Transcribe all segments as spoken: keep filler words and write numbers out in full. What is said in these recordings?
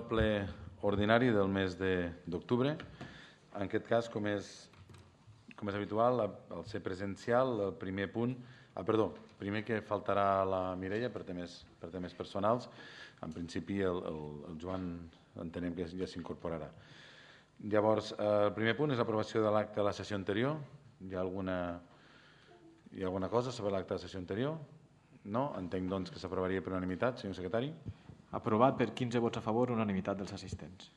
ple ordinari del mes d'octubre. En aquest cas, com és, com és habitual, al ser presencial, el primer punt... Ah, perdó, primer que faltarà la Mireia per temes, per temes personals. En principi, el, el, el Joan entenem que ja s'incorporarà. Llavors, el primer punt és l'aprovació de l'acte de la sessió anterior. Hi ha alguna, hi ha alguna cosa sobre l'acte de la sessió anterior? No? Entenc, doncs, que s'aprovaria per unanimitat, senyor secretari. Aprovat per quinze vots a favor, unanimitat dels assistents.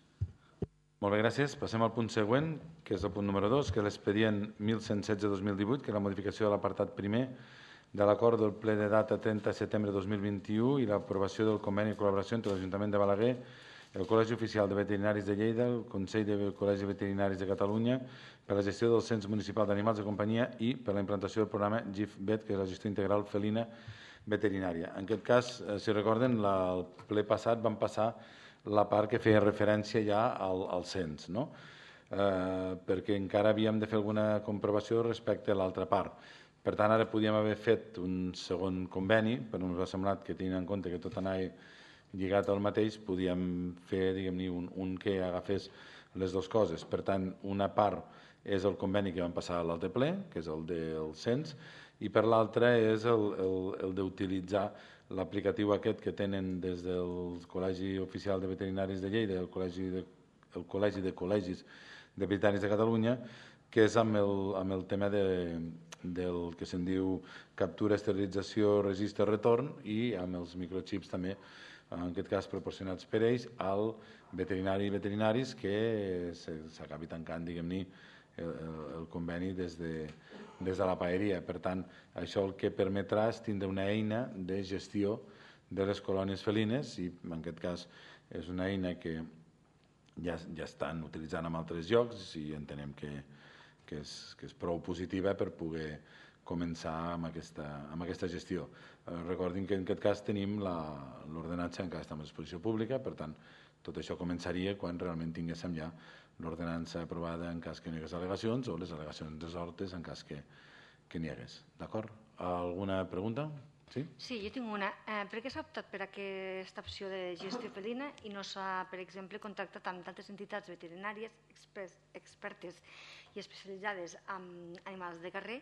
Molt bé, gràcies. Passem al punt següent, que és el punt número dos, que és l'expedient mil cent setze barra dos mil divuit, que és la modificació de l'apartat primer de l'acord del ple de data trenta de setembre de dos mil vint-i-u i l'aprovació del conveni de col·laboració entre l'Ajuntament de Balaguer, el Col·legi Oficial de Veterinaris de Lleida, el Consell de Col·legis Veterinaris de Catalunya, per la gestió del Cens Municipal d'Animals de Companyia i per la implantació del programa G I F-Vet, que és la gestió integral felina veterinària. En aquest cas, si recorden, el ple passat vam passar la part que feia referència ja al, al cens, no? eh, perquè encara havíem de fer alguna comprovació respecte a l'altra part. Per tant, ara podíem haver fet un segon conveni, però ens ha semblat que, tenint en compte que tot anava lligat al mateix, podíem fer, diguem-ne, un, un que agafés les dues coses. Per tant, una part és el conveni que vam passar a l'altre ple, que és el del cens, i per l'altra és el, el, el d'utilitzar l'aplicatiu aquest que tenen des del Col·legi Oficial de Veterinaris de Lleida i el Col·legi de, el Col·legi de Col·legis de Veterinaris de Catalunya, que és amb el, amb el tema de, del que se'n diu captura, esterilització, registre, retorn i amb els microchips també, en aquest cas proporcionats per ells, al veterinari i veterinaris que s'acabi tancant, diguem-ne, el, el conveni des de, des de la paeria. Per tant, això el que permetrà és tindre una eina de gestió de les colònies felines i en aquest cas és una eina que ja, ja estan utilitzant en altres llocs i entenem que, que, és, que és prou positiva per poder començar amb aquesta, amb aquesta gestió. Eh, recordin que en aquest cas tenim l'ordenança encara està en exposició pública, per tant, tot això començaria quan realment tinguéssim ja l'ordenança aprovada en cas que no hi hagués al·legacions o les al·legacions resoltes en cas que, que n'hi hagués. D'acord? Alguna pregunta? Sí? Sí, jo tinc una. Eh, per què s'ha optat per aquesta opció de gestió felina i no s'ha, per exemple, contactat amb d'altres entitats veterinàries expertes i especialitzades en animals de carrer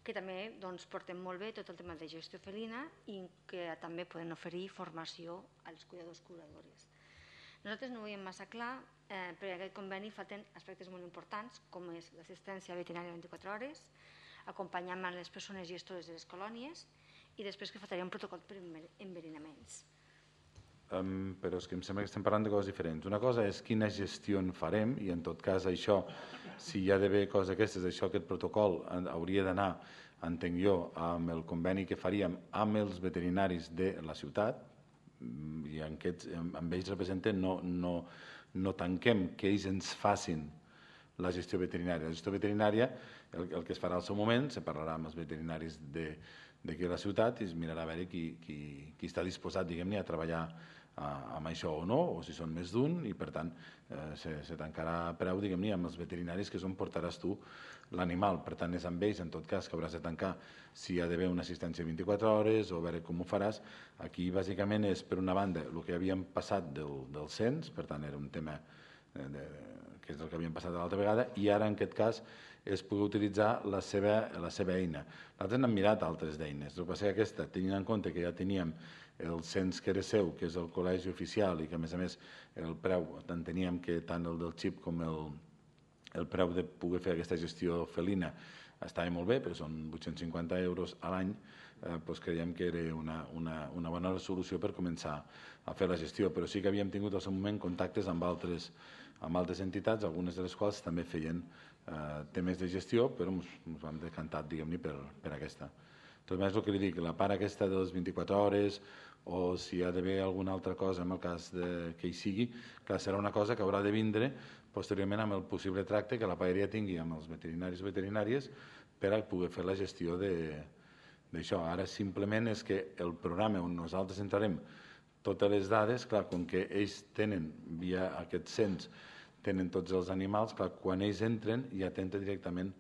que també doncs, porten molt bé tot el tema de gestió felina i que també poden oferir formació als cuidadors curadores. Nosaltres no ho veiem massa clar, eh, perquè aquest conveni falten aspectes molt importants, com és l'assistència veterinària vint-i-quatre hores, acompanyament a les persones gestores de les colònies i després que faltaria un protocol per enverinaments. Um, però és que em sembla que estem parlant de coses diferents. Una cosa és quina gestió en farem i en tot cas això, si hi ha d'haver coses aquestes, això, aquest protocol hauria d'anar, entenc jo, amb el conveni que faríem amb els veterinaris de la ciutat i en aquests, amb ells representen no, no, no tanquem que ells ens facin la gestió veterinària. La gestió veterinària, el, el que es farà al seu moment, se parlarà amb els veterinaris de d'aquí a la ciutat i es mirarà a veure qui, qui, qui està disposat, diguem-ne, a treballar uh, amb això o no, o si són més d'un, i per tant uh, se, se tancarà preu, diguem-ne, amb els veterinaris que és on portaràs tu l'animal. Per tant, és amb ells, en tot cas, que hauràs de tancar si hi ha d'haver una assistència vint-i-quatre hores o a veure com ho faràs. Aquí, bàsicament, és, per una banda, el que havíem passat del, del cens, per tant, era un tema de, de, que és el que havíem passat l'altra vegada, i ara, en aquest cas, és poder utilitzar la seva, la seva eina. Nosaltres n'hem mirat altres d'eines. El que passa és que aquesta, tenint en compte que ja teníem el cens que era seu, que és el col·legi oficial, i que a més a més el preu, enteníem que tant el del xip com el, el preu de poder fer aquesta gestió felina estava molt bé, però són vuit-cents cinquanta euros a l'any, eh, doncs creiem que era una, una, una bona solució per començar a fer la gestió. Però sí que havíem tingut al seu moment contactes amb altres, amb altres entitats, algunes de les quals també feien Uh, temes de gestió, però ens vam decantar, diguem-ne, per, per aquesta. Tot més el que li dic, la part aquesta de les vint-i-quatre hores o si hi ha d'haver alguna altra cosa en el cas de, que hi sigui, que serà una cosa que haurà de vindre posteriorment amb el possible tracte que la paeria tingui amb els veterinaris o veterinàries per a poder fer la gestió d'això. Ara simplement és que el programa on nosaltres entrarem totes les dades, clar, com que ells tenen via aquest cens tenen tots els animals, clar, quan ells entren ja t'entra directament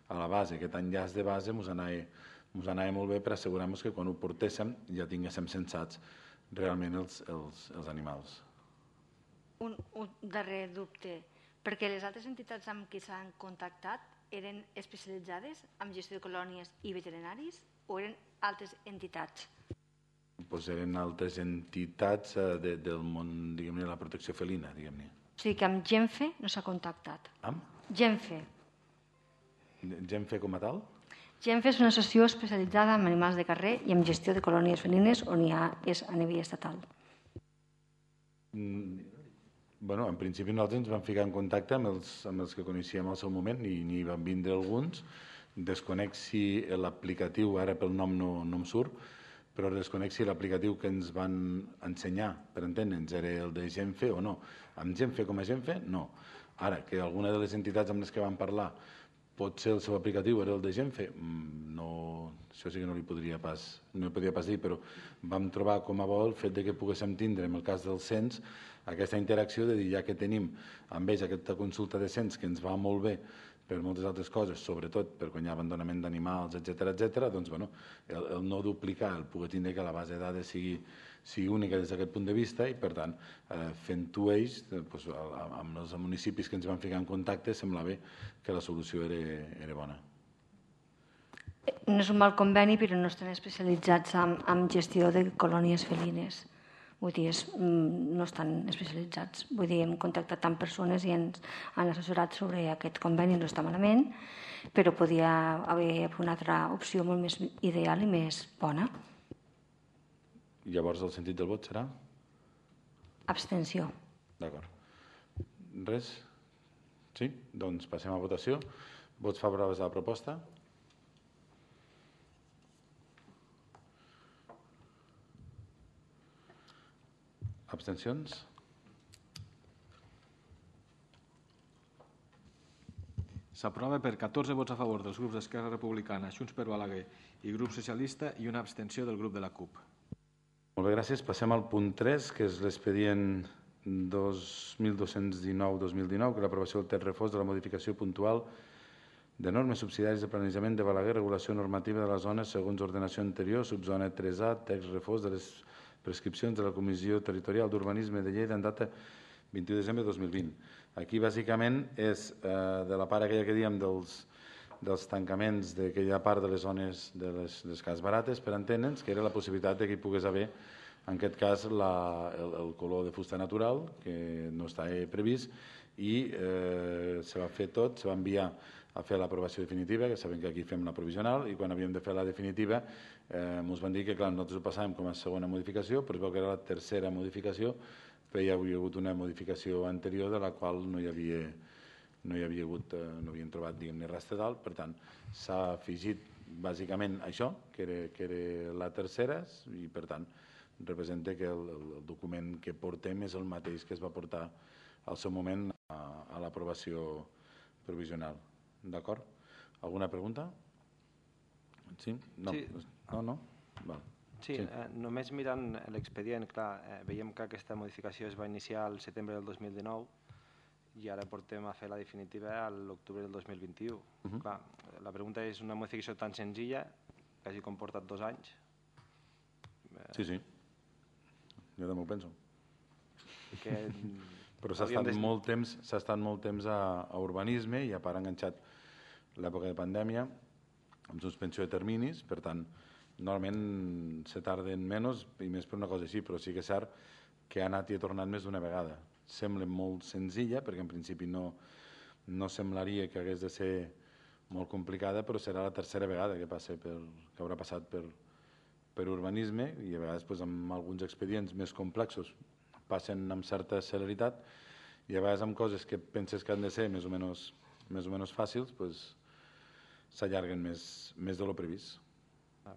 a la base. Aquest enllaç de base ens anava, anava molt bé per assegurar-nos que quan ho portéssim ja tinguéssim censats realment els, els, els animals. Un, un darrer dubte, perquè les altres entitats amb qui s'han contactat eren especialitzades en gestió de colònies i veterinaris o eren altres entitats? Pues eren altres entitats eh, de, del món, diguem-ne, de la protecció felina, diguem-ne. O sigui que amb Genfe no s'ha contactat. Amb? Genfe. Genfe com a tal? Genfe és una associació especialitzada en animals de carrer i en gestió de colònies felines on hi ha, és a nivell estatal. Mm, bueno, en principi nosaltres ens vam ficar en contacte amb els, amb els que coneixíem al seu moment i n'hi van vindre alguns. Desconec si l'aplicatiu, ara pel nom no, no em surt, però desconec si l'aplicatiu que ens van ensenyar, per entendre'ns, era el de Genfe o no. Amb Genfe com a Genfe, no. Ara, que alguna de les entitats amb les que vam parlar potser el seu aplicatiu era el de Genfe, no, això sí que no li podria pas, no li podria pas dir, però vam trobar com a bo el fet de que poguéssim tindre, en el cas del cens, aquesta interacció de dir, ja que tenim amb ells aquesta consulta de cens que ens va molt bé per moltes altres coses, sobretot per quan hi ha abandonament d'animals, etcètera, etcètera, doncs, bueno, el, el no duplicar, el poder tindre que la base de dades sigui, sigui única des d'aquest punt de vista i, per tant, eh, fent-ho ells, eh, doncs, amb els municipis que ens van ficar en contacte, sembla bé que la solució era, era bona. No és un mal conveni, però no estan especialitzats en, en gestió de colònies felines. Vull dir, és, no estan especialitzats. Vull dir, hem contactat amb persones i ens han assessorat sobre aquest conveni, no està malament, però podia haver una altra opció molt més ideal i més bona. Llavors el sentit del vot serà? Abstenció. D'acord. Res? Sí? Doncs passem a votació. Vots favorables a la proposta? Abstencions? S'aprova per catorze vots a favor dels grups d'Esquerra Republicana, Junts per Balaguer i Grup Socialista i una abstenció del grup de la CUP. Molt bé, gràcies. Passem al punt tres, que és l'expedient dos mil dos-cents dinou dos mil dinou, que és l'aprovació del text refós de la modificació puntual de normes subsidiàries de planejament de Balaguer, regulació normativa de les zones segons ordenació anterior, subzona tres A, text refós de les prescripcions de la Comissió Territorial d'Urbanisme de Lleida en data vint-i-u de desembre de dos mil vint. Aquí, bàsicament, és eh, de la part aquella que dèiem dels, dels tancaments d'aquella part de les zones de les, de les cases barates, per entendre'ns, que era la possibilitat que hi pogués haver, en aquest cas, la, el, el color de fusta natural, que no està previst, i eh, se va fer tot, se va enviar a fer l'aprovació definitiva, que sabem que aquí fem la provisional, i quan havíem de fer la definitiva eh, ens van dir que clar, nosaltres ho passàvem com a segona modificació, però es veu que era la tercera modificació, però hi havia hagut una modificació anterior de la qual no hi havia, no hi havia hagut, eh, no havíem trobat diguem-ne res de dalt, per tant s'ha afegit bàsicament això, que era, que era la tercera, i per tant representa que el, el document que portem és el mateix que es va portar al seu moment a, a l'aprovació provisional. D'acord? Alguna pregunta? Sí? No? Sí. No, no? Val. Sí, sí. Eh, només mirant l'expedient, clar, eh, veiem que aquesta modificació es va iniciar al setembre del dos mil dinou i ara portem a fer la definitiva a l'octubre del dos mil vint-i-u. Uh -huh. Clar, la pregunta és una modificació tan senzilla que hagi comportat dos anys. Eh... Sí, sí. Jo també ho penso. Que... Però s'ha estat, des... molt temps, s'ha estat molt temps a, a urbanisme i a part enganxat l'època de pandèmia amb suspensió de terminis, per tant, normalment se tarden menys i més per una cosa així, però sí que és cert que ha anat i ha tornat més d'una vegada. Sembla molt senzilla, perquè en principi no, no semblaria que hagués de ser molt complicada, però serà la tercera vegada que, passa per, que haurà passat per, per urbanisme i a vegades doncs, amb alguns expedients més complexos passen amb certa celeritat i a vegades amb coses que penses que han de ser més o menys, més o menys fàcils doncs, s'allarguen més, més de lo previst. De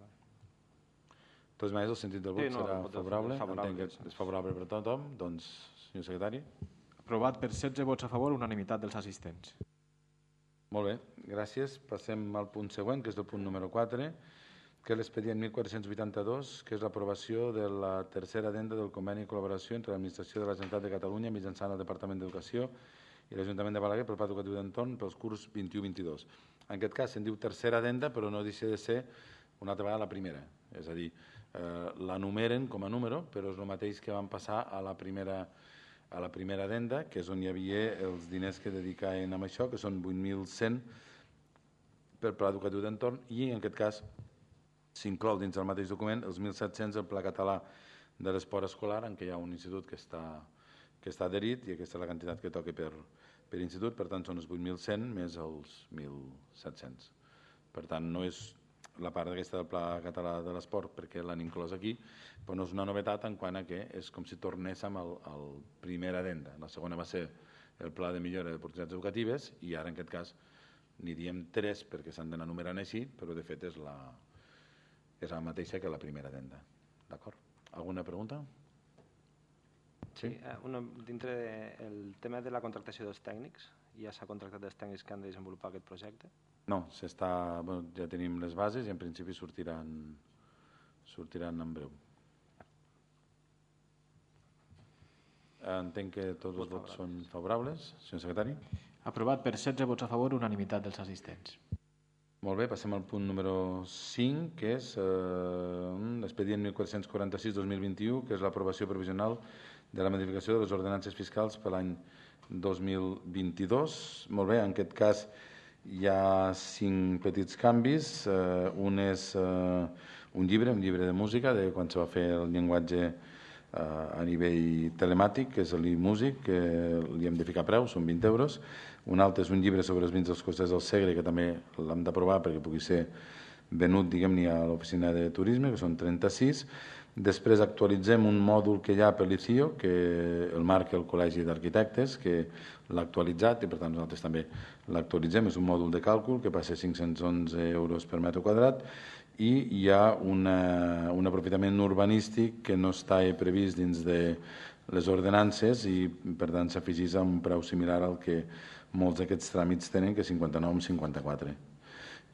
totes maneres, el sentit del vot sí, no, serà favorable. favorable. Entenc que és favorable per tothom. Doncs, senyor secretari. Aprovat per setze vots a favor, unanimitat dels assistents. Molt bé, gràcies. Passem al punt següent, que és el punt número quatre, que és l'expedient mil quatre-cents vuitanta-dos, que és l'aprovació de la tercera addenda del conveni de col·laboració entre l'Administració de la Generalitat de Catalunya mitjançant el Departament d'Educació i l'Ajuntament de Balaguer pel Pla Educatiu d'Entorn pels curs vint-i-u vint-i-dos. En aquest cas se'n diu tercera addenda, però no deixa de ser una altra vegada la primera. És a dir, eh, la numeren com a número, però és el mateix que van passar a la primera, a la primera addenda, que és on hi havia els diners que dedicaven a això, que són vuit mil cent per pla educatiu d'entorn, i en aquest cas s'inclou dins del mateix document els mil set-cents el pla català de l'esport escolar, en què hi ha un institut que està, que està adherit, i aquesta és la quantitat que toca per, per institut, per tant són els vuit mil cent més els mil set-cents. Per tant, no és la part aquesta del Pla Català de l'Esport perquè l'han inclòs aquí, però no és una novetat en quant a que és com si tornéssim al, al primer addenda. La segona va ser el Pla de Millora d'Oportunitats Educatives i ara en aquest cas n'hi diem tres perquè s'han d'anar numerant així, però de fet és la, és la mateixa que la primera addenda. D'acord? Alguna pregunta? Sí, eh, una, dintre del tema de la contractació dels tècnics, ja s'ha contractat els tècnics que han de desenvolupar aquest projecte? No, s'està, bueno, ja tenim les bases i en principi sortiran, sortiran en breu. Entenc que tots els vots són favorables. Senyor secretari. Aprovat per setze vots a favor, unanimitat dels assistents. Molt bé, passem al punt número cinc, que és eh, l'expedient mil quatre-cents quaranta-sis dos mil vint-i-u, que és l'aprovació provisional de la modificació de les ordenances fiscals per l'any dos mil vint-i-dos. Molt bé, en aquest cas hi ha cinc petits canvis. Eh, un és eh, un llibre, un llibre de música, de quan se va fer el llenguatge eh, a nivell telemàtic, que és l'e-músic, que li hem de ficar preu, són vint euros. Un altre és un llibre sobre els vins dels Costers del Segre, que també l'hem d'aprovar perquè pugui ser venut, diguem-ne, a l'oficina de turisme, que són trenta-sis. Després actualitzem un mòdul que hi ha per l'I C I O, que el marca el Col·legi d'Arquitectes, que l'ha actualitzat i per tant nosaltres també l'actualitzem. És un mòdul de càlcul que passa a cinc-cents onze euros per metre quadrat i hi ha una, un aprofitament urbanístic que no està previst dins de les ordenances i per tant s'afegís a un preu similar al que molts d'aquests tràmits tenen, que és cinquanta-nou amb cinquanta-quatre.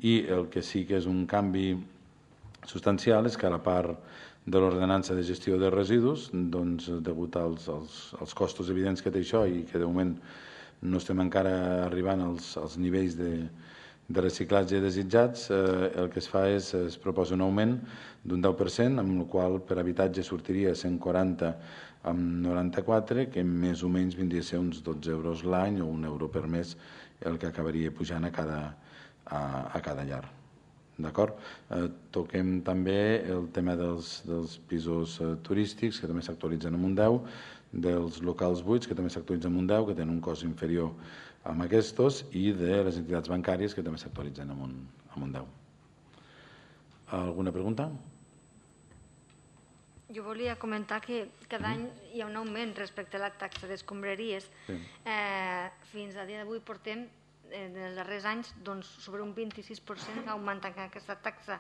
I el que sí que és un canvi substancial és que a la part de l'ordenança de gestió de residus, doncs, degut als, als, als costos evidents que té això i que de moment no estem encara arribant als, als nivells de, de reciclatge desitjats, eh, el que es fa és es proposa un augment d'un deu per cent, amb el qual per habitatge sortiria cent quaranta amb noranta-quatre, que més o menys vindria a ser uns dotze euros l'any o un euro per mes el que acabaria pujant a cada, a, a cada llar. D'acord? Eh, toquem també el tema dels, dels pisos eh, turístics, que també s'actualitzen amb un deu, dels locals buits, que també s'actualitzen amb un deu, que tenen un cost inferior a aquests, i de les entitats bancàries, que també s'actualitzen amb, un, amb un deu. Alguna pregunta? Jo volia comentar que cada any hi ha un augment respecte a la taxa d'escombraries. Sí. Eh, fins a dia d'avui portem en els darrers anys doncs, sobre un vint-i-sis per cent ha augmentat aquesta taxa.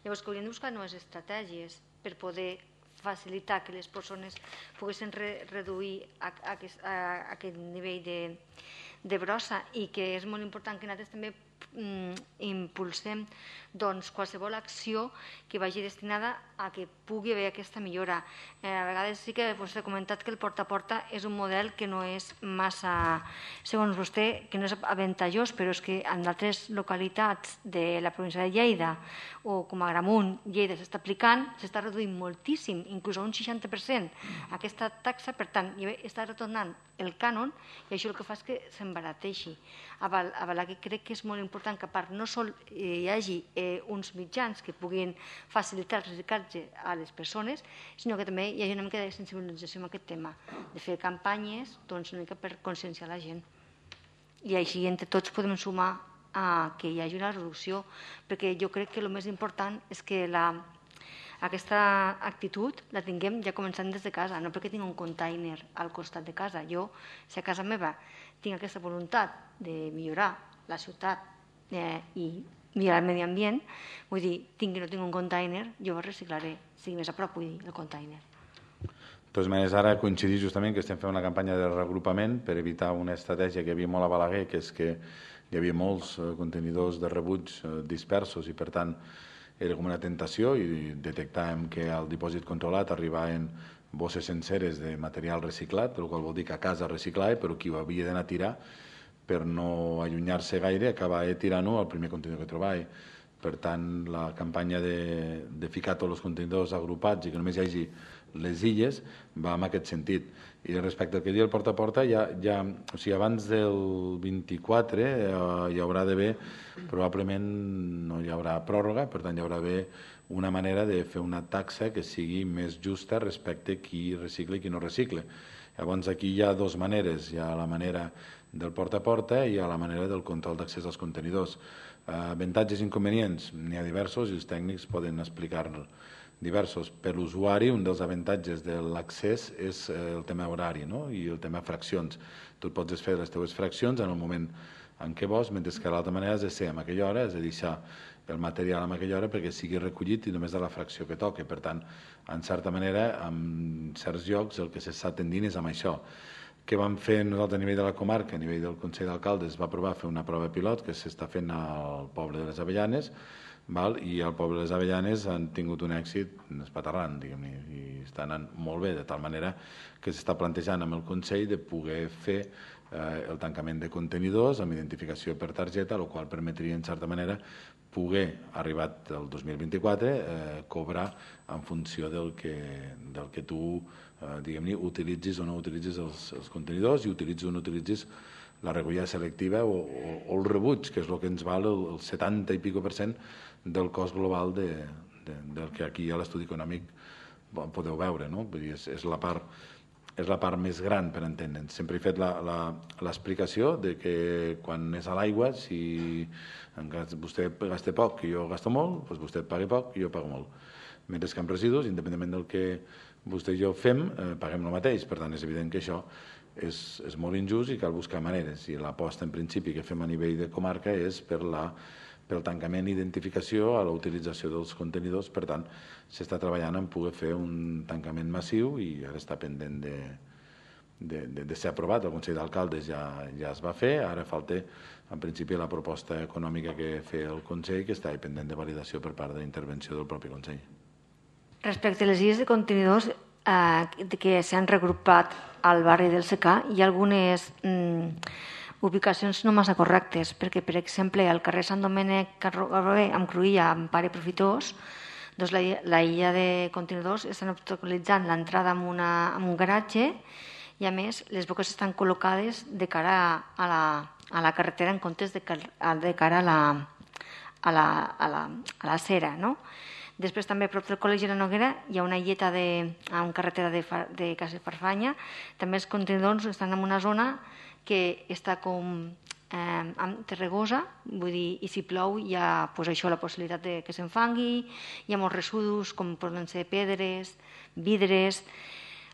Llavors que hauríem de buscar noves estratègies per poder facilitar que les persones poguessin re reduir a, a, aquest, a, a aquest nivell de, de brossa i que és molt important que nosaltres també mm, impulsem doncs, qualsevol acció que vagi destinada a que pugui haver aquesta millora. Eh, a vegades sí que vostè ha comentat que el porta a porta és un model que no és massa, segons vostè, que no és avantajós, però és que en altres localitats de la província de Lleida o com a Agramunt, Lleida s'està aplicant, s'està reduint moltíssim, inclús a un seixanta per cent aquesta taxa, per tant, està retornant el cànon i això el que fa és que s'embarateixi. A Balà que crec que és molt important que a part no sol hi hagi eh, uns mitjans que puguin facilitar el reciclatge a les persones, sinó que també hi hagi una mica de sensibilització en aquest tema, de fer campanyes doncs, una mica per conscienciar la gent. I així entre tots podem sumar a que hi hagi una reducció, perquè jo crec que el més important és que la, aquesta actitud la tinguem ja començant des de casa, no perquè tinc un container al costat de casa. Jo, si a casa meva tinc aquesta voluntat de millorar la ciutat eh, i millorar el medi ambient, vull dir, tinc que no tinc un container, jo ho reciclaré, sigui més a prop, vull dir, el container. De totes maneres, ara coincidir justament que estem fent una campanya de reagrupament per evitar una estratègia que hi havia molt a Balaguer, que és que hi havia molts eh, contenidors de rebuig eh, dispersos i, per tant, era com una tentació i detectàvem que al dipòsit controlat arribaven bosses senceres de material reciclat, el qual vol dir que a casa reciclava, però qui ho havia d'anar a tirar per no allunyar-se gaire acabava tirant-ho al primer contenidor que trobava. Per tant, la campanya de, de ficar tots els contenidors agrupats i que només hi hagi les illes, va en aquest sentit. I respecte al que diu el porta a porta, ja, ja, o sigui, abans del vint-i-quatre eh, hi haurà d'haver, probablement no hi haurà pròrroga, per tant hi haurà d'haver una manera de fer una taxa que sigui més justa respecte a qui recicla i qui no recicla. Llavors aquí hi ha dues maneres, hi ha la manera del porta a porta i hi ha la manera del control d'accés als contenidors. Eh, avantatges i inconvenients, n'hi ha diversos i els tècnics poden explicar-ne diversos. Per l'usuari, un dels avantatges de l'accés és el tema horari, no? I el tema fraccions. Tu pots fer les teves fraccions en el moment en què vols, mentre que l'altra manera és de ser a aquella hora, és de deixar el material a aquella hora perquè sigui recollit i només de la fracció que toca. Per tant, en certa manera, en certs llocs el que s'està tendint és amb això. Què vam fer nosaltres a nivell de la comarca, a nivell del Consell d'Alcaldes, va provar fer una prova pilot que s'està fent al poble de les Avellanes, val? I al poble de les Avellanes han tingut un èxit espaterrant, diguem-ne, i estan anant molt bé, de tal manera que s'està plantejant amb el Consell de poder fer eh, el tancament de contenidors amb identificació per targeta, el qual permetria, en certa manera, poder, arribat el dos mil vint-i-quatre, eh, cobrar en funció del que, del que tu eh, diguem-ne, utilitzis o no utilitzis els, els contenidors i utilitzis o no utilitzis la recollida selectiva o, o, o el rebuig, que és el que ens val el, el setanta i pico per cent del cost global de, de, del que aquí a l'estudi econòmic podeu veure, no? Vull dir, és, és, la part, és la part més gran per entendre'ns. Sempre he fet l'explicació de que quan és a l'aigua, si vostè gasta poc i jo gasto molt, doncs vostè paga poc i jo pago molt. Mentre que amb residus, independentment del que vostè i jo fem, eh, paguem el mateix. Per tant, és evident que això és, és molt injust i cal buscar maneres. I l'aposta, en principi, que fem a nivell de comarca és per la pel tancament i identificació a la utilització dels contenidors. Per tant, s'està treballant en poder fer un tancament massiu i ara està pendent de, de, de, de ser aprovat. El Consell d'Alcaldes ja, ja es va fer, ara falta, en principi, la proposta econòmica que feia el Consell, que està pendent de validació per part de la intervenció del propi Consell. Respecte a les illes de contenidors eh, que s'han regrupat al barri del Secà, hi ha algunes mm, ubicacions no massa correctes, perquè, per exemple, al carrer Sant Domènec amb Cruïlla, amb Pare Profitós, doncs la, la illa de contenidors estan obstaculitzant l'entrada amb, una, amb un garatge i, a més, les boques estan col·locades de cara a la, a la carretera en comptes de, de cara a la, a la, a la, a la cera, no? Després, també, a prop del Col·legi de la Noguera, hi ha una illeta de, a una carretera de, de Casa Farfanya. També els contenidors estan en una zona que està com eh, terregosa, vull dir, i si plou hi ha pues, això, la possibilitat de que s'enfangui, hi ha molts residus, com poden ser pedres, vidres.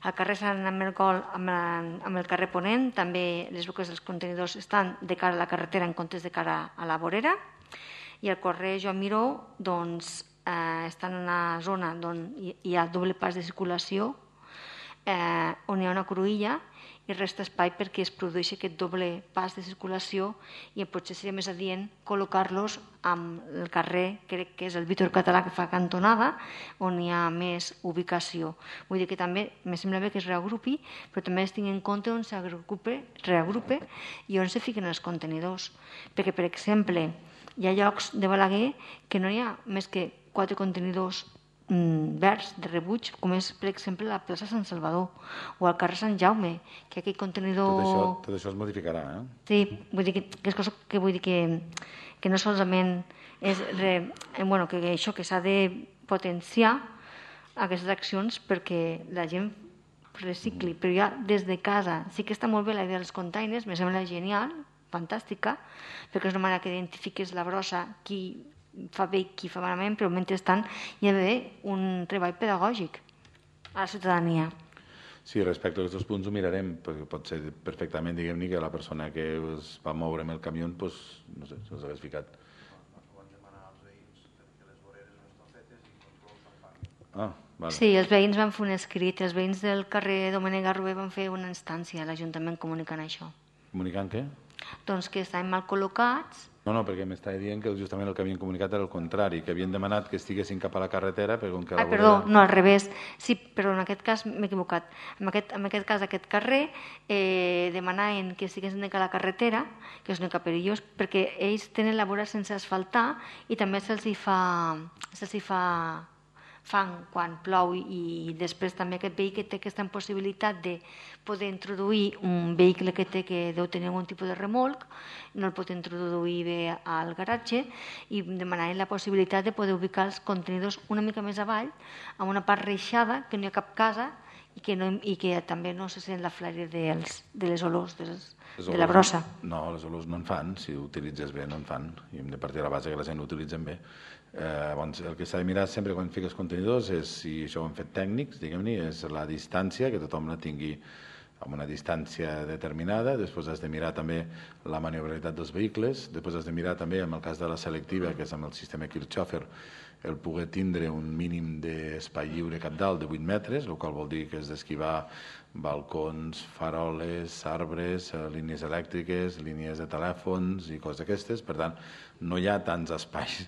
Al carrer Sant Amergol, amb, amb el carrer Ponent, també les boques dels contenidors estan de cara a la carretera en comptes de cara a la vorera. I al carrer Joan Miró, doncs, eh, estan en una zona on hi ha doble pas de circulació, eh, on hi ha una cruïlla, i resta espai perquè es produeixi aquest doble pas de circulació i potser seria més adient col·locar-los amb el carrer, crec que és el Víctor Català que fa cantonada, on hi ha més ubicació. Vull dir que també me sembla bé que es reagrupi, però també es tingui en compte on s'agrupe, reagrupe i on se fiquen els contenidors. Perquè, per exemple, hi ha llocs de Balaguer que no hi ha més que quatre contenidors verds de rebuig, com és, per exemple, la plaça Sant Salvador o al carrer Sant Jaume, que aquell contenidor... Tot això, tot això es modificarà, eh? Sí, vull dir que, que és cosa que vull dir que, que no solament és re, bueno, que això que s'ha de potenciar aquestes accions perquè la gent recicli, però ja des de casa sí que està molt bé la idea dels containers, me sembla genial, fantàstica, perquè és una manera que identifiques la brossa, qui fa bé i qui fa malament, però mentrestant hi ha d'haver un treball pedagògic a la ciutadania. Sí, respecte a aquests punts ho mirarem, perquè pot ser perfectament, diguem-ne, que la persona que es va moure amb el camió, doncs, no sé, se'ls hagués ficat. Ah, vale. Sí, els veïns van fer un escrit, els veïns del carrer Domènec Garrover van fer una instància a l'Ajuntament comunicant això. Comunicant què? Doncs que estaven mal col·locats. No, no, perquè m'estava dient que justament el que havien comunicat era el contrari, que havien demanat que estiguessin cap a la carretera, però com que la ah, perdó, vorera... no, al revés. Sí, però en aquest cas m'he equivocat. En aquest, en aquest cas, aquest carrer, eh, demanaven que estiguessin de cara a la carretera, que és una mica perillós, perquè ells tenen la vora sense asfaltar i també se'ls hi fa, se'ls hi fa fan quan plou i després també aquest vehicle té aquesta possibilitat de poder introduir un vehicle que té que deu tenir algun tipus de remolc, no el pot introduir bé al garatge i demanarem la possibilitat de poder ubicar els contenidors una mica més avall, amb una part reixada, que no hi ha cap casa i que, no, i que també no se sent la flaire dels, de les olors, de, les, de la brossa. No, les olors no en fan, si ho utilitzes bé no en fan, i hem de partir de la base que la gent ho utilitzen bé. Eh, doncs el que s'ha de mirar sempre quan fiques contenidors és, si això ho hem fet tècnics, diguem-ne, és la distància, que tothom la tingui amb una distància determinada, després has de mirar també la maniobrabilitat dels vehicles, després has de mirar també, en el cas de la selectiva, que és amb el sistema Kirchhofer, el poder tindre un mínim d'espai lliure cap dalt de vuit metres, el qual vol dir que és d'esquivar balcons, faroles, arbres, línies elèctriques, línies de telèfons i coses d'aquestes. Per tant, no hi ha tants espais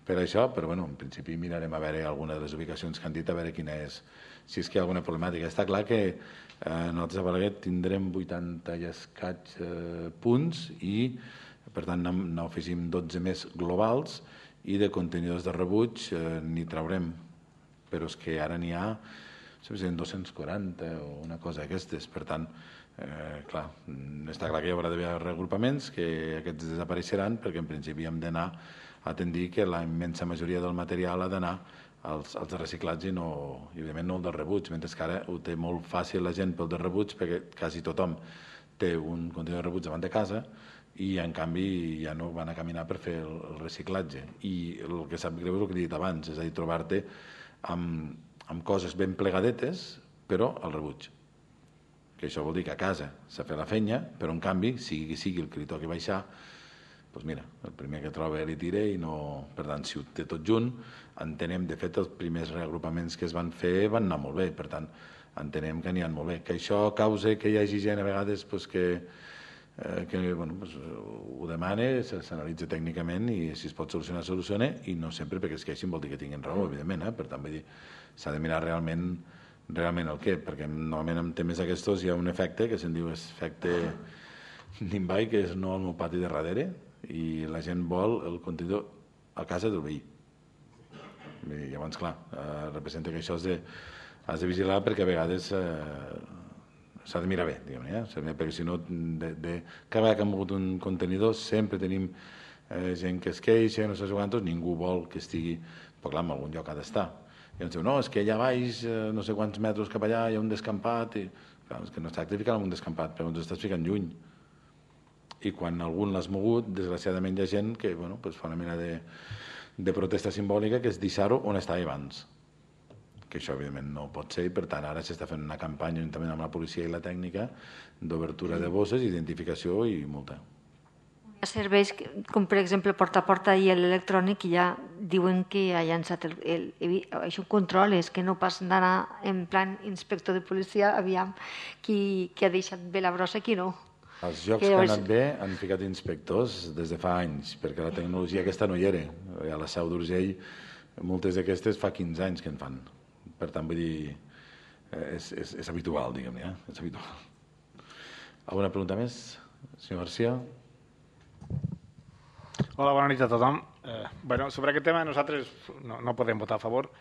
per això, però bueno, en principi mirarem a veure alguna de les ubicacions que han dit, a veure quina és, si és que hi ha alguna problemàtica. Està clar que eh, nosaltres a Balaguer tindrem vuitanta i escaig eh, punts i, per tant, n'afegim dotze més globals, i de contenidors de rebuig eh, n'hi traurem, però és que ara n'hi ha dos-cents quaranta o una cosa d'aquestes. Per tant, eh, clar, està clar que hi haurà d'haver reagrupaments, que aquests desapareixeran, perquè en principi hem d'anar a tendir que la immensa majoria del material ha d'anar als, als de reciclatge i, no, i evidentment no el de rebuig, mentre que ara ho té molt fàcil la gent pel de rebuig, perquè quasi tothom té un contenidor de rebuig davant de casa i en canvi ja no van a caminar per fer el, el reciclatge. I el que sap greu és el que he dit abans, és a dir, trobar-te amb, amb coses ben plegadetes, però al rebuig. Que això vol dir que a casa s'ha fet la feina, però en canvi, sigui qui sigui el que li toqui baixar, doncs mira, el primer que troba li tira i no... Per tant, si ho té tot junt, entenem, de fet, els primers reagrupaments que es van fer van anar molt bé, per tant, entenem que n'hi ha molt bé. Que això causa que hi hagi gent a vegades pues, que, eh, que bueno, pues, ho demana, s'analitza tècnicament i si es pot solucionar, soluciona, i no sempre perquè es queixin vol dir que tinguin raó, evidentment, eh? Per tant, vull dir, s'ha de mirar realment realment el què, perquè normalment en temes aquests hi ha un efecte que se'n diu efecte Nimbai, que és no al meu pati de darrere, i la gent vol el contenidor a casa del veí. I llavors, clar, eh, representa que això has de, has de vigilar perquè a vegades eh, s'ha de mirar bé, diguem-ne, eh? Perquè si no, de, de, cada vegada que hem mogut un contenidor sempre tenim eh, gent que es queixa, no sé quantos, ningú vol que estigui, però clar, en algun lloc ha d'estar. I ens diu, no, és que allà baix, eh, no sé quants metres cap allà, hi ha un descampat, i clar, és que no es tracta de ficar en un descampat, però ens estàs ficant lluny. I quan algun l'has mogut, desgraciadament hi ha gent que bueno, pues fa una mena de, de protesta simbòlica, que és deixar-ho on estava abans. Que això, evidentment, no pot ser, i per tant ara s'està fent una campanya juntament amb la policia i la tècnica d'obertura de bosses, identificació i multa. Hi ha serveis com, per exemple, porta a porta i l'electrònic, que ja diuen que ha llançat el, el, el, això control, és que no pas d'anar en plan inspector de policia, aviam qui, qui ha deixat bé la brossa, qui no. Els jocs que han anat bé han ficat inspectors des de fa anys, perquè la tecnologia aquesta no hi era. A la Seu d'Urgell, moltes d'aquestes fa quinze anys que en fan. Per tant, vull dir, és, és, és habitual, diguem-ne, eh? És habitual. Alguna pregunta més? Senyor García? Hola, bona nit a tothom. Eh, bueno, sobre aquest tema nosaltres no, no podem votar a favor.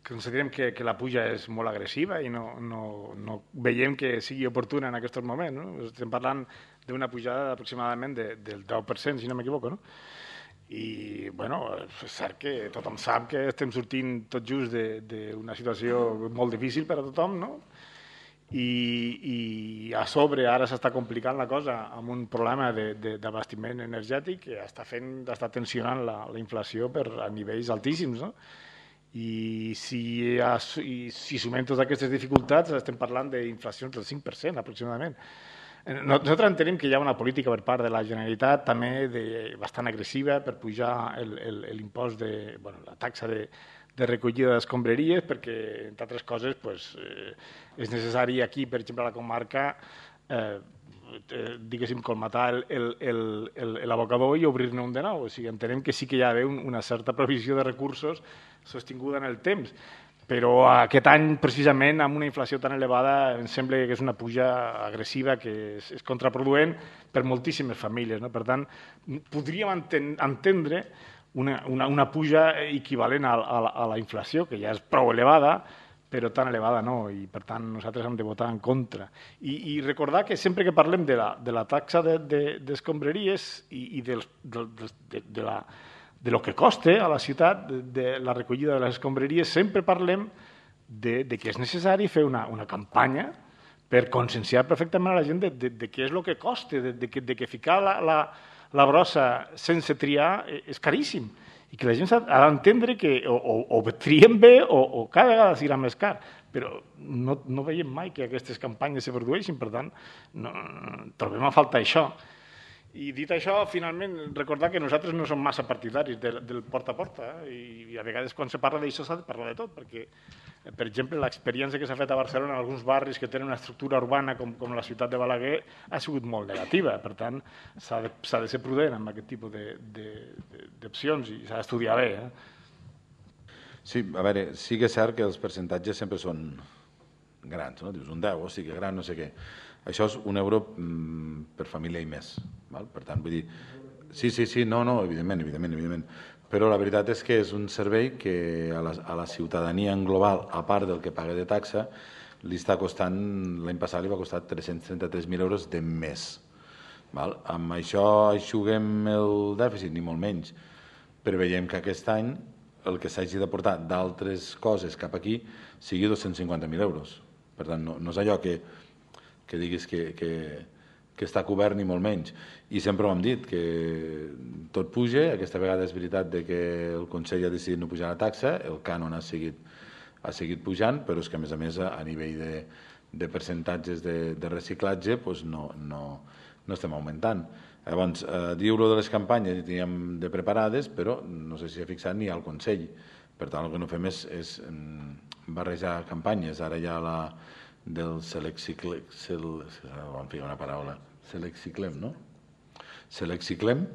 Considerem que, que la puja és molt agressiva i no, no, no veiem que sigui oportuna en aquests moments. No? Estem parlant d'una pujada aproximadament de, del deu per cent, si no m'equivoco. No? I, bueno, és cert que tothom sap que estem sortint tot just d'una situació molt difícil per a tothom, no? I, i a sobre ara s'està complicant la cosa amb un problema d'abastiment energètic que està fent, està tensionant la, la inflació per a nivells altíssims, no? I si, i si sumem totes aquestes dificultats estem parlant d'inflacions del cinc per cent aproximadament. Nosaltres entenem que hi ha una política per part de la Generalitat també de, bastant agressiva per pujar l'impost de, bueno, la taxa de, de recollida d'escombraries perquè, entre altres coses, pues, eh, és necessari aquí, per exemple, a la comarca, eh, eh, diguéssim, colmatar l'abocador i obrir-ne un de nou. O sigui, entenem que sí que hi ha d'haver una certa provisió de recursos sostinguda en el temps, però aquest any, precisament, amb una inflació tan elevada, em sembla que és una puja agressiva que és, és contraproduent per moltíssimes famílies. No? Per tant, podríem enten entendre una, una, una puja equivalent a, a, a la inflació, que ja és prou elevada, però tan elevada no, i per tant nosaltres hem de votar en contra. I, i recordar que sempre que parlem de la, de la taxa d'escombraries de, de, i, i del, del, de, de, la, de lo que costa a la ciutat de, de la recollida de les escombraries, sempre parlem de, de que és necessari fer una, una campanya per conscienciar perfectament a la gent de, de, de què és el que costa, de, de, que, de que ficar la, la, la brossa sense triar és caríssim. I que la gent ha d'entendre que o, o, o triem bé o, o cada vegada serà més car, però no, no veiem mai que aquestes campanyes se produeixin, per tant, no, trobem a falta això. I dit això, finalment, recordar que nosaltres no som massa partidaris del, del porta a porta, eh? I a vegades quan se parla d'això s'ha de parlar de tot, perquè, per exemple, l'experiència que s'ha fet a Barcelona en alguns barris que tenen una estructura urbana com, com la ciutat de Balaguer ha sigut molt negativa, per tant, s'ha de, s'ha de ser prudent amb aquest tipus d'opcions i s'ha d'estudiar bé. Eh? Sí, a veure, sí que és cert que els percentatges sempre són grans, no? Dius un deu, o sigui que gran, no sé què. Això és un euro mm, per família i més. Val? Per tant, vull dir... Sí, sí, sí, no, no, evidentment, evidentment, evidentment. Però la veritat és que és un servei que a la, a la ciutadania en global, a part del que paga de taxa, li està costant, l'any passat li va costar tres-cents trenta-tres mil euros de més. Val? Amb això aixuguem el dèficit, ni molt menys. Però veiem que aquest any el que s'hagi de portar d'altres coses cap aquí sigui dos-cents cinquanta mil euros. Per tant, no, no és allò que, que diguis que, que, que està cobert ni molt menys. I sempre ho hem dit, que tot puja. Aquesta vegada és veritat de que el Consell ha decidit no pujar la taxa, el cànon ha seguit, ha seguit pujant, però és que a més a més a nivell de, de percentatges de, de reciclatge doncs no, no, no estem augmentant. Llavors, eh, diu-lo de les campanyes, i teníem de preparades, però no sé si s'ha fixat ni al Consell. Per tant, el que no fem és, és barrejar campanyes. Ara hi ha la del Selexiclem, sel, vam ficar una paraula, Selexiclem, no? Selexiclem,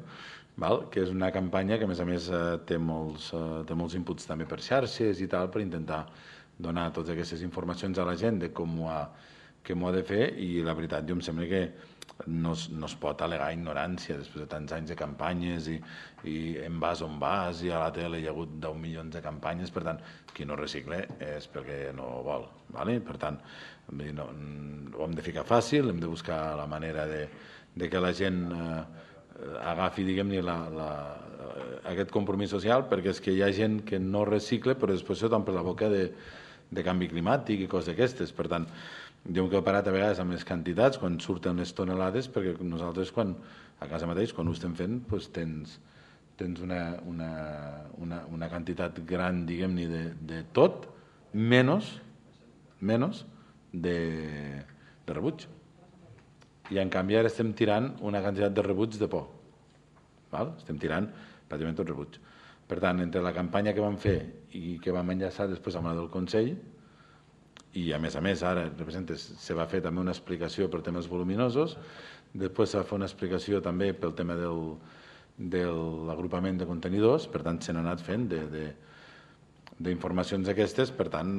val? Que és una campanya que a més a més té molts, té molts inputs també per xarxes i tal, per intentar donar totes aquestes informacions a la gent de com ho ha, que m'ho ha de fer, i la veritat, jo em sembla que no es, no es pot al·legar ignorància després de tants anys de campanyes i, i en vas on vas, i a la tele hi ha hagut deu milions de campanyes. Per tant, qui no recicle és perquè no vol, ¿vale? Per tant, no, ho hem de ficar fàcil, hem de buscar la manera de, de que la gent eh, agafi, diguem-ne, la, la, aquest compromís social, perquè és que hi ha gent que no recicle però després se t'omple la boca de, de canvi climàtic i coses d'aquestes. Per tant, jo em quedo parat a vegades amb les quantitats quan surten les tonelades, perquè nosaltres quan, a casa mateix, quan ho estem fent, doncs tens, tens una, una, una, una quantitat gran, diguem-ne, de, de tot, menys, menys de, de rebuig. I en canvi ara estem tirant una quantitat de rebuig de por. Val? Estem tirant pràcticament tot rebuig. Per tant, entre la campanya que vam fer i que vam enllaçar després amb la del Consell, i a més a més ara representes, se va fer també una explicació per temes voluminosos, després se va fer una explicació també pel tema del, de l'agrupament de contenidors, per tant se n'ha anat fent d'informacions aquestes. Per tant,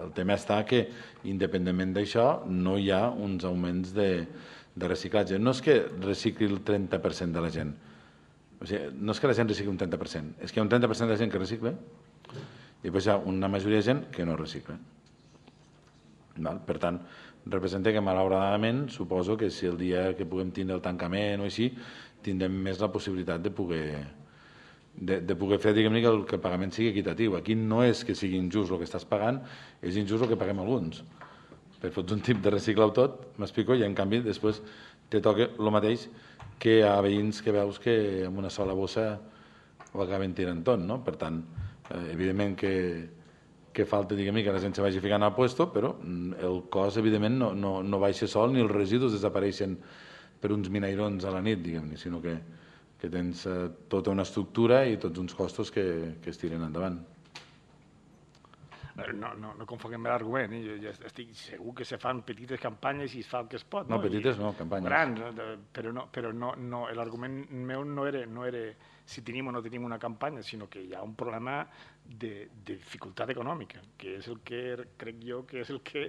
el tema està que independentment d'això no hi ha uns augments de, de reciclatge. No és que recicli el trenta per cent de la gent, o sigui, no és que la gent recicli un trenta per cent, és que hi ha un trenta per cent de la gent que recicla i després hi ha una majoria de gent que no recicla. Per tant, representa que malauradament suposo que si el dia que puguem tindre el tancament o així, tindrem més la possibilitat de poder, de, de poder fer, diguem-ne, que, el, que el pagament sigui equitatiu. Aquí no és que sigui injust el que estàs pagant, és injust el que paguem alguns. Per fots un tip de reciclar-ho tot, m'explico, i en canvi després te toca el mateix que a veïns que veus que amb una sola bossa ho acaben tirant tot, no? Per tant, Eh, evidentment que, que falta, diguem-ne, que la gent se vagi ficant al puesto, però el cost, evidentment, no, no, no baixa sol ni els residus desapareixen per uns minairons a la nit, diguem-ne, sinó que, que tens eh, tota una estructura i tots uns costos que, que es tiren endavant. no, no, no confonguem l'argument, eh? Jo, jo estic segur que se fan petites campanyes i es fa el que es pot. No, no? petites I, no, campanyes. Grans, però, no, però no, no, l'argument meu no era, no era si tenim o no tenim una campanya, sinó que hi ha un problema de, de dificultat econòmica, que és el que crec jo que és el que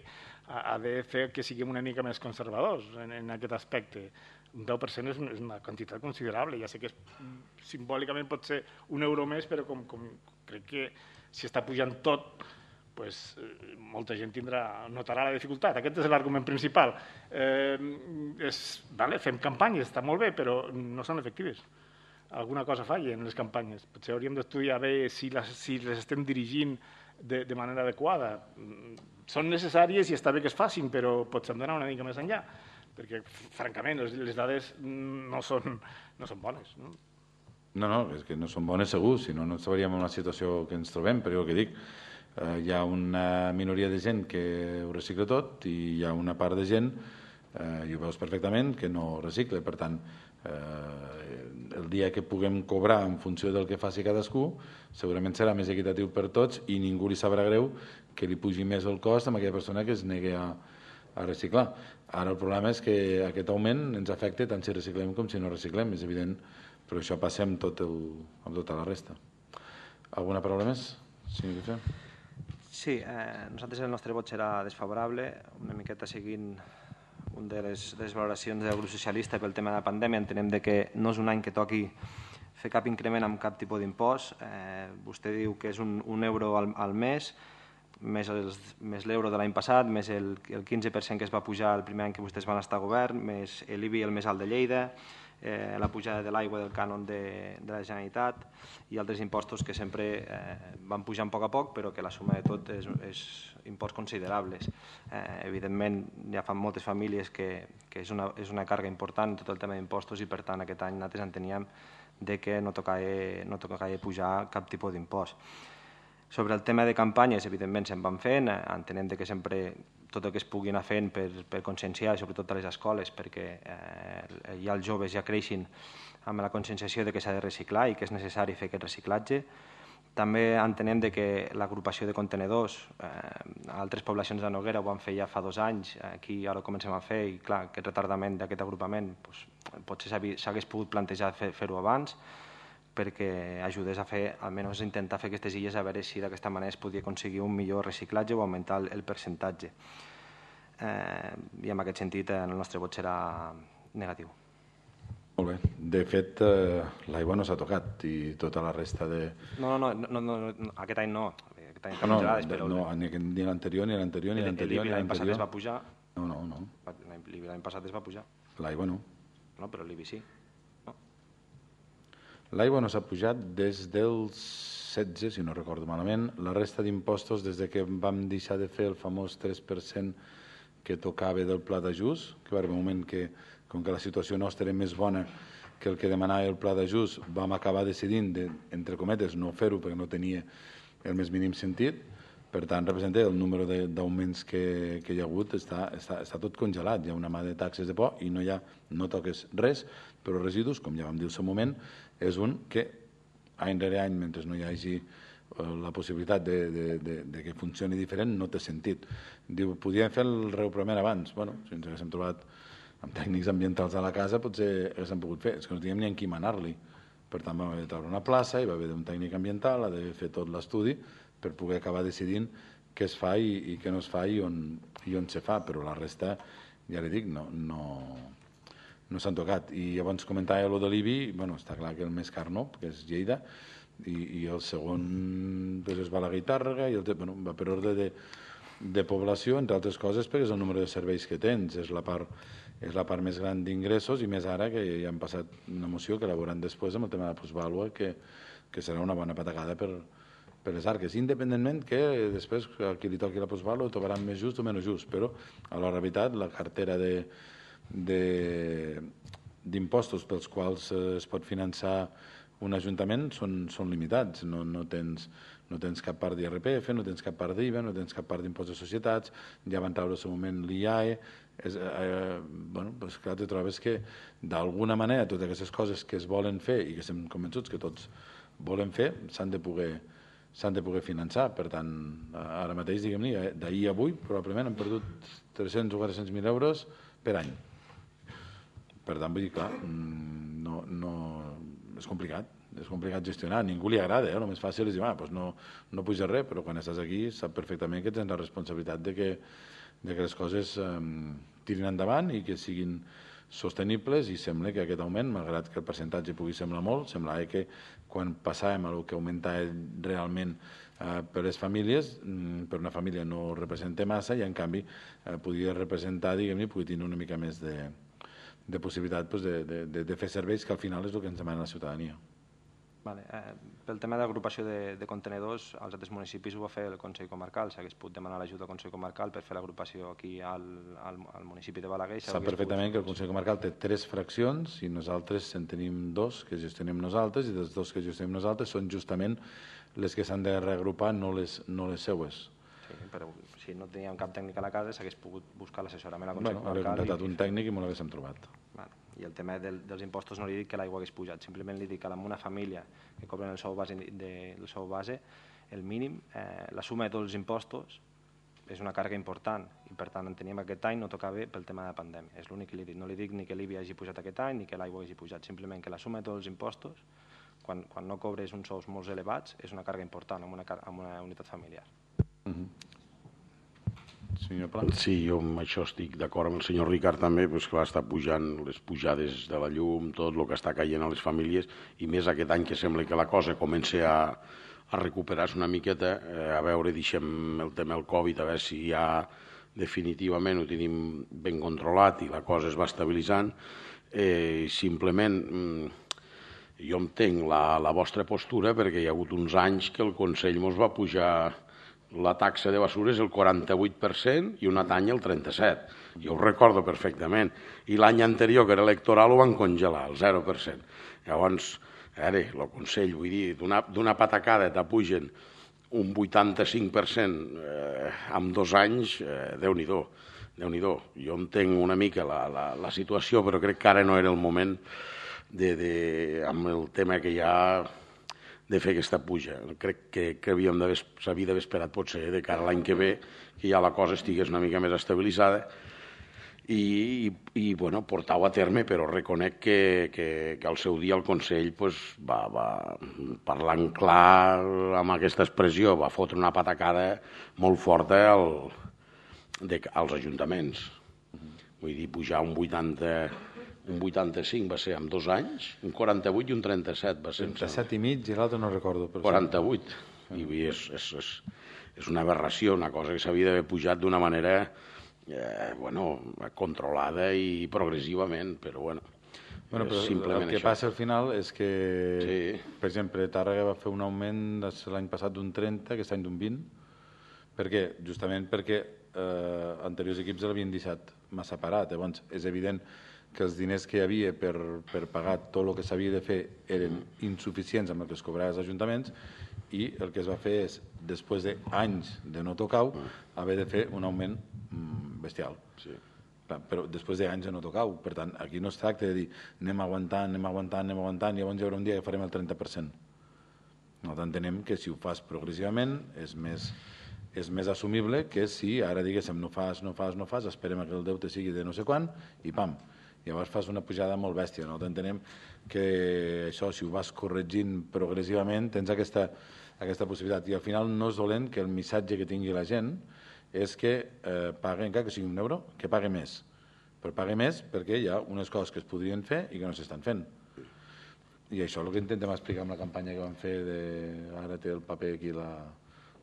ha, ha de fer que siguem una mica més conservadors en, en aquest aspecte. Un deu per cent és una quantitat considerable, ja sé que és, simbòlicament pot ser un euro més, però com, com crec que si està pujant tot, pues, eh, molta gent tindrà, notarà la dificultat. Aquest és l'argument principal. Eh, és, vale, fem campanyes, està molt bé, però no són efectives. Alguna cosa falla en les campanyes. Potser hauríem d'estudiar bé si les, si les estem dirigint de, de manera adequada. Són necessàries i està bé que es facin, però potser hem d'anar una mica més enllà, perquè, francament, les, les dades no són, no són bones. No? No, no, és que no són bones segur, si no, no estaríem en la situació que ens trobem, però el que dic, eh, hi ha una minoria de gent que ho recicla tot i hi ha una part de gent, eh, i ho veus perfectament, que no recicla. Per tant, eh, el dia que puguem cobrar en funció del que faci cadascú, segurament serà més equitatiu per tots i ningú li sabrà greu que li pugi més el cost a aquella persona que es negui a, a reciclar. Ara el problema és que aquest augment ens afecta tant si reciclem com si no reciclem, és evident, però això passa amb, tot el, amb tota la resta. Alguna paraula més? Sí, sí eh, nosaltres el nostre vot serà desfavorable, una miqueta seguint una de les, de les valoracions del grup socialista pel tema de la pandèmia. Entenem de que no és un any que toqui fer cap increment amb cap tipus d'impost. Eh, vostè diu que és un, un euro al, al mes, més, els, més l'euro de l'any passat, més el, el quinze per cent que es va pujar el primer any que vostès van estar a govern, més l'I B I el més alt de Lleida, eh, la pujada de l'aigua del cànon de, de la Generalitat i altres impostos que sempre eh, van pujant a poc a poc, però que la suma de tot és, és imports considerables. Eh, evidentment, hi ha moltes famílies que, que és, una, és una càrrega important tot el tema d'impostos i, per tant, aquest any nosaltres enteníem de que no tocava, no tocava pujar cap tipus d'impost. Sobre el tema de campanyes, evidentment, se'n van fent, entenem que sempre tot el que es pugui anar fent per, per conscienciar, sobretot a les escoles, perquè eh, ja els joves ja creixin amb la conscienciació de que s'ha de reciclar i que és necessari fer aquest reciclatge. També entenem de que l'agrupació de contenedors, eh, altres poblacions de Noguera ho van fer ja fa dos anys, aquí ara ho comencem a fer i clar, aquest retardament d'aquest agrupament doncs, potser s'hagués pogut plantejar fer-ho fer abans, perquè ajudés a fer, almenys intentar fer aquestes illes a veure si d'aquesta manera es podia aconseguir un millor reciclatge o augmentar el, el percentatge. Eh, I en aquest sentit el nostre vot serà negatiu. Molt bé. De fet, eh, l'aigua no s'ha tocat i tota la resta de... No, no, no, no, no aquest any no. Aquest any no, no, però... no, ni l'anterior, ni l'anterior, ni l'anterior, ni l'any passat es va pujar. No, no, no. L'I B I l'any passat es va pujar. L'aigua no. No, però l'I B I sí. L'aigua no s'ha pujat des del setze, si no recordo malament. La resta d'impostos, des de que vam deixar de fer el famós tres per cent que tocava del pla d'ajust, que va haver un moment que, com que la situació nostra era més bona que el que demanava el pla d'ajust, vam acabar decidint, de, entre cometes, no fer-ho perquè no tenia el més mínim sentit. Per tant, representa el número d'augments que, que hi ha hagut, està, està, està tot congelat. Hi ha una mà de taxes de por i no, hi ha, no toques res, però residus, com ja vam dir al seu moment, és un que any rere any, mentre no hi hagi la possibilitat de, de, de, de que funcioni diferent, no té sentit. Diu, podíem fer el reoprament abans. Bueno, si ens haguéssim trobat amb tècnics ambientals a la casa, potser haguéssim pogut fer. És que no teníem ni en qui manar-li. Per tant, vam haver de treure una plaça, hi va haver un tècnic ambiental, ha de fer tot l'estudi per poder acabar decidint què es fa i, i què no es fa i on, i on se fa, però la resta, ja li dic, no, no, no s'han tocat. I llavors comentava allò de l'I B I, bueno, està clar que el més car no, que és Lleida, i, i el segon doncs és Balaguer i Tàrrega, i el, bueno, va per ordre de, de població, entre altres coses, perquè és el número de serveis que tens, és la part, és la part més gran d'ingressos, i més ara que ja han passat una moció que elaboran després amb el tema de la plusvàlua, que, que serà una bona patacada per, per les arques, independentment que després a qui li toqui la plusvàlua ho trobaran més just o menys just, però a la realitat la cartera de d'impostos pels quals es pot finançar un ajuntament són, són limitats, no, no, tens, no tens cap part d'I R P F, no tens cap part d'I V A, no tens cap part d'impost de societats, ja van treure al seu moment l'I A E, és, eh, bueno, doncs clar, te trobes que d'alguna manera totes aquestes coses que es volen fer i que estem convençuts que tots volen fer s'han de poder s'han de poder finançar. Per tant, ara mateix, diguem-ne, d'ahir a avui, probablement hem perdut tres-cents o quatre-cents mil euros per any. Per tant, vull dir, clar, no, no, és complicat, és complicat gestionar. A ningú li agrada, eh? El més fàcil és dir, ah, doncs no, no puja res, però quan estàs aquí sap perfectament que tens la responsabilitat de que, de que les coses eh, tirin endavant i que siguin sostenibles, i sembla que aquest augment, malgrat que el percentatge pugui semblar molt, semblava que quan passàvem a el que augmentava realment eh, per les famílies, per una família no representa massa, i en canvi eh, podia representar, diguem-ne, podia tenir una mica més de, de possibilitat pues, de, de, de fer serveis, que al final és el que ens demana la ciutadania. Vale. Eh, pel tema d'agrupació de, de contenedors, als altres municipis ho va fer el Consell Comarcal, s'hagués pogut demanar l'ajuda al Consell Comarcal per fer l'agrupació aquí al, al, al municipi de Balaguer. Sap perfectament que el Consell Comarcal té tres fraccions i nosaltres en tenim dos que gestionem nosaltres, i dels dos que gestionem nosaltres són justament les que s'han de reagrupar, no les, no les seues. Sí, però si no teníem cap tècnic a la casa s'hagués pogut buscar l'assessorament al Consell bueno, Comarcal. Haver contractat un tècnic i m'ho l'haguéssim trobat. Bueno, i el tema del, dels impostos no li dic que l'aigua hagués pujat, simplement li dic que amb una família que cobren el sou base, de, el sou base el mínim, eh, la suma de tots els impostos és una càrrega important, i per tant enteníem que aquest any no tocava pel tema de la pandèmia. És l'únic que li dic. No li dic ni que l'I B I hagi pujat aquest any ni que l'aigua hagi pujat, simplement que la suma de tots els impostos, quan, quan no cobres uns sous molt elevats, és una càrrega important en una, en una unitat familiar. Mm-hmm. Senyor Pla? Sí, jo amb això estic d'acord amb el senyor Ricard també, doncs clar, està pujant les pujades de la llum, tot el que està caient a les famílies, i més aquest any que sembla que la cosa comença a, a recuperar-se una miqueta, eh, a veure, deixem el tema del Covid, a veure si ja definitivament ho tenim ben controlat i la cosa es va estabilitzant. Eh, simplement, jo entenc la, la vostra postura, perquè hi ha hagut uns anys que el Consell ens va pujar la taxa de basura és el quaranta-vuit per cent i un altre any el trenta-set per cent. Jo ho recordo perfectament. I l'any anterior, que era electoral, ho van congelar, el zero per cent. Llavors, ara, el Consell, vull dir, d'una patacada t'apugen un vuitanta-cinc per cent eh, en dos anys, eh, Déu-n'hi-do, Déu-n'hi-do. Jo entenc una mica la, la, la situació, però crec que ara no era el moment de, de, amb el tema que hi ha de fer aquesta puja. Crec que, que s'havia d'haver esperat potser de cara a l'any que ve, que ja la cosa estigués una mica més estabilitzada i, i, i bueno, portar-ho a terme, però reconec que, que, que al seu dia el Consell pues, va, va parlant clar amb aquesta expressió, va fotre una patacada molt forta al, de, als ajuntaments. Vull dir, pujar un vuitanta... un vuitanta-cinc va ser en dos anys, un quaranta-vuit i un trenta-set va ser. trenta-set i mig i l'altre no recordo. quaranta-vuit. I és, és, és, és una aberració, una cosa que s'havia d'haver pujat d'una manera eh, bueno, controlada i progressivament, però bueno, bueno però simplement el que això. passa al final és que, sí. Per exemple, Tàrrega va fer un augment l'any passat d'un trenta, aquest any d'un vint. Per què? Justament perquè eh, anteriors equips l'havien deixat massa parat. Llavors, és evident que els diners que hi havia per, per pagar tot el que s'havia de fer eren insuficients amb el que es cobrava als ajuntaments, i el que es va fer és, després d'anys de no tocar-ho, haver de fer un augment bestial. Sí. Però després d'anys de no tocar-ho. Per tant, aquí no es tracta de dir anem aguantant, anem aguantant, anem aguantant, i llavors hi haurà un dia que farem el trenta per cent. Nosaltres entenem que si ho fas progressivament és més, és més assumible que si ara diguéssim no fas, no fas, no fas, esperem que el deute sigui de no sé quan i pam, llavors fas una pujada molt bèstia. Nosaltres entenem que això, si ho vas corregint progressivament, tens aquesta, aquesta possibilitat. I al final no és dolent que el missatge que tingui la gent és que eh, pagui, encara que sigui un euro, que pagui més. Però pagui més perquè hi ha unes coses que es podrien fer i que no s'estan fent. I això és el que intentem explicar amb la campanya que vam fer de... Ara té el paper aquí la,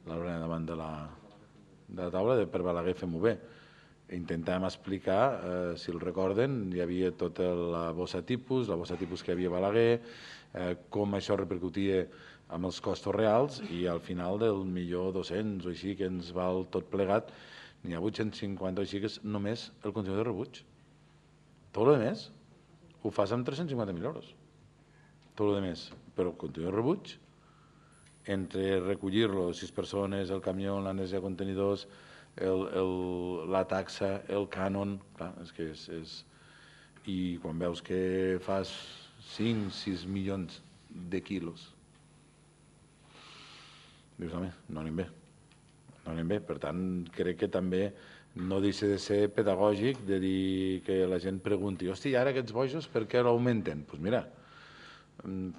la Lorena davant de la, de la taula, de per Balaguer fem-ho bé. Intentàvem explicar, eh, si el recorden, hi havia tota la bossa tipus, la bossa tipus que hi havia a Balaguer, eh, com això repercutia amb els costos reals, i al final del milió dos-cents o així que ens val tot plegat, n'hi ha vuit-cents cinquanta o així que és només el contenidor de rebuig. Tot el més ho fas amb tres-cents cinquanta mil euros. Tot el més. Però el contenidor de rebuig, entre recollir-lo, sis persones, el camió, l'anèsia de contenidors, El, el, la taxa, el cànon, clar, és que és, és... I quan veus que fas cinc sis milions de quilos dius, home, no anem bé. No anem bé. Per tant, crec que també no deixa de ser pedagògic de dir que la gent pregunti, hosti, ara aquests bojos per què l'augmenten? Doncs pues mira,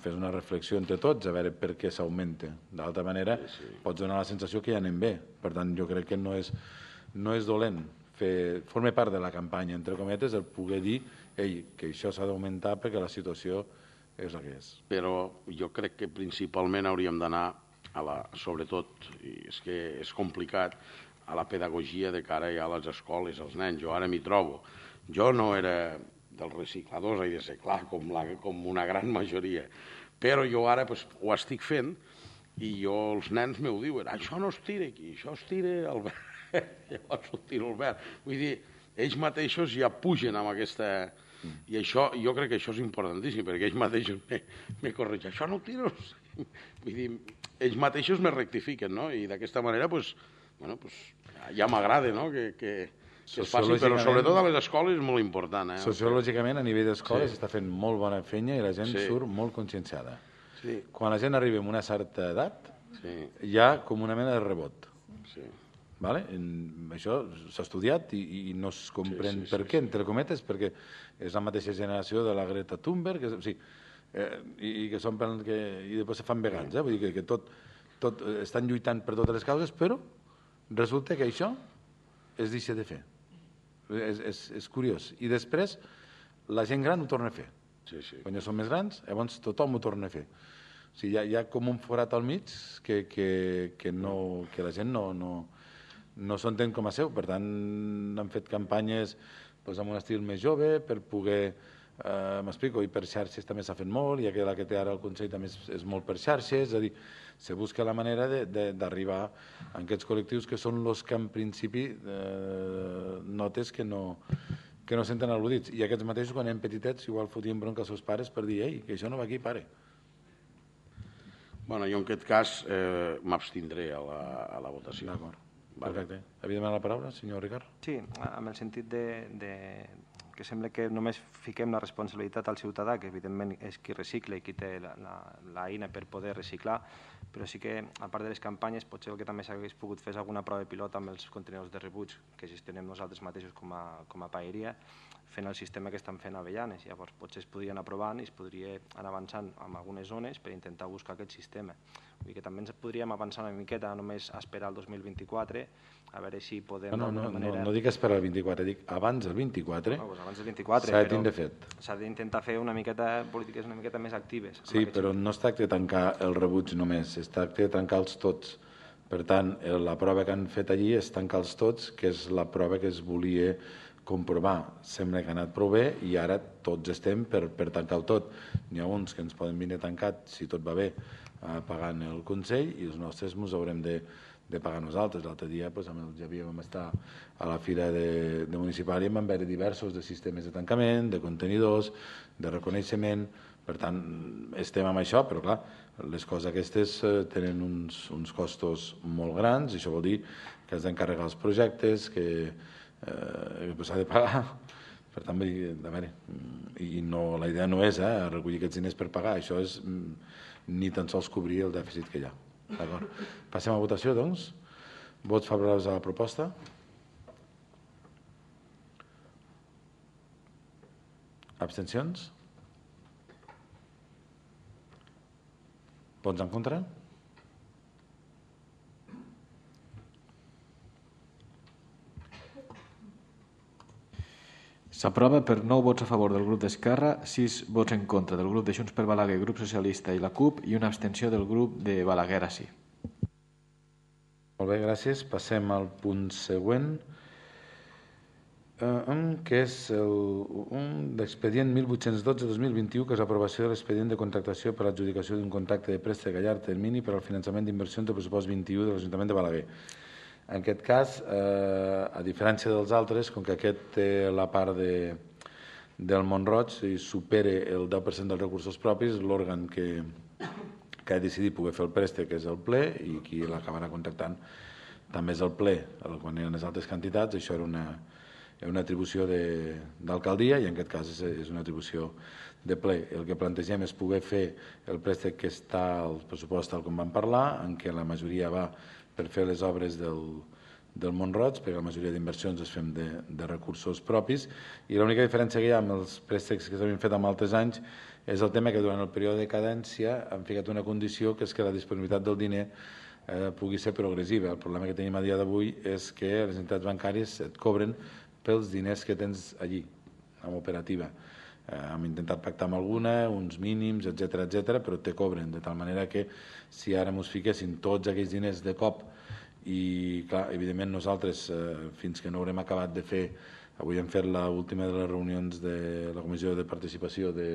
fes una reflexió entre tots a veure per què s'augmenta. D'altra manera, sí, sí. Pots donar la sensació que ja anem bé. Per tant, jo crec que no és, no és dolent. Fer, forma part de la campanya, entre cometes, el poder dir ei, que això s'ha d'augmentar perquè la situació és la que és. Però jo crec que principalment hauríem d'anar, a la, sobretot, i és que és complicat, a la pedagogia de cara ja a les escoles, als nens. Jo ara m'hi trobo. Jo no era dels recicladors, he de ser clar, com, la, com una gran majoria. Però jo ara pues, ho estic fent i jo, els nens m'ho diuen, això no es tira aquí, això es tira al verd. Llavors ho tiro al verd. Vull dir, ells mateixos ja pugen amb aquesta... I això, jo crec que això és importantíssim, perquè ells mateixos me, me corregeixen. Això no ho tires. Vull dir, ells mateixos me rectifiquen, no? I d'aquesta manera, pues, bueno, pues, ja m'agrada, no?, que... que que es faci, però sobretot a les escoles és molt important. Eh? Sociològicament, a nivell d'escoles, s'està sí. fent molt bona feina i la gent sí. surt molt conscienciada. Sí. Quan la gent arriba a una certa edat, sí. hi ha com una mena de rebot. Sí. Vale? Això s'ha estudiat i, i no es comprèn sí, sí, per sí, què, sí. entre cometes, perquè és la mateixa generació de la Greta Thunberg, que, o sigui, eh, i, i que són que, i després se fan vegans, eh? Vull dir que, que tot, tot estan lluitant per totes les causes, però resulta que això es deixa de fer. És, és, és curiós. I després la gent gran ho torna a fer. Sí, sí. Quan ja són més grans, llavors tothom ho torna a fer. O sigui, hi ha, hi ha com un forat al mig que, que, que, no, que la gent no, no, no s'entén com a seu. Per tant, han fet campanyes doncs, amb un estil més jove per poder, eh, m'explico, i per xarxes també s'ha fet molt, i la que té ara el Consell també és, és molt per xarxes, és a dir, se busca la manera d'arribar a aquests col·lectius que són els que en principi eh, notes que no, que no senten al·ludits. I aquests mateixos, quan eren petitets, igual fotien bronca als seus pares per dir ei, que això no va aquí, pare. Bueno, jo en aquest cas eh, m'abstindré a, la, a la votació. D'acord, perfecte. Havia demanat la paraula, senyor Ricard? Sí, amb el sentit de, de que sembla que només fiquem la responsabilitat al ciutadà, que evidentment és qui recicla i qui té l'eina per poder reciclar, però sí que, a part de les campanyes, potser el que també s'hagués pogut fer és alguna prova pilot amb els contenidors de rebuig que gestionem nosaltres mateixos com a, com a paeria, fent el sistema que estan fent a Avellanes. Llavors, potser es podria anar provant i es podria anar avançant en algunes zones per intentar buscar aquest sistema. Vull dir que també ens podríem avançar una miqueta, només esperar el dos mil vint-i-quatre, a veure si podem no, no, d'alguna manera... No, no dic esperar el vint-i-quatre, dic abans del vint-i-quatre. No, doncs abans del vint-i-quatre, s'ha de tindre fet. S'ha d'intentar fer una miqueta polítiques una miqueta més actives. Sí, però sentit. No es tracta de tancar el rebuig només, es tracta de tancar-los tots. Per tant, la prova que han fet allí és tancar-los tots, que és la prova que es volia comprovar. Sembla que ha anat prou bé i ara tots estem per, per tancar-ho tot. N'hi ha uns que ens poden venir tancat, si tot va bé, pagant el Consell, i els nostres ens haurem de, de pagar nosaltres. L'altre dia doncs, amb el Javier vam estar a la fira de, de municipal i vam veure diversos de sistemes de tancament, de contenidors, de reconeixement. Per tant, estem amb això, però clar, les coses aquestes eh, tenen uns, uns costos molt grans, i això vol dir que has d'encarregar els projectes, que eh, s'ha de pagar. Per tant, a veure, i no, la idea no és eh, recollir aquests diners per pagar, això és ni tan sols cobrir el dèficit que hi ha. Passem a votació, doncs. Vots favorables a la proposta? Abstencions? Vots en contra? S'aprova per nou vots a favor del grup d'Esquerra, sis vots en contra del grup de Junts per Balaguer, grup socialista i la CUP, i una abstenció del grup de Balaguer a sí. Molt bé, gràcies. Passem al punt següent, eh, que és l'expedient mil vuit-cents dotze dos mil vint-i-u, que és l'aprovació de l'expedient de contractació per a l'adjudicació d'un contracte de préstec a llarg termini per al finançament d'inversions del pressupost vint-i-u de l'Ajuntament de Balaguer. En aquest cas, eh, a diferència dels altres, com que aquest té la part de, del Mont-roig i supera el deu per cent dels recursos propis, l'òrgan que, que ha decidit poder fer el préstec és el ple, i qui l'acabarà contractant també és el ple. Quan eren les altres quantitats, això era una, una atribució d'alcaldia i en aquest cas és, és una atribució de ple. El que plantegem és poder fer el préstec que està al pressupost tal com vam parlar, en què la majoria va per fer les obres del, del Mont-roig, perquè la majoria d'inversions es fem de, de recursos propis, i l'única diferència que hi ha amb els préstecs que s'havien fet en altres anys és el tema que durant el període de cadència han ficat una condició que és que la disponibilitat del diner eh, pugui ser progressiva. El problema que tenim a dia d'avui és que les entitats bancàries et cobren pels diners que tens allí, en operativa. Eh, hem intentat pactar amb alguna, uns mínims, etcètera, etcètera, però te cobren, de tal manera que si ara ens fiquessin tots aquells diners de cop i, clar, evidentment nosaltres, eh, fins que no haurem acabat de fer, avui hem fet l'última de les reunions de la Comissió de Participació de,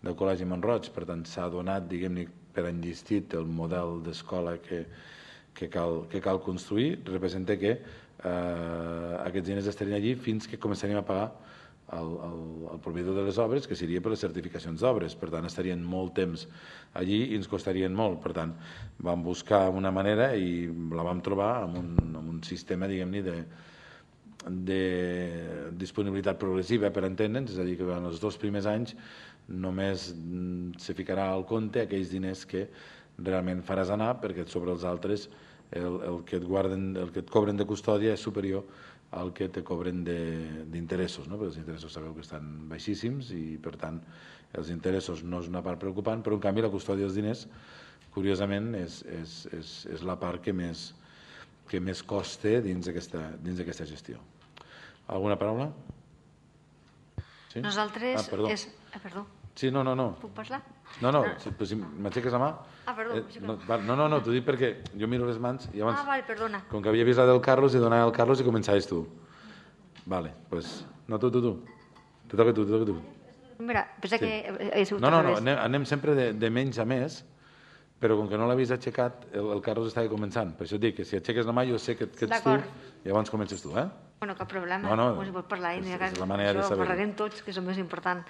del Col·legi Mont-roig, per tant s'ha donat, diguem-ne, per enllestit el model d'escola que, que, cal, que cal construir, representa que eh, aquests diners estarien allí fins que començaríem a pagar el, el, el proveïdor de les obres, que seria per les certificacions d'obres. Per tant, estarien molt temps allí i ens costarien molt. Per tant, vam buscar una manera i la vam trobar amb un, amb un sistema, diguem-ne, de, de disponibilitat progressiva, per entendre'ns, és a dir, que en els dos primers anys només se ficarà al compte aquells diners que realment faràs anar, perquè sobre els altres el, el, que et guarden, el que et cobren de custòdia és superior al que te cobren d'interessos, no? Perquè els interessos sabeu que estan baixíssims i, per tant, els interessos no és una part preocupant, però, en canvi, la custòdia dels diners, curiosament, és, és, és, és la part que més, que més costa dins d'aquesta gestió. Alguna paraula? Sí? Nosaltres... Ah, perdó. És... Ah, perdó. Sí, no, no, no. Puc parlar? No, no, si, si m'aixeques la mà... Ah, perdó. Eh, no, no, no, no t'ho dic perquè jo miro les mans i abans... Ah, vale, perdona. Com que havia vist la del Carlos, i donava al Carlos i començaves tu. Vale, pues... No, tu, tu, tu. Te toca tu, te toca tu. Mira, pensa Sí. que he sigut No, no, al no, revés. anem, anem sempre de, de menys a més, però com que no l'havies aixecat, el, el Carlos estava començant. Per això et dic que si aixeques la mà jo sé que, que ets tu D'acord. i llavors comences tu, eh? Bueno, cap problema. No, no, Pues si vols parlar, és- i és la manera de això saber-ho. parlarem tots, que és el més important.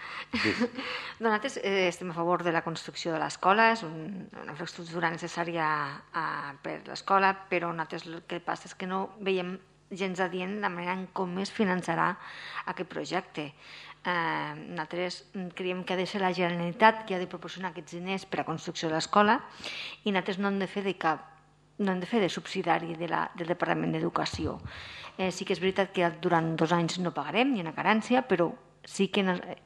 Nosaltres eh, estem a favor de la construcció de l'escola, és un, una infraestructura necessària eh, per l'escola, però nosaltres el que passa és que no veiem gens adient la manera en com es finançarà aquest projecte. Eh, nosaltres creiem que ha de ser la Generalitat que ha de proporcionar aquests diners per a la construcció de l'escola i nosaltres no hem de fer de cap no hem de fer de subsidiari de la, del Departament d'Educació. Eh, sí que és veritat que durant dos anys no pagarem, ni una carència, però sí que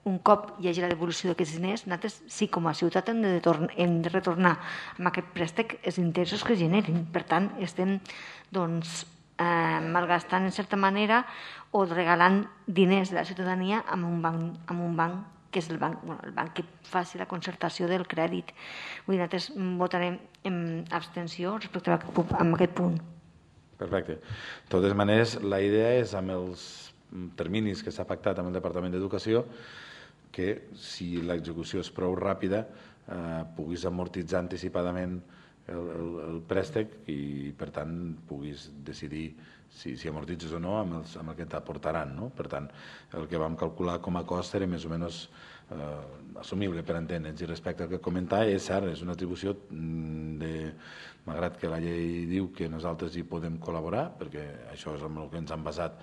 un cop hi hagi la devolució d'aquests diners, nosaltres sí com a ciutat hem de, hem de retornar amb aquest préstec els interessos que generin. Per tant, estem doncs, eh, malgastant en certa manera o regalant diners de la ciutadania amb un banc, amb un banc que és el banc, bueno, el banc que faci la concertació del crèdit. Vull dir, nosaltres votarem en abstenció respecte a aquest, a aquest punt. Perfecte. De totes maneres, la idea és, amb els terminis que s'ha pactat amb el Departament d'Educació, que si l'execució és prou ràpida eh, puguis amortitzar anticipadament el, el, el préstec i, per tant, puguis decidir si, si amortitzes o no amb, els, amb el que t'aportaran, no? Per tant, el que vam calcular com a cost era més o menys eh, assumible, per entendre'ns. I respecte al que comentava, és cert, és una atribució de... Malgrat que la llei diu que nosaltres hi podem col·laborar, perquè això és amb el que ens han basat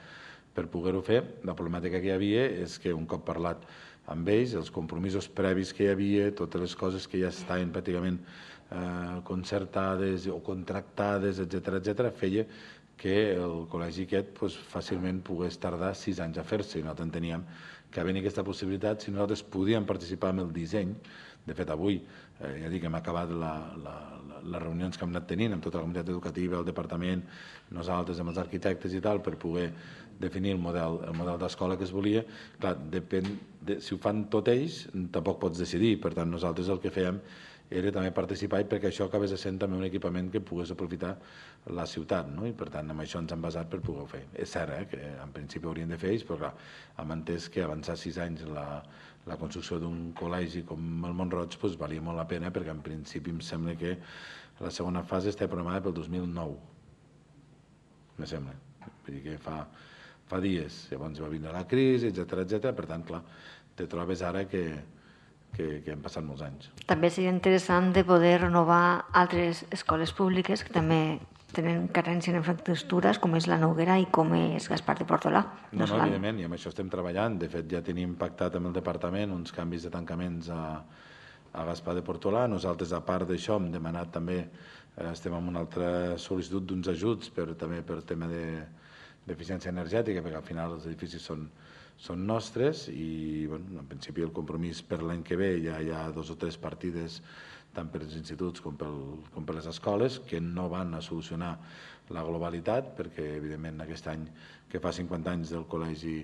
per poder-ho fer, la problemàtica que hi havia és que un cop parlat amb ells, els compromisos previs que hi havia, totes les coses que ja estaven pràcticament eh, concertades o contractades, etcètera, etcètera, feia que el col·legi aquest pues, fàcilment pogués tardar sis anys a fer-se. I nosaltres enteníem que havia aquesta possibilitat, si nosaltres podíem participar en el disseny. De fet, avui, eh, ja dic, hem acabat la, la, la, les reunions que hem anat tenint amb tota la comunitat educativa, el departament, nosaltres amb els arquitectes i tal, per poder definir el model el model d'escola que es volia. Clar, depèn de, si ho fan tot ells, tampoc pots decidir. Per tant, nosaltres el que fèiem era també participar i perquè això acabés sent també un equipament que pogués aprofitar la ciutat, no? I per tant amb això ens hem basat per poder-ho fer. És cert, eh, que en principi haurien de fer ells, però clar, hem entès que avançar sis anys la, la construcció d'un col·legi com el Mont-roig pues, valia molt la pena, perquè en principi em sembla que la segona fase està programada pel dos mil nou, me sembla. Vull dir que fa, fa dies, llavors va vindre la crisi, etcètera, etcètera. Per tant, clar, te trobes ara que Que, que han passat molts anys. També seria interessant de poder renovar altres escoles públiques que també tenen carència en infraestructures, com és la Noguera i com és Gaspar de Portolà. No, no, evidentment, i amb això estem treballant. De fet, ja tenim pactat amb el departament uns canvis de tancaments a, a Gaspar de Portolà. Nosaltres, a part d'això, hem demanat també, eh, estem amb una altra sol·licitud d'uns ajuts per, també per tema de, d'eficiència energètica, perquè al final els edificis són, són nostres i, bueno, en principi, el compromís per l'any que ve ja hi ha dos o tres partides tant per als instituts com, pel, com per les escoles, que no van a solucionar la globalitat, perquè, evidentment, aquest any que fa cinquanta anys del Col·legi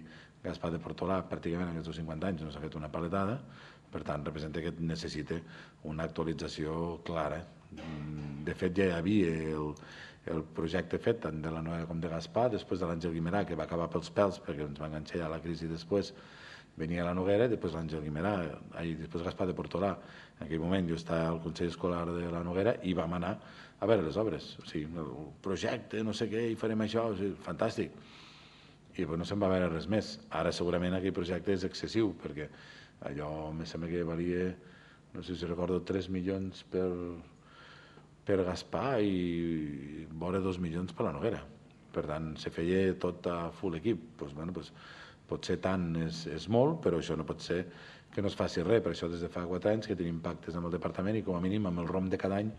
Gaspar de Portolà, pràcticament aquests cinquanta anys no s'ha fet una paletada, per tant, representa que necessita una actualització clara. De fet, ja hi havia el, el projecte fet tant de la Noguera com de Gaspar, després de l'Àngel Guimerà, que va acabar pels pèls, perquè ens va enganxar ja la crisi després, venia la Noguera, després l'Àngel Guimerà, i després Gaspar de Portolà. En aquell moment jo estava al Consell Escolar de la Noguera i vam anar a veure les obres. O sigui, el projecte, no sé què, i farem això, o sigui, fantàstic. I no se'n va veure res més. Ara segurament aquell projecte és excessiu, perquè allò em sembla que valia, no sé si recordo, tres milions per, per Gaspar i vora dos milions per la Noguera. Per tant, se feia tot a full equip. Pues, bueno, pues, potser tant és, és molt, però això no pot ser que no es faci res. Per això des de fa quatre anys que tenim pactes amb el departament i com a mínim amb el rom de cada any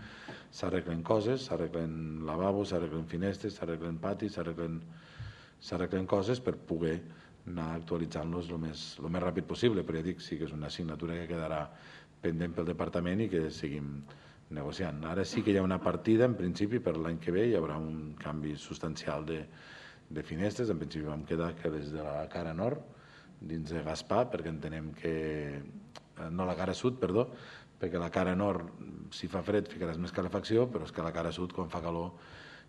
s'arreglen coses, s'arreglen lavabos, s'arreglen finestres, s'arreglen patis, s'arreglen coses per poder anar actualitzant-los el més, el més ràpid possible. Però ja dic, sí que és una assignatura que quedarà pendent pel departament i que seguim negociant. Ara sí que hi ha una partida, en principi, per l'any que ve hi haurà un canvi substancial de, de finestres. En principi vam quedar que des de la cara nord, dins de Gaspar, perquè entenem que... no la cara sud, perdó, perquè la cara nord, si fa fred, ficaràs més calefacció, però és que la cara sud, quan fa calor,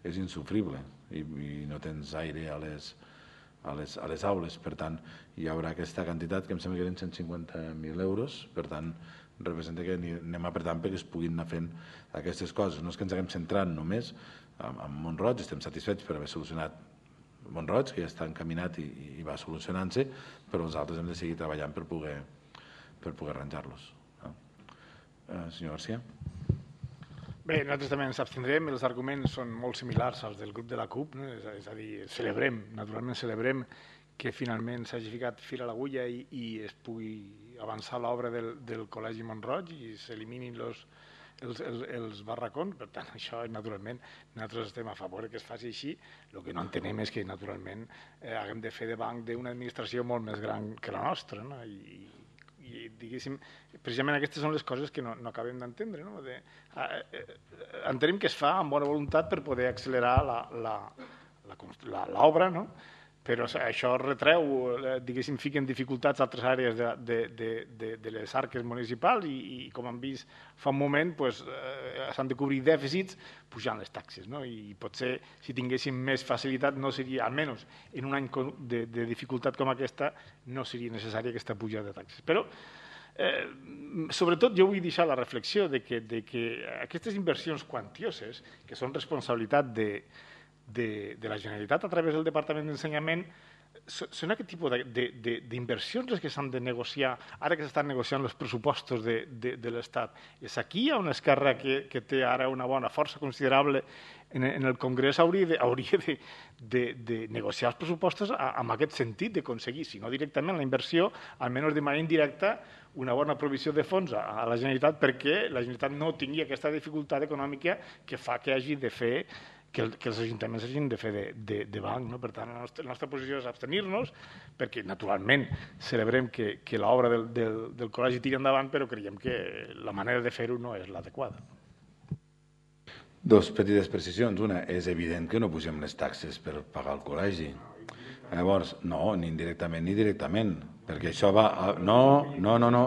és insufrible i, i no tens aire a les, a, les, a les aules. Per tant, hi haurà aquesta quantitat, que em sembla que eren cent cinquanta mil euros, per tant, representa que anem apretant perquè es puguin anar fent aquestes coses. No és que ens haguem centrat només en, en Mont-roig, estem satisfets per haver solucionat Mont-roig, que ja està encaminat i, i va solucionant-se, però nosaltres hem de seguir treballant per poder, per poder arranjar-los. No? Eh, senyor García. Bé, nosaltres també ens abstindrem, els arguments són molt similars als del grup de la CUP, no? és, és a dir, celebrem, naturalment celebrem que finalment s'hagi ficat fil a l'agulla i, i es pugui avançar l'obra del, del Col·legi Mont-roig i s'eliminin els Els, els, els barracons, per tant, això naturalment nosaltres estem a favor que es faci així. El que no entenem és que naturalment eh, haguem de fer de banc d'una administració molt més gran que la nostra, no? I, i diguéssim, precisament aquestes són les coses que no, no acabem d'entendre, no? De, eh, eh, entenem que es fa amb bona voluntat per poder accelerar l'obra, no? Però això retreu, diguéssim, fica en dificultats altres àrees de, de, de, de, de les arques municipals i, i com hem vist fa un moment, pues, eh, s'han de cobrir dèficits pujant les taxes. No? I potser, si tinguéssim més facilitat, no seria, almenys en un any de, de dificultat com aquesta, no seria necessària aquesta pujada de taxes. Però, eh, sobretot, jo vull deixar la reflexió de que, de que aquestes inversions quantioses, que són responsabilitat de De, de la Generalitat a través del Departament d'Ensenyament, són aquest tipus d'inversions les que s'han de negociar ara que s'estan negociant els pressupostos de, de, de l'Estat. És aquí hi ha una esquerra que, que té ara una bona força considerable en, en el Congrés, hauria de, hauria de, de, de negociar els pressupostos a, amb aquest sentit d'aconseguir, si no directament la inversió, almenys de manera indirecta, una bona provisió de fons a, a la Generalitat perquè la Generalitat no tingui aquesta dificultat econòmica que fa que hagi de fer que, el, que els ajuntaments hagin de fer de, de, de banc. No? Per tant, la nostra, la nostra posició és abstenir-nos, perquè naturalment celebrem que, que l'obra del, del, del col·legi tiri endavant, però creiem que la manera de fer-ho no és l'adequada. Dos petites precisions. Una, és evident que no pugem les taxes per pagar el col·legi. Llavors, no, ni indirectament ni directament, perquè això va a... No, no, no, no.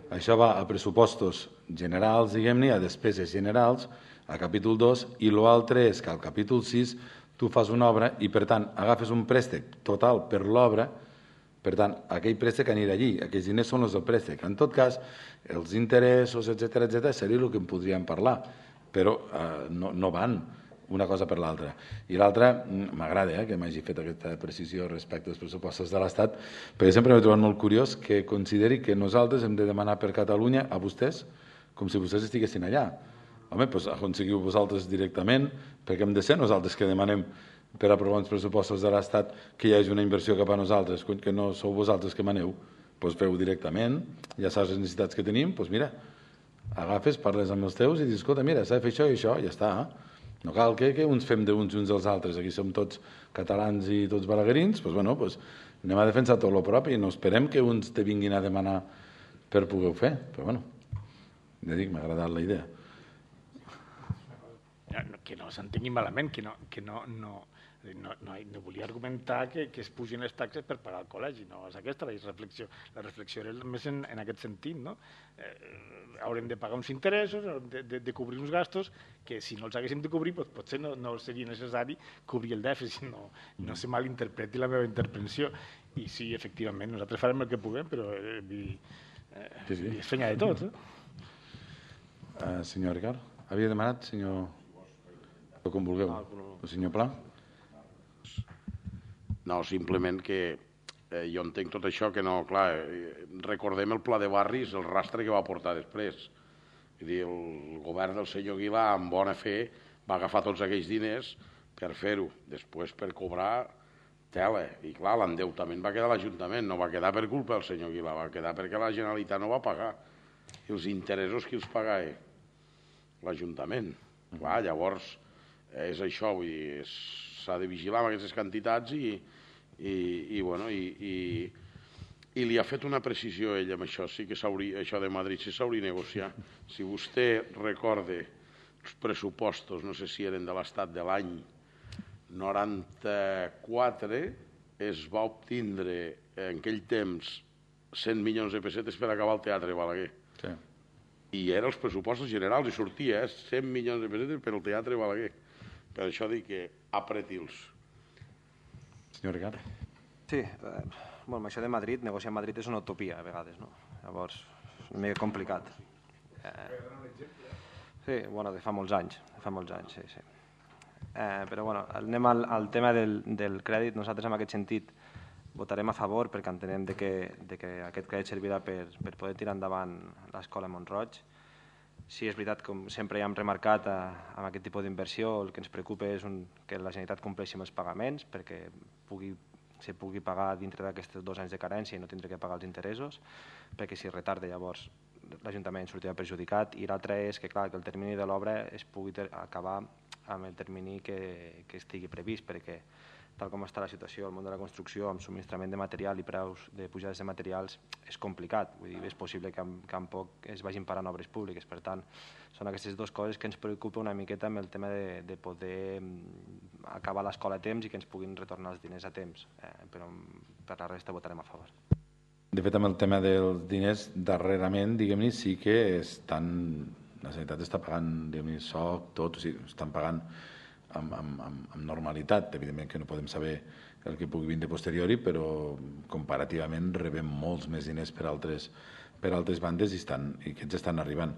Això va a pressupostos generals, diguem-ne, a despeses generals, a capítol dos, i l'altre és que al capítol sis tu fas una obra i, per tant, agafes un préstec total per l'obra, per tant, aquell préstec anirà allí, aquells diners són els del préstec. En tot cas, els interessos, etcètera, etcètera, seria el que en podríem parlar, però eh, no, no van una cosa per l'altra. I l'altra, m'agrada eh, que m'hagi fet aquesta precisió respecte als pressupostos de l'Estat, perquè sempre m'he trobat molt curiós que consideri que nosaltres hem de demanar per Catalunya a vostès com si vostès estiguessin allà. Home, doncs aconseguiu vosaltres directament, perquè hem de ser nosaltres que demanem per aprovar uns pressupostos de l'Estat que hi hagi una inversió cap a nosaltres, que no sou vosaltres que maneu, doncs feu directament, ja saps les necessitats que tenim, doncs mira, agafes, parles amb els teus i dius, escolta, mira, s'ha de fer això i això, ja està. No cal que, que uns fem d'uns i uns dels altres, aquí som tots catalans i tots balaguerins, doncs bueno, doncs anem a defensar tot el propi i no esperem que uns te vinguin a demanar per poder fer, però bueno, ja dic, m'ha agradat la idea. Que no s'entengui malament, que no, que no, no, no, no, no volia argumentar que, que es pugin les taxes per pagar el col·legi, no és aquesta la reflexió. La reflexió era més en, en aquest sentit, no? Eh, haurem de pagar uns interessos, de, de, de cobrir uns gastos que si no els haguéssim de cobrir doncs potser no, no seria necessari cobrir el dèficit, no, no se malinterpreti la meva intervenció. I sí, efectivament, nosaltres farem el que puguem, però eh, eh, sí, sí. És feina de tot. Eh? Uh, senyor Ricard, havia demanat, senyor... com vulgueu. El senyor Pla? No, simplement que eh, jo entenc tot això, que no, clar, eh, recordem el pla de barris, el rastre que va portar després. Vull dir, el govern del senyor Aguilar, amb bona fe, va agafar tots aquells diners per fer-ho. Després, per cobrar, tela. I clar, l'endeutament va quedar a l'Ajuntament, no va quedar per culpa del senyor Aguilar, va quedar perquè la Generalitat no va pagar. I els interessos qui els pagava? L'Ajuntament. Clar, llavors... és això, vull dir, s'ha de vigilar amb aquestes quantitats i, i, i, bueno, i, i, i li ha fet una precisió ell amb això, sí que s'hauria, això de Madrid sí s'hauria de negociar. Si vostè recorde els pressupostos, no sé si eren de l'estat de l'any noranta-quatre, es va obtindre en aquell temps cent milions de pessetes per acabar el Teatre Balaguer. Sí. I eren els pressupostos generals i sortia, eh, cent milions de pessetes per al Teatre Balaguer. Per això dic que apreti'ls. Senyor Ricard? Sí, eh, bueno, això de Madrid, negociar a Madrid és una utopia a vegades, no? Llavors, és una mica complicat. Eh, sí, bueno, de fa molts anys, de fa molts anys, sí, sí. Eh, però bueno, anem al, al tema del, del crèdit. Nosaltres en aquest sentit votarem a favor perquè entenem de que, de que aquest crèdit servirà per, per poder tirar endavant l'escola Mont-roig. Sí, és veritat, com sempre ja hem remarcat, eh, amb aquest tipus d'inversió el que ens preocupa és un, que la Generalitat compleixi amb els pagaments perquè pugui, se pugui pagar dintre d'aquests dos anys de carència i no tindre que pagar els interessos, perquè si retarda llavors l'Ajuntament sortirà perjudicat. I l'altre és que, clar, que el termini de l'obra es pugui acabar amb el termini que, que estigui previst, perquè tal com està la situació al món de la construcció, amb subministrament de material i preus de pujades de materials, és complicat. Vull dir, és possible que en, que en poc es vagin parant obres públiques. Per tant, són aquestes dues coses que ens preocupa una miqueta amb el tema de, de poder acabar l'escola a temps i que ens puguin retornar els diners a temps. Eh, però per la resta votarem a favor. De fet, amb el tema dels diners, darrerament, diguem-ne, sí que estan, la Generalitat està pagant, diguem-ne, soc, tot, o sigui, estan pagant Amb, amb, amb normalitat. Evidentment que no podem saber el que pugui vindre posteriori, però comparativament rebem molts més diners per altres, per altres bandes i, estan, i aquests estan arribant.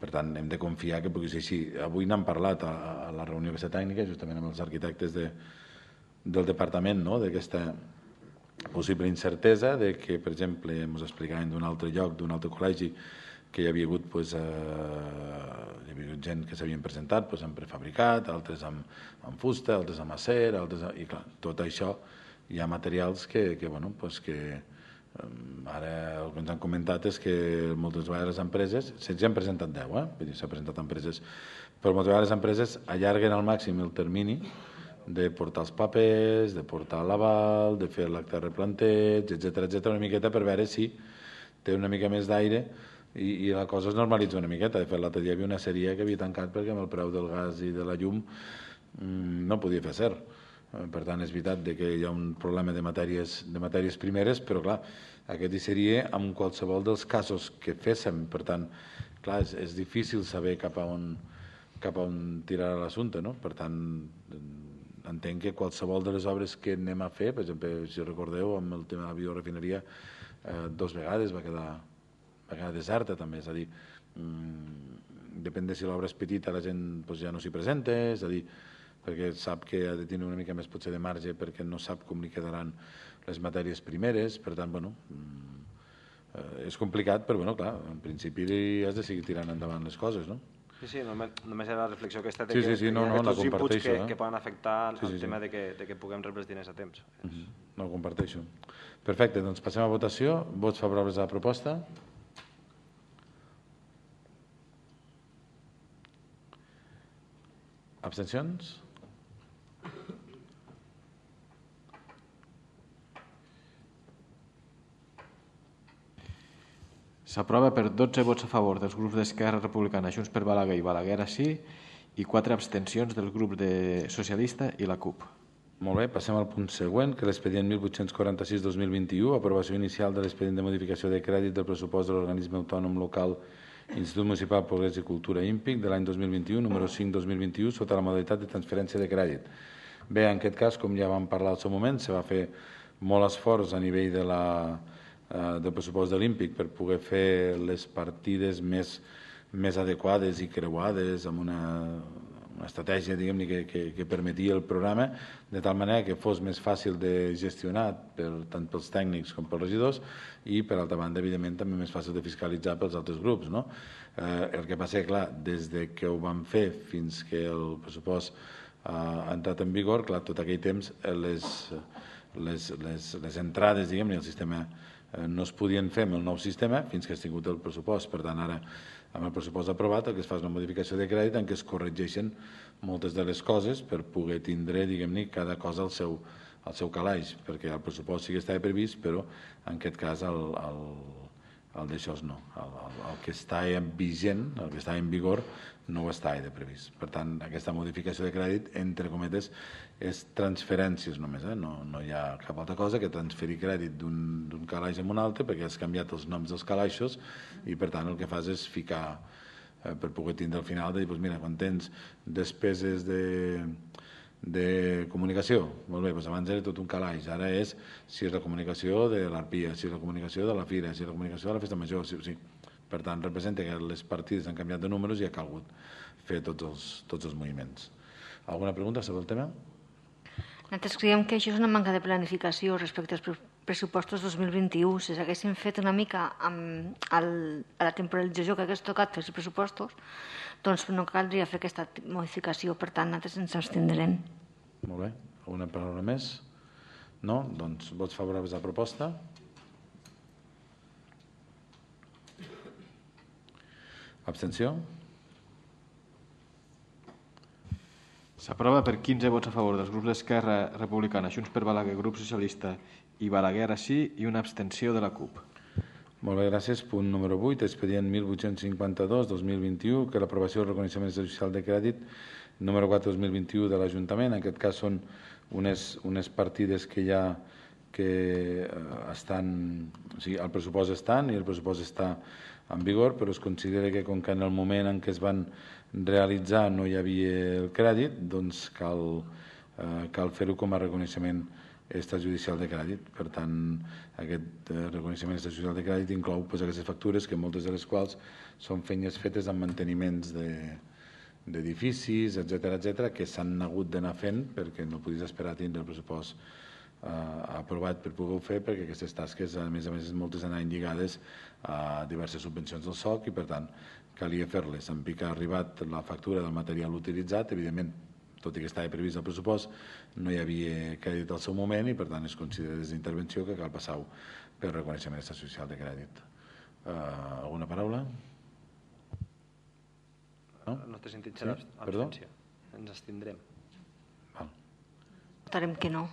Per tant, hem de confiar que pugui ser així. Avui n'hem parlat a, a la reunió aquesta tècnica, justament amb els arquitectes de, del departament, no? D'aquesta possible incertesa de que, per exemple, ens explicaven d'un altre lloc, d'un altre col·legi, que hi havia hagut, pues, eh, hi havia hagut gent que s'havien presentat pues, en prefabricat, altres amb, amb fusta, altres amb acer, altres amb... i clar, tot això hi ha materials que, que, bueno, pues, que eh, ara el que ens han comentat és que moltes vegades les empreses, se'ns han presentat deu, eh? Vull dir, s'han presentat empreses, però moltes vegades les empreses allarguen al màxim el termini de portar els papers, de portar l'aval, de fer l'acte de replanteig, etcètera, etcètera, una miqueta per veure si té una mica més d'aire i, i la cosa es normalitza una miqueta. De fet, l'altre dia hi havia una sèrie que havia tancat perquè amb el preu del gas i de la llum mmm, no podia fer ser. Per tant, és veritat que hi ha un problema de matèries, de matèries primeres, però clar, aquest hi seria amb qualsevol dels casos que féssim. Per tant, clar, és, és difícil saber cap a on, cap a on tirar l'assumpte, no? Per tant, entenc que qualsevol de les obres que anem a fer, per exemple, si recordeu, amb el tema de la biorefineria, eh, dos vegades va quedar va quedar deserta també, és a dir, mmm, depèn de si l'obra és petita la gent doncs, ja no s'hi presenta, és a dir, perquè sap que ha de tenir una mica més potser de marge perquè no sap com li quedaran les matèries primeres, per tant, bueno, mmm, eh, és complicat, però bueno, clar, en principi has de seguir tirant endavant les coses, no? Sí, sí, només, només era la reflexió aquesta de Sí, que, sí, sí, no, que hi ha no, la aquests inputs comparteixo, que, eh? que poden afectar Sí, sí, el sí. tema de que, de que puguem rebre els diners a temps. No ho comparteixo. Perfecte, doncs passem a votació. Vots favorables a la proposta? Abstencions? S'aprova per dotze vots a favor dels grups d'Esquerra Republicana, Junts per Balaguer i Balaguer sí, i quatre abstencions del grup de Socialista i la CUP. Molt bé, passem al punt següent, que l'expedient mil vuit-cents quaranta-sis dos mil vint-i-u, aprovació inicial de l'expedient de modificació de crèdit del pressupost de l'organisme autònom local Institut Municipal Progrés i Cultura Ímpic de l'any dos mil vint-i-u, número cinc dos mil vint-i-u, sota la modalitat de transferència de crèdit. Bé, en aquest cas, com ja vam parlar al seu moment, se va fer molt esforç a nivell de la, eh, del pressupost de l'Ímpic per poder fer les partides més, més adequades i creuades amb una, una estratègia, diguem-ne, que, que, que permetia el programa, de tal manera que fos més fàcil de gestionar per, tant pels tècnics com pels regidors i, per altra banda, evidentment, també més fàcil de fiscalitzar pels altres grups. No? Eh, el que passa és, clar, des de que ho vam fer fins que el pressupost eh, ha entrat en vigor, clar, tot aquell temps eh, les, les, les, les entrades, diguem-ne, el sistema eh, no es podien fer amb el nou sistema fins que has tingut el pressupost. Per tant, ara, amb el pressupost aprovat, el que es fa és una modificació de crèdit en què es corregeixen moltes de les coses per poder tindre, diguem-ne, cada cosa al seu, al seu calaix, perquè el pressupost sí que estava previst, però en aquest cas el, el, el d'això no. El, el, el que està vigent, el que està en vigor, no ho està de previst. Per tant, aquesta modificació de crèdit, entre cometes, és transferències només, eh? no, no hi ha cap altra cosa que transferir crèdit d'un calaix a un altre, perquè has canviat els noms dels calaixos i, per tant, el que fas és ficar eh, per poder tindre al final de dir, doncs mira, quan tens despeses de, de comunicació, molt bé, doncs abans era tot un calaix, ara és si és la comunicació de l'Arpia, si és la comunicació de la Fira, si és la comunicació de la Festa Major, sí, sí. Per tant, representa que les partides han canviat de números i ha calgut fer tots els, tots els moviments. Alguna pregunta sobre el tema? Nosaltres creiem que això és una manca de planificació respecte als pressupostos dos mil vint-i-u. Si s'haguessin fet una mica amb el, a la temporalització que hagués tocat fer els pressupostos, doncs no caldria fer aquesta modificació. Per tant, nosaltres ens abstindrem. Molt bé. Alguna paraula més? No? Doncs vots favorables a la proposta? Abstenció? S'aprova per quinze vots a favor dels grups d'Esquerra Republicana, Junts per Balaguer, Grup Socialista i Balaguer sí, i una abstenció de la CUP. Molt bé, gràcies. Punt número vuit, expedient mil vuit-cents cinquanta-dos dos mil vint-i-u, que l'aprovació del reconeixement social de crèdit número quatre dos mil vint-i-u de l'Ajuntament. En aquest cas són unes, unes partides que ja que estan, o sigui, el pressupost estan i el pressupost està en vigor, però es considera que com que en el moment en què es van realitzar no hi havia el crèdit, doncs cal, eh, cal fer-ho com a reconeixement extrajudicial de crèdit. Per tant, aquest eh, reconeixement extrajudicial de crèdit inclou pues, aquestes factures, que moltes de les quals són feines fetes amb manteniments d'edificis, de, etcètera, etcètera, que s'han hagut d'anar fent perquè no podies esperar a tindre el pressupost eh, aprovat per poder-ho fer, perquè aquestes tasques, a més a més, moltes anaven lligades a diverses subvencions del S O C i, per tant, calia fer-les. En pic ha arribat la factura del material utilitzat, evidentment, tot i que estava previst el pressupost, no hi havia crèdit al seu moment i, per tant, es considera des d'intervenció que cal passar-ho per reconeixement social de crèdit. Uh, alguna paraula? No? El nostre sentit serà sí? abstenció. Ens abstindrem. Val. Votarem que no.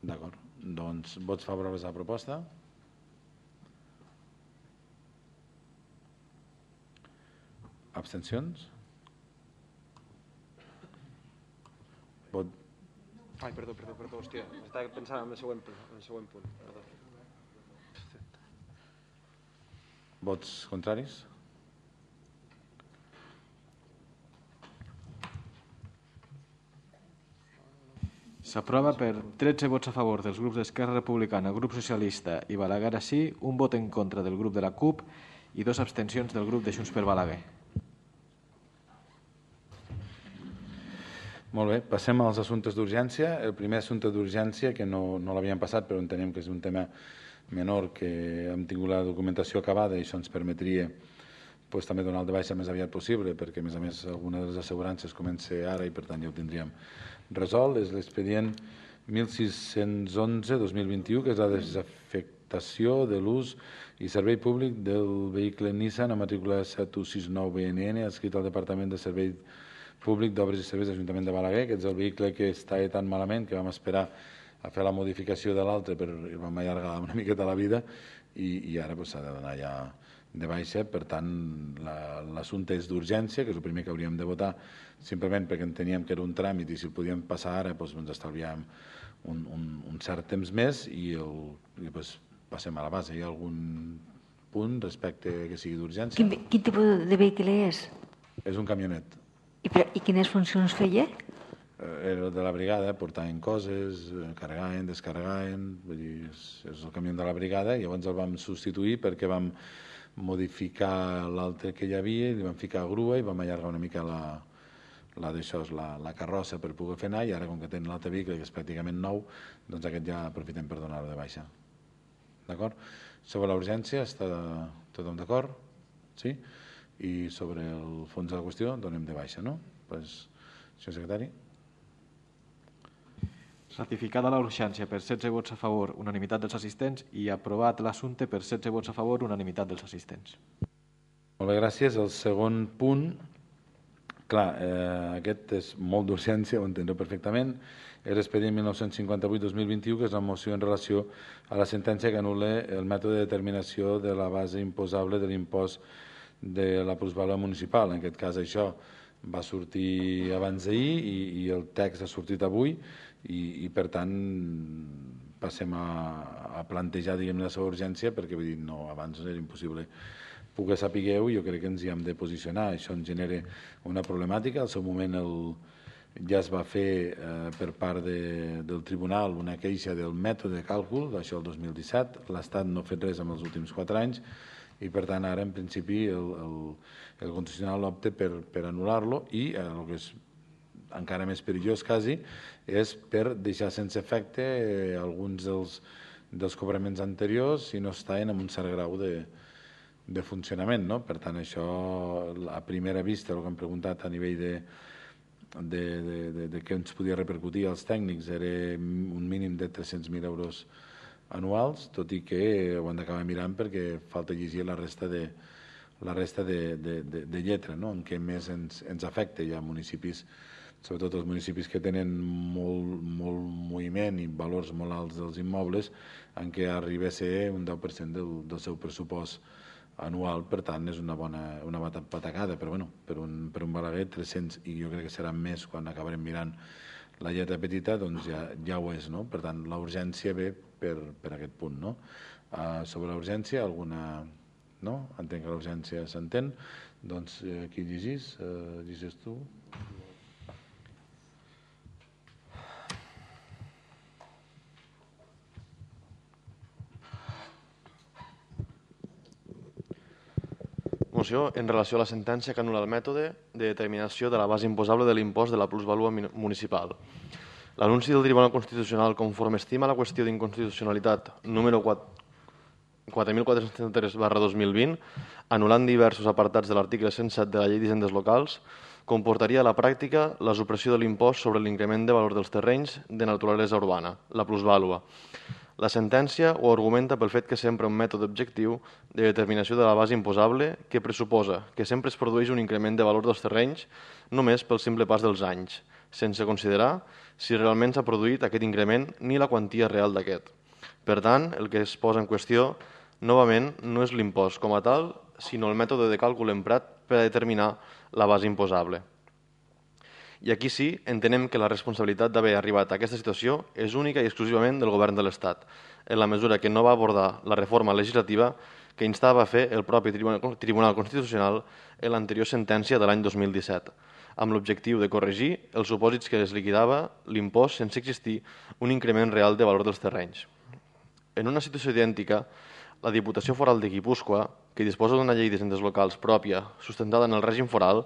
D'acord. Doncs vots favorables a la proposta? Abstencions? Vot... Ai, perdó, perdó, perdó, hòstia, estava pensant en el següent, en el següent punt, perdó. Vots contraris? S'aprova per tretze vots a favor dels grups d'Esquerra Republicana, Grup Socialista i Balaguer sí, un vot en contra del grup de la CUP i dues abstencions del grup de Junts per Balaguer. Molt bé, passem als assumptes d'urgència. El primer assumpte d'urgència, que no, no l'havíem passat, però entenem que és un tema menor, que hem tingut la documentació acabada i això ens permetria pues, també donar el de baixa més aviat possible, perquè a més a més alguna de les assegurances comença ara i per tant ja ho tindríem resolt. És l'expedient mil sis-cents onze dos mil vint-i-u, que és la desafectació de l'ús i servei públic del vehicle Nissan a matrícula set u sis nou B N N adscrit al Departament de Servei Públic d'Obres i Serveis de l'Ajuntament de Balaguer, que és el vehicle que està tan malament que vam esperar a fer la modificació de l'altre, però vam allargar una miqueta la vida i, i ara s'ha de donar ja de baixa. Per tant, l'assumpte és d'urgència, que és el primer que hauríem de votar, simplement perquè enteníem que era un tràmit i si el podíem passar ara doncs ens estalviàvem un, un, un cert temps més i, el, i doncs, passem a la base. Hi ha algun punt respecte que sigui d'urgència? Quin, quin tipus de vehicle és? És un camionet. I, I quines funcions feia? Era de la brigada, portaven coses, carregaven, descarregaven, vull dir, és, és el camió de la brigada, i llavors el vam substituir perquè vam modificar l'altre que hi havia i li vam ficar grua i vam allargar una mica la, la, la, la carrossa per poder fer anar, i ara com que tenen l'altre vehicle que és pràcticament nou, doncs aquest ja aprofitem per donar-lo de baixa. D'acord? Sobre la urgència està tothom d'acord? Sí? I sobre el fons de la qüestió donem de baixa, no? Pues, senyor secretari. Ratificada la urgència per setze vots a favor, unanimitat dels assistents, i aprovat l'assumpte per setze vots a favor, unanimitat dels assistents. Molt bé, gràcies. El segon punt, clar, eh, aquest és molt d'urgència, ho entendreu perfectament, és l'expedient mil nou-cents cinquanta-vuit dos mil vint-i-u, que és la moció en relació a la sentència que anul·la el mètode de determinació de la base imposable de l'impost de la plusvàlua municipal. En aquest cas això va sortir abans d'ahir i, i el text ha sortit avui i, i per tant passem a, a plantejar, diguem, la seva urgència, perquè vull dir, no, abans era impossible poder saber-ho i jo crec que ens hi hem de posicionar. Això ens genera una problemàtica. Al seu moment el, ja es va fer eh, per part de, del tribunal una queixa del mètode de càlcul, això el dos mil disset, l'Estat no ha fet res en els últims quatre anys, i per tant ara en principi el, el, el Constitucional opta per, per anul·lar-lo i eh, el que és encara més perillós quasi és per deixar sense efecte eh, alguns dels, dels cobraments anteriors si no estaven en un cert grau de, de funcionament, no? Per tant això a primera vista, el que hem preguntat a nivell de, de, de, de, de què ens podia repercutir als tècnics era un mínim de tres-cents mil euros anuals, tot i que ho han d'acabar mirant perquè falta llegir la resta de, la resta de, de, de, de lletra, no? En què més ens, ens afecta. Hi ha municipis, sobretot els municipis que tenen molt, molt moviment i valors molt alts dels immobles, en què arriba a ser un deu per cent del, del seu pressupost anual. Per tant, és una bona una patacada, però bueno, per un, per un Balaguer, tres-cents, i jo crec que serà més quan acabarem mirant la lletra petita, doncs ja, ja ho és, no? Per tant, la urgència ve per, per aquest punt, no? Uh, sobre la urgència, alguna... No? Entenc que la urgència s'entén. Doncs eh, qui llegís? Uh, llegis tu? Moció en relació a la sentència que anul·la el mètode de determinació de la base imposable de l'impost de la plusvàlua municipal. L'anunci del Tribunal Constitucional, conforme estima la qüestió d'inconstitucionalitat número quatre mil quatre-cents trenta-tres barra dos mil vint, anul·lant diversos apartats de l'article cent set de la Llei d'Hisendes Locals, comportaria a la pràctica la supressió de l'impost sobre l'increment de valor dels terrenys de naturalesa urbana, la plusvàlua. La sentència ho argumenta pel fet que s'empra un mètode objectiu de determinació de la base imposable que pressuposa que sempre es produeix un increment de valor dels terrenys només pel simple pas dels anys, sense considerar si realment s'ha produït aquest increment ni la quantia real d'aquest. Per tant, el que es posa en qüestió, novament, no és l'impost com a tal, sinó el mètode de càlcul emprat per a determinar la base imposable. I aquí sí, entenem que la responsabilitat d'haver arribat a aquesta situació és única i exclusivament del govern de l'Estat, en la mesura que no va abordar la reforma legislativa que instava a fer el propi Tribunal Constitucional en l'anterior sentència de l'any dos mil disset, amb l'objectiu de corregir els supòsits que es liquidava l'impost sense existir un increment real de valor dels terrenys. En una situació idèntica, la Diputació Foral de Guipúscoa, que disposa d'una llei d'hisendes locals pròpia sustentada en el règim foral,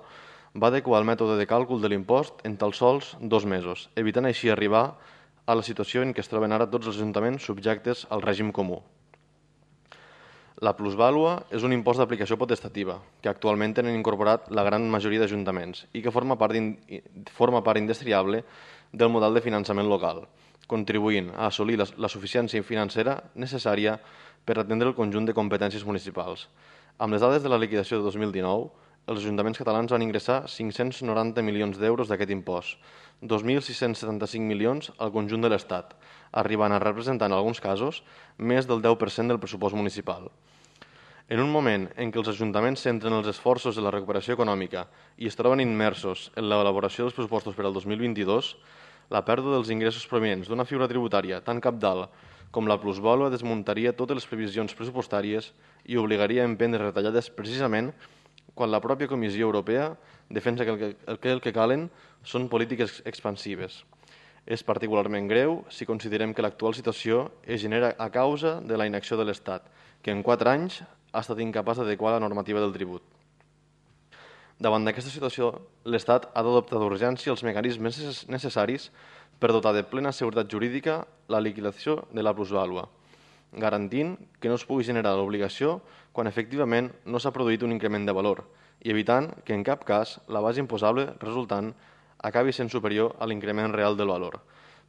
va adequar el mètode de càlcul de l'impost en tan sols dos mesos, evitant així arribar a la situació en què es troben ara tots els ajuntaments subjectes al règim comú. La plusvàlua és un impost d'aplicació potestativa, que actualment tenen incorporat la gran majoria d'ajuntaments i que forma part, in, forma part indestriable del model de finançament local, contribuint a assolir la, la suficiència financera necessària per atendre el conjunt de competències municipals. Amb les dades de la liquidació de dos mil dinou, els ajuntaments catalans van ingressar cinc-cents noranta milions d'euros d'aquest impost, dos mil sis-cents setanta-cinc milions al conjunt de l'Estat, arribant a representar en alguns casos més del deu per cent del pressupost municipal. En un moment en què els ajuntaments centren els esforços de la recuperació econòmica i es troben immersos en l'elaboració dels pressupostos per al dos mil vint-i-dos, la pèrdua dels ingressos provinents d'una figura tributària tan cabdal com la plusvàlua desmuntaria totes les previsions pressupostàries i obligaria a emprendre retallades precisament quan la pròpia Comissió Europea defensa que el que, el que, el que calen són polítiques expansives. És particularment greu si considerem que l'actual situació es genera a causa de la inacció de l'Estat, que en quatre anys ha estat incapaç d'adequar la normativa del tribut. Davant d'aquesta situació, l'Estat ha d'adoptar d'urgència els mecanismes necessaris per dotar de plena seguretat jurídica la liquidació de la plusvàlua, garantint que no es pugui generar l'obligació quan efectivament no s'ha produït un increment de valor i evitant que en cap cas la base imposable resultant acabi sent superior a l'increment real del valor.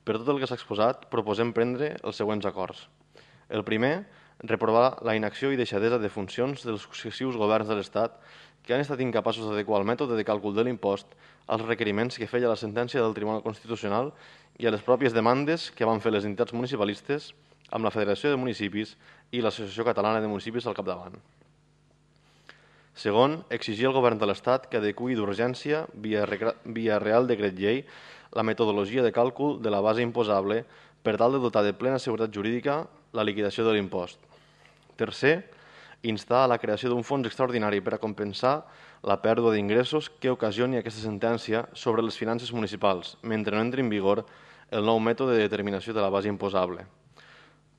Per tot el que s'ha exposat, proposem prendre els següents acords. El primer, reprovar la inacció i deixadesa de funcions dels successius governs de l'Estat que han estat incapaços d'adequar el mètode de càlcul de l'impost als requeriments que feia la sentència del Tribunal Constitucional i a les pròpies demandes que van fer les entitats municipalistes amb la Federació de Municipis i l'Associació Catalana de Municipis al capdavant. Segon, exigir al Govern de l'Estat que adeqüi d'urgència, via, via Real Decret Llei, la metodologia de càlcul de la base imposable per tal de dotar de plena seguretat jurídica la liquidació de l'impost. Tercer, instar a la creació d'un fons extraordinari per a compensar la pèrdua d'ingressos que ocasioni aquesta sentència sobre les finances municipals, mentre no entri en vigor el nou mètode de determinació de la base imposable.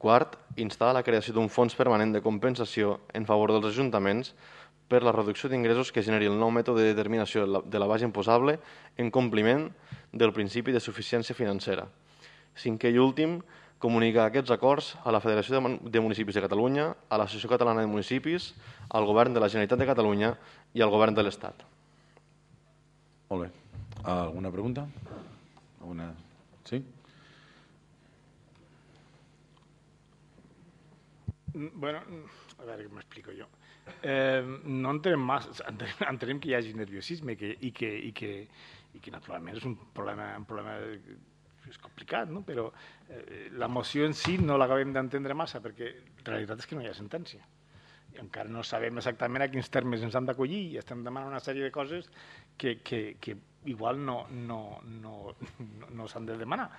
Quart, instar a la creació d'un fons permanent de compensació en favor dels ajuntaments per la reducció d'ingressos que generi el nou mètode de determinació de la base imposable en compliment del principi de suficiència financera. Cinquè i últim, comunicar aquests acords a la Federació de Municipis de Catalunya, a l'Associació Catalana de Municipis, al Govern de la Generalitat de Catalunya i al Govern de l'Estat. Molt bé. Alguna pregunta? Alguna... Sí? Bueno, a veure com m'explico jo. Eh, no entenem massa, entenem que hi hagi nerviosisme i que, i que, i que, i que naturalment és un problema, un problema és complicat, no? Però eh, la moció en si no l'acabem d'entendre massa perquè la realitat és que no hi ha sentència. I encara no sabem exactament a quins termes ens han d'acollir i estem demanant una sèrie de coses que, que, que igual no, no, no, no, no s'han de demanar.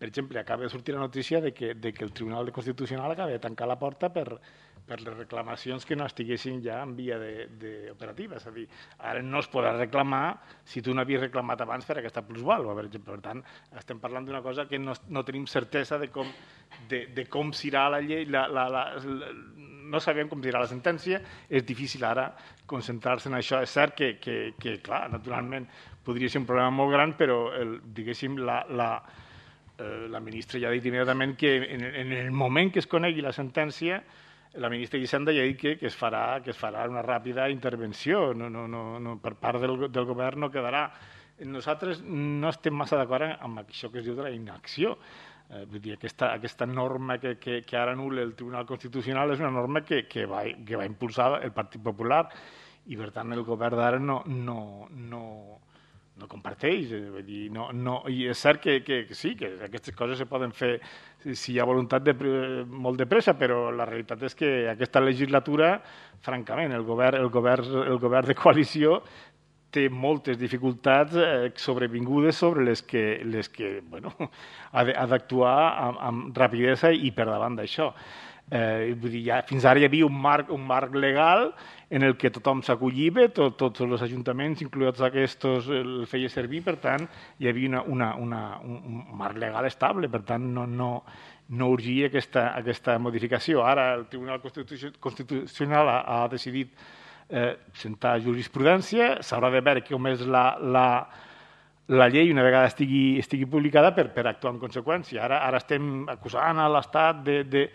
Per exemple, acaba de sortir la notícia de que, de que el Tribunal Constitucional acaba de tancar la porta per, per les reclamacions que no estiguessin ja en via d'operativa. És a dir, ara no es podrà reclamar si tu no havies reclamat abans per aquesta plusvàlua, per exemple. Per tant, estem parlant d'una cosa que no, no tenim certesa de com, de, de com serà la llei, la, la, la, la, no sabem com serà la sentència, és difícil ara concentrar-se en això. És cert que, que, que clar, naturalment podria ser un problema molt gran, però el, diguéssim, la, la, eh, la ministra ja ha dit immediatament que en, en el moment que es conegui la sentència, la ministra Hisenda ja ha dit que, que, es farà, que es farà una ràpida intervenció, no, no, no, no, per part del, del govern no quedarà. Nosaltres no estem massa d'acord amb això que es diu de la inacció. Eh, vull dir, aquesta, aquesta norma que, que, que ara anul·la el Tribunal Constitucional és una norma que, que, va, que va impulsar el Partit Popular i, per tant, el govern d'ara no, no, no, no comparteix. Vull dir, no, no, i és cert que, que, que sí, que aquestes coses se poden fer si hi ha voluntat de, molt de pressa, però la realitat és que aquesta legislatura, francament, el govern, el govern, el govern de coalició té moltes dificultats eh, sobrevingudes sobre les que, les que bueno, ha d'actuar amb, amb rapidesa i per davant d'això. Eh, vull dir, ja, fins ara hi havia un marc, un marc legal en el que tothom s'acolliva, tot, tots els ajuntaments, incloents aquests, el feia servir, per tant, hi havia una, una, una, un marc legal estable, per tant, no, no, no urgia aquesta, aquesta modificació. Ara el Tribunal Constitucional ha, ha decidit eh, sentar jurisprudència, s'haurà de veure com és la, la, la llei una vegada estigui, estigui publicada per, per actuar en conseqüència. Ara, ara estem acusant a l'Estat de, de,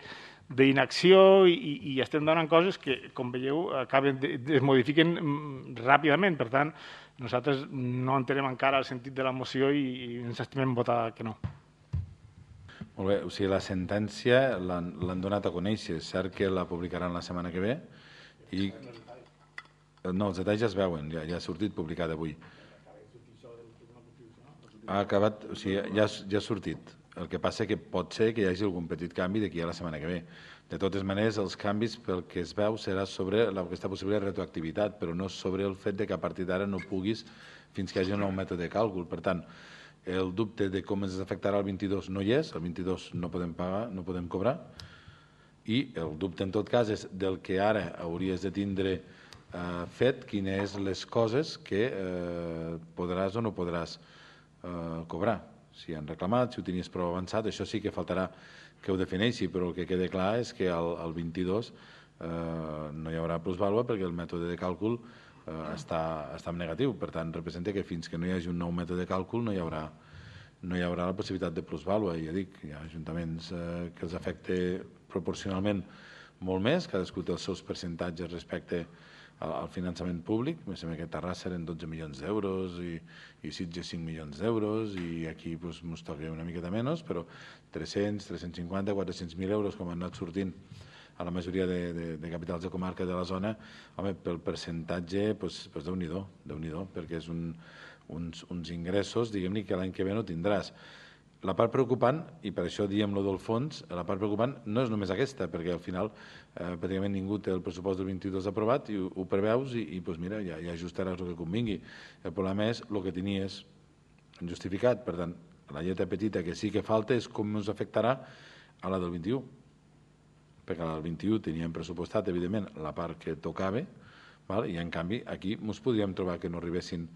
d'inacció i, i estem donant coses que, com veieu, acaben de, es modifiquen ràpidament. Per tant, nosaltres no entenem encara el sentit de la moció i, i ens estimem votar que no. Molt bé, o sigui, la sentència l'han donat a conèixer. És cert que la publicaran la setmana que ve i... No, els detalls ja es veuen, ja, ja ha sortit publicat avui. Ha acabat, o sigui, ja, ja ha sortit. El que passa que pot ser que hi hagi algun petit canvi d'aquí a la setmana que ve. De totes maneres, els canvis, pel que es veu, serà sobre aquesta possible retroactivitat, però no sobre el fet de que a partir d'ara no puguis fins que hi hagi un nou mètode de càlcul. Per tant, el dubte de com ens afectarà el vint-i-dos no hi és, el vint-i-dos no podem pagar, no podem cobrar, i el dubte en tot cas és del que ara hauries de tindre eh, fet, quines són les coses que eh, podràs o no podràs eh, cobrar. Si han reclamat, si ho tenies prou avançat, això sí que faltarà que ho defineixi, però el que queda clar és que el, el vint-i-dos eh, no hi haurà plusvàlua perquè el mètode de càlcul eh, està, està en negatiu. Per tant, representa que fins que no hi hagi un nou mètode de càlcul no hi haurà, no hi haurà la possibilitat de plusvàlua. I ja dic, hi ha ajuntaments eh, que els afecta proporcionalment molt més, cadascú té els seus percentatges respecte al finançament públic. Em sembla que Terrassa eren dotze milions d'euros i, i Sitges cinc milions d'euros i aquí pues, ens toca una miqueta menys, però tres-cents, tres-cents cinquanta, quatre-cents mil euros com han anat sortint a la majoria de, de, de capitals de comarca de la zona, home, pel percentatge, pues, pues Déu-n'hi-do, Déu-n'hi-do, perquè és un, uns, uns ingressos, diguem-ne, que l'any que ve no tindràs. La part preocupant, i per això diem lo del fons, la part preocupant no és només aquesta, perquè al final eh, pràcticament ningú té el pressupost del vint-i-dos aprovat i ho, ho preveus i, i pues mira, ja, ja ajustaràs el que convingui. El problema és el que tenies justificat. Per tant, la lletra petita que sí que falta és com ens afectarà a la del vint-i-u. Perquè a la del vint-i-u teníem pressupostat, evidentment, la part que tocava, val? I en canvi aquí ens podríem trobar que no arribessin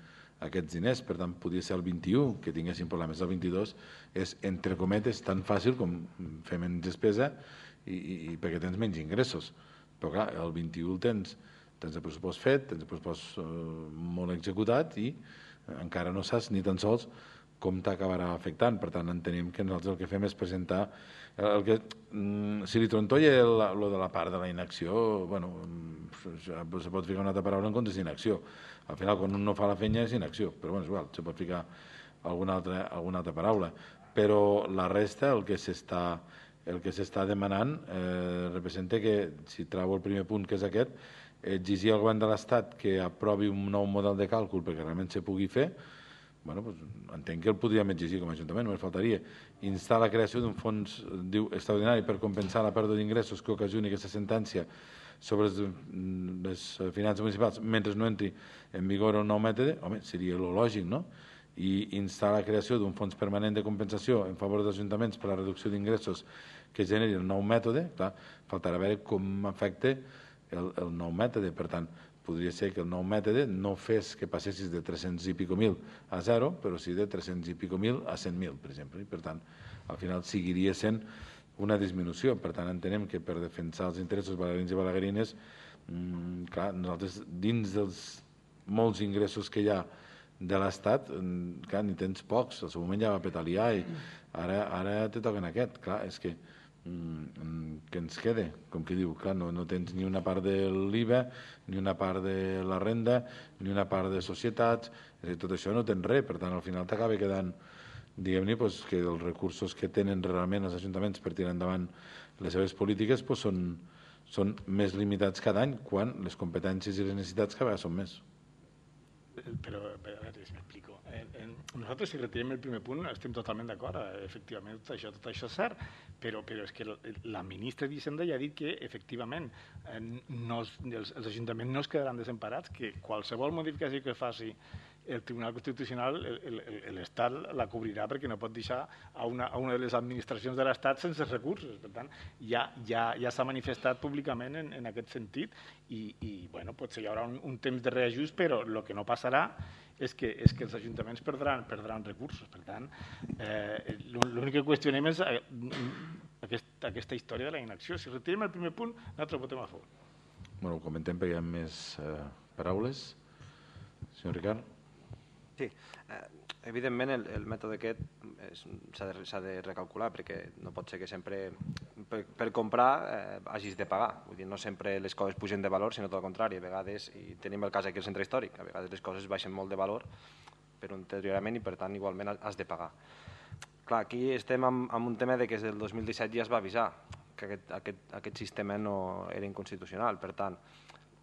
aquests diners, per tant, podria ser el vint-i-u que tinguessin problemes. El vint-i-dos és, entre cometes, tan fàcil com fer menys despesa i, i, i perquè tens menys ingressos. Però clar, el vint-i-u el tens, tens el pressupost fet, tens el pressupost eh, molt executat i encara no saps ni tan sols com t'acabarà afectant. Per tant, entenem que nosaltres el que fem és presentar el que, si li trontolla el, el de la part de la inacció, bueno, ja se pot ficar una altra paraula en comptes d'inacció. Al final, quan un no fa la feina és inacció, però bueno, és igual, se pot ficar alguna altra, alguna altra paraula. Però la resta, el que s'està el que s'està demanant, eh, representa que, si trau el primer punt, que és aquest, exigir al govern de l'Estat que aprovi un nou model de càlcul perquè realment se pugui fer. Bueno, doncs, entenc que el podríem exigir com a Ajuntament, només faltaria. Instar la creació d'un fons diu, extraordinari per compensar la pèrdua d'ingressos que ocasioni aquesta sentència sobre les, les finances municipals mentre no entri en vigor el nou mètode, home, seria el lògic, no? I instar la creació d'un fons permanent de compensació en favor dels ajuntaments per a la reducció d'ingressos que generi el nou mètode, clar, faltarà veure com afecta el, el nou mètode. Per tant, podria ser que el nou mètode no fes que passessis de tres-cents i pico mil a zero, però sí de tres-cents i pico mil a cent mil, per exemple. I per tant, al final seguiria sent una disminució. Per tant, entenem que per defensar els interessos balaguerins i balaguerines, mmm, clar, nosaltres, dins dels molts ingressos que hi ha de l'Estat, clar, ni tens pocs. Al seu moment ja va petar l'I A i ara, ara te toquen aquest. Clar, és que mmm, que ens quede, com que diu, clar, no, no tens ni una part de l'I V A, ni una part de la renda, ni una part de societats, és a dir, tot això no tens res. Per tant, al final t'acaba quedant, diguem-ne, doncs, que els recursos que tenen realment els ajuntaments per tirar endavant les seves polítiques doncs, són, són més limitats cada any, quan les competències i les necessitats cada vegada són més. Però, a veure si m'explico. Eh, eh, nosaltres, si retirem el primer punt, estem totalment d'acord. Efectivament, tot això, tot això és cert, però, però és que la ministra d'Hisenda ja ha dit que, efectivament, eh, no, els, els ajuntaments no es quedaran desemparats, que qualsevol modificació que faci el Tribunal Constitucional, l'Estat la cobrirà perquè no pot deixar a una, a una de les administracions de l'Estat sense recursos. Per tant, ja, ja, ja s'ha manifestat públicament en, en aquest sentit i, i bueno, potser hi haurà un, un temps de reajust, però el que no passarà és que, és que els ajuntaments perdran, perdran recursos. Per tant, eh, l'únic que qüestionem és eh, aquest, aquesta història de la inacció. Si retirem el primer punt, nosaltres votem a favor. Bueno, ho comentem perquè hi ha més eh, paraules. Senyor Ricard. Sí, eh, Evidentment, el, el mètode aquest s'ha de, de recalcular, perquè no pot ser que sempre per, per comprar eh, hagis de pagar. Vull dir, no sempre les coses pugen de valor, sinó tot el contrari. A vegades, i tenim el cas aquí al centre històric, a vegades les coses baixen molt de valor per un deteriorament i per tant igualment has de pagar. Clar, aquí estem amb, amb un tema de que des del dos mil disset ja es va avisar que aquest, aquest, aquest sistema no era inconstitucional. Per tant,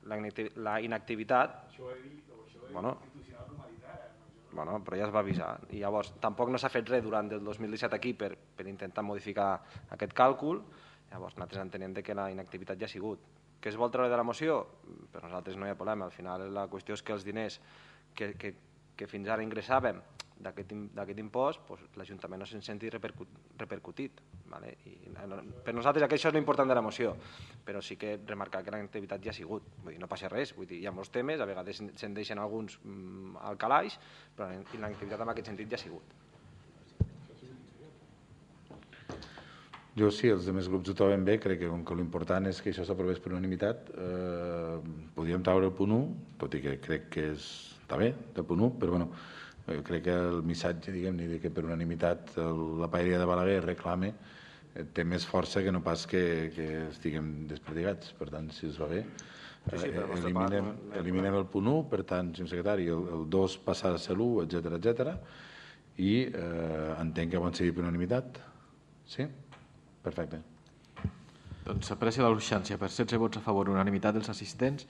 la, la inactivitat... Això ho he dit, o això he bueno, Bueno, però ja es va avisar. I llavors, tampoc no s'ha fet res durant el dos mil disset aquí per, per intentar modificar aquest càlcul. Llavors, nosaltres entenem que la inactivitat ja ha sigut. Què es vol treure de la moció? Per nosaltres no hi ha problema. Al final, la qüestió és que els diners que, que, que fins ara ingressàvem d'aquest impost, doncs, l'Ajuntament no se'n senti repercut, repercutit. Vale? I, per nosaltres això és l'important de la moció, però sí que remarcar que l'activitat ja ha sigut. Vull dir, no passa res, vull dir, hi ha molts temes, a vegades se'n deixen alguns mm, al calaix, però l'activitat en aquest sentit ja ha sigut. Jo sí, els altres grups ho troben bé, crec que com que l'important és que això s'aprovés per unanimitat, eh, podríem treure el punt u, tot i que crec que és, està bé, del punt u, però bueno, jo crec que el missatge, diguem-ne, de que per unanimitat la paeria de Balaguer reclame té més força que no pas que, que estiguem desperdigats. Per tant, si us va bé, sí, sí, eliminem, part, eliminem el punt u, per tant, senyor secretari, el, el dos passar a ser l'u, etcètera, etcètera, i eh, entenc que van seguir per unanimitat. Sí? Perfecte. Doncs s'aprecia la urgència per setze vots a favor, unanimitat dels assistents,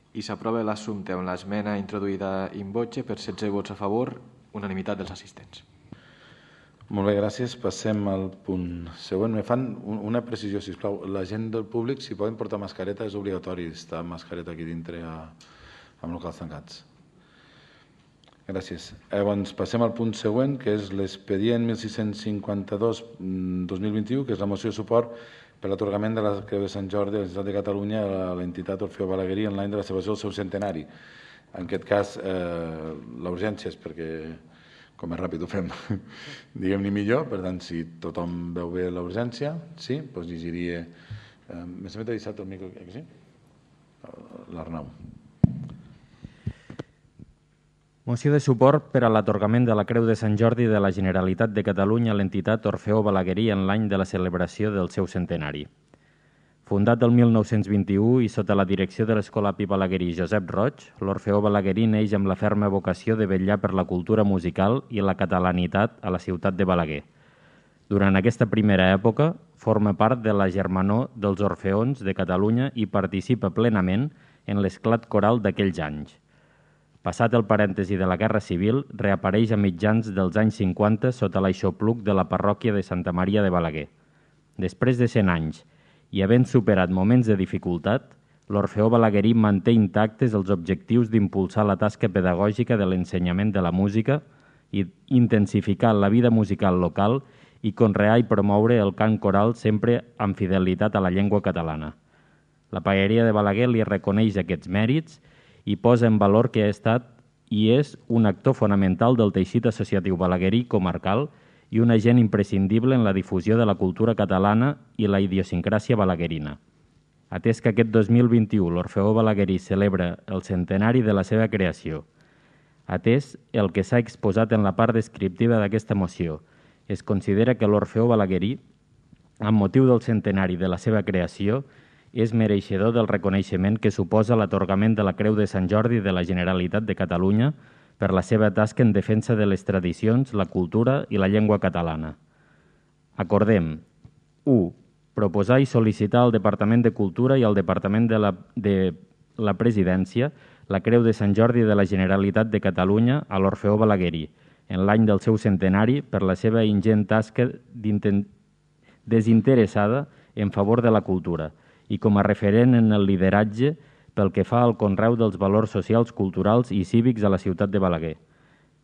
i s'aprova l'assumpte amb l'esmena introduïda in voce per setze vots a favor, unanimitat dels assistents. Molt bé, gràcies. Passem al punt següent. Me fan una precisió, sisplau. La gent del públic, si poden portar mascareta, és obligatori estar amb mascareta aquí dintre a, amb locals tancats. Gràcies. Llavors, passem al punt següent, que és l'expedient mil sis-cents cinquanta-dos dos mil vint-i-u, que és la moció de suport per l'atorgament de la Creu de Sant Jordi de la Generalitat de Catalunya a l'entitat Orfeó Balaguerí en l'any de la celebració del seu centenari. En aquest cas, eh, la urgència és perquè, com més ràpid ho fem, diguem-ne millor, per tant, si tothom veu bé la urgència, sí, doncs llegiria... Eh, M'he sempre deixat el micro, eh, que sí? L'Arnau. Moció de suport per a l'atorgament de la Creu de Sant Jordi de la Generalitat de Catalunya a l'entitat Orfeó Balaguerí en l'any de la celebració del seu centenari. Fundat el mil nou-cents vint-i-u i sota la direcció de l'escolapi balaguerí Josep Roig, l'Orfeó Balaguerí neix amb la ferma vocació de vetllar per la cultura musical i la catalanitat a la ciutat de Balaguer. Durant aquesta primera època, forma part de la germanor dels Orfeons de Catalunya i participa plenament en l'esclat coral d'aquells anys. Passat el parèntesi de la Guerra Civil, reapareix a mitjans dels anys cinquanta sota l'aixopluc de la parròquia de Santa Maria de Balaguer. Després de cent anys, i havent superat moments de dificultat, l'Orfeó Balaguerí manté intactes els objectius d'impulsar la tasca pedagògica de l'ensenyament de la música i intensificar la vida musical local i conrear i promoure el cant coral sempre amb fidelitat a la llengua catalana. La paeria de Balaguer li reconeix aquests mèrits i posa en valor que ha estat i és un actor fonamental del teixit associatiu balaguerí comarcal i un agent imprescindible en la difusió de la cultura catalana i la idiosincràsia balaguerina. Atès que aquest dos mil vint-i-u l'Orfeó Balaguerí celebra el centenari de la seva creació, atès el que s'ha exposat en la part descriptiva d'aquesta moció, es considera que l'Orfeó Balaguerí, amb motiu del centenari de la seva creació, és mereixedor del reconeixement que suposa l'atorgament de la Creu de Sant Jordi de la Generalitat de Catalunya per la seva tasca en defensa de les tradicions, la cultura i la llengua catalana. Acordem. u. Proposar i sol·licitar al Departament de Cultura i al Departament de la, de la Presidència la Creu de Sant Jordi de la Generalitat de Catalunya a l'Orfeó Balaguerí, en l'any del seu centenari, per la seva ingent tasca desinteressada en favor de la cultura, i com a referent en el lideratge pel que fa al conreu dels valors socials, culturals i cívics a la ciutat de Balaguer.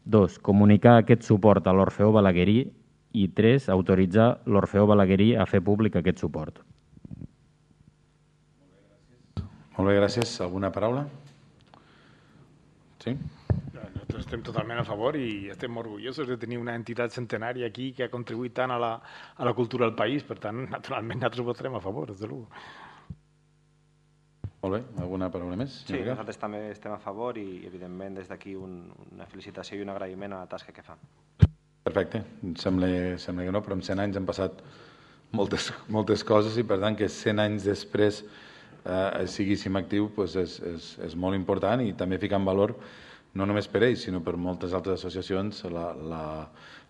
dos. Comunicar aquest suport a l'Orfeó Balaguerí i tres. Autoritzar l'Orfeó Balaguerí a fer públic aquest suport. Molt bé, gràcies. Alguna paraula? Sí? Nosaltres estem totalment a favor i estem orgullosos de tenir una entitat centenària aquí que ha contribuït tant a la, a la cultura del país. Per tant, naturalment, nosaltres votarem a favor, des de l'u. Molt bé, alguna paraula més? Sí, nosaltres també estem a favor i, evidentment, des d'aquí una felicitació i un agraïment a la tasca que fan. Perfecte, sembla, sembla que no, però en cent anys han passat moltes, moltes coses i, per tant, que cent anys després eh, siguíssim actiu pues és, és, és molt important i també ficar en valor, no només per ells, sinó per moltes altres associacions, la, la,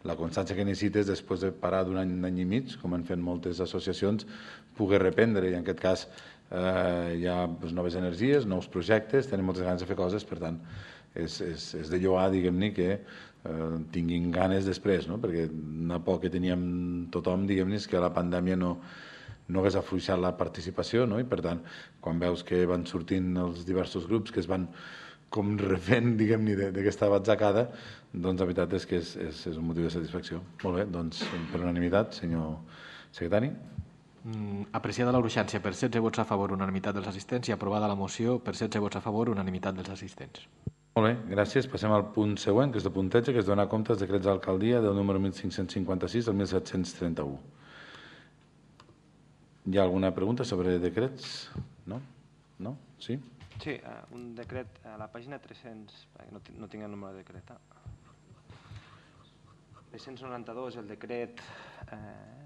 la constància que necessites després de parar d'un any, un any i mig, com han fet moltes associacions, poder reprendre, i en aquest cas eh, hi ha pues, noves energies, nous projectes, tenim moltes ganes de fer coses, per tant, és, és, és de lloar, diguem-ne, que eh, tinguin ganes després, no? Perquè una por que teníem tothom, diguem-ne, és que la pandèmia no, no hagués afluixat la participació, no? I per tant, quan veus que van sortint els diversos grups que es van com refent, diguem-ne, d'aquesta batzacada, doncs la veritat és que és, és, és un motiu de satisfacció. Molt bé, doncs per unanimitat, senyor secretari. Mm, apreciada la urgència per setze vots a favor, unanimitat dels assistents, i aprovada la moció per setze vots a favor, unanimitat dels assistents. Molt bé, gràcies. Passem al punt següent, que és el punteig, que és donar compte dels decrets d'alcaldia del número mil cinc-cents cinquanta-sis al mil set-cents trenta-u. Hi ha alguna pregunta sobre decrets? No? No? Sí? Sí, un decret a la pàgina tres-cents, no, no tinc el número de decret. tres-cents noranta-dos, el decret eh,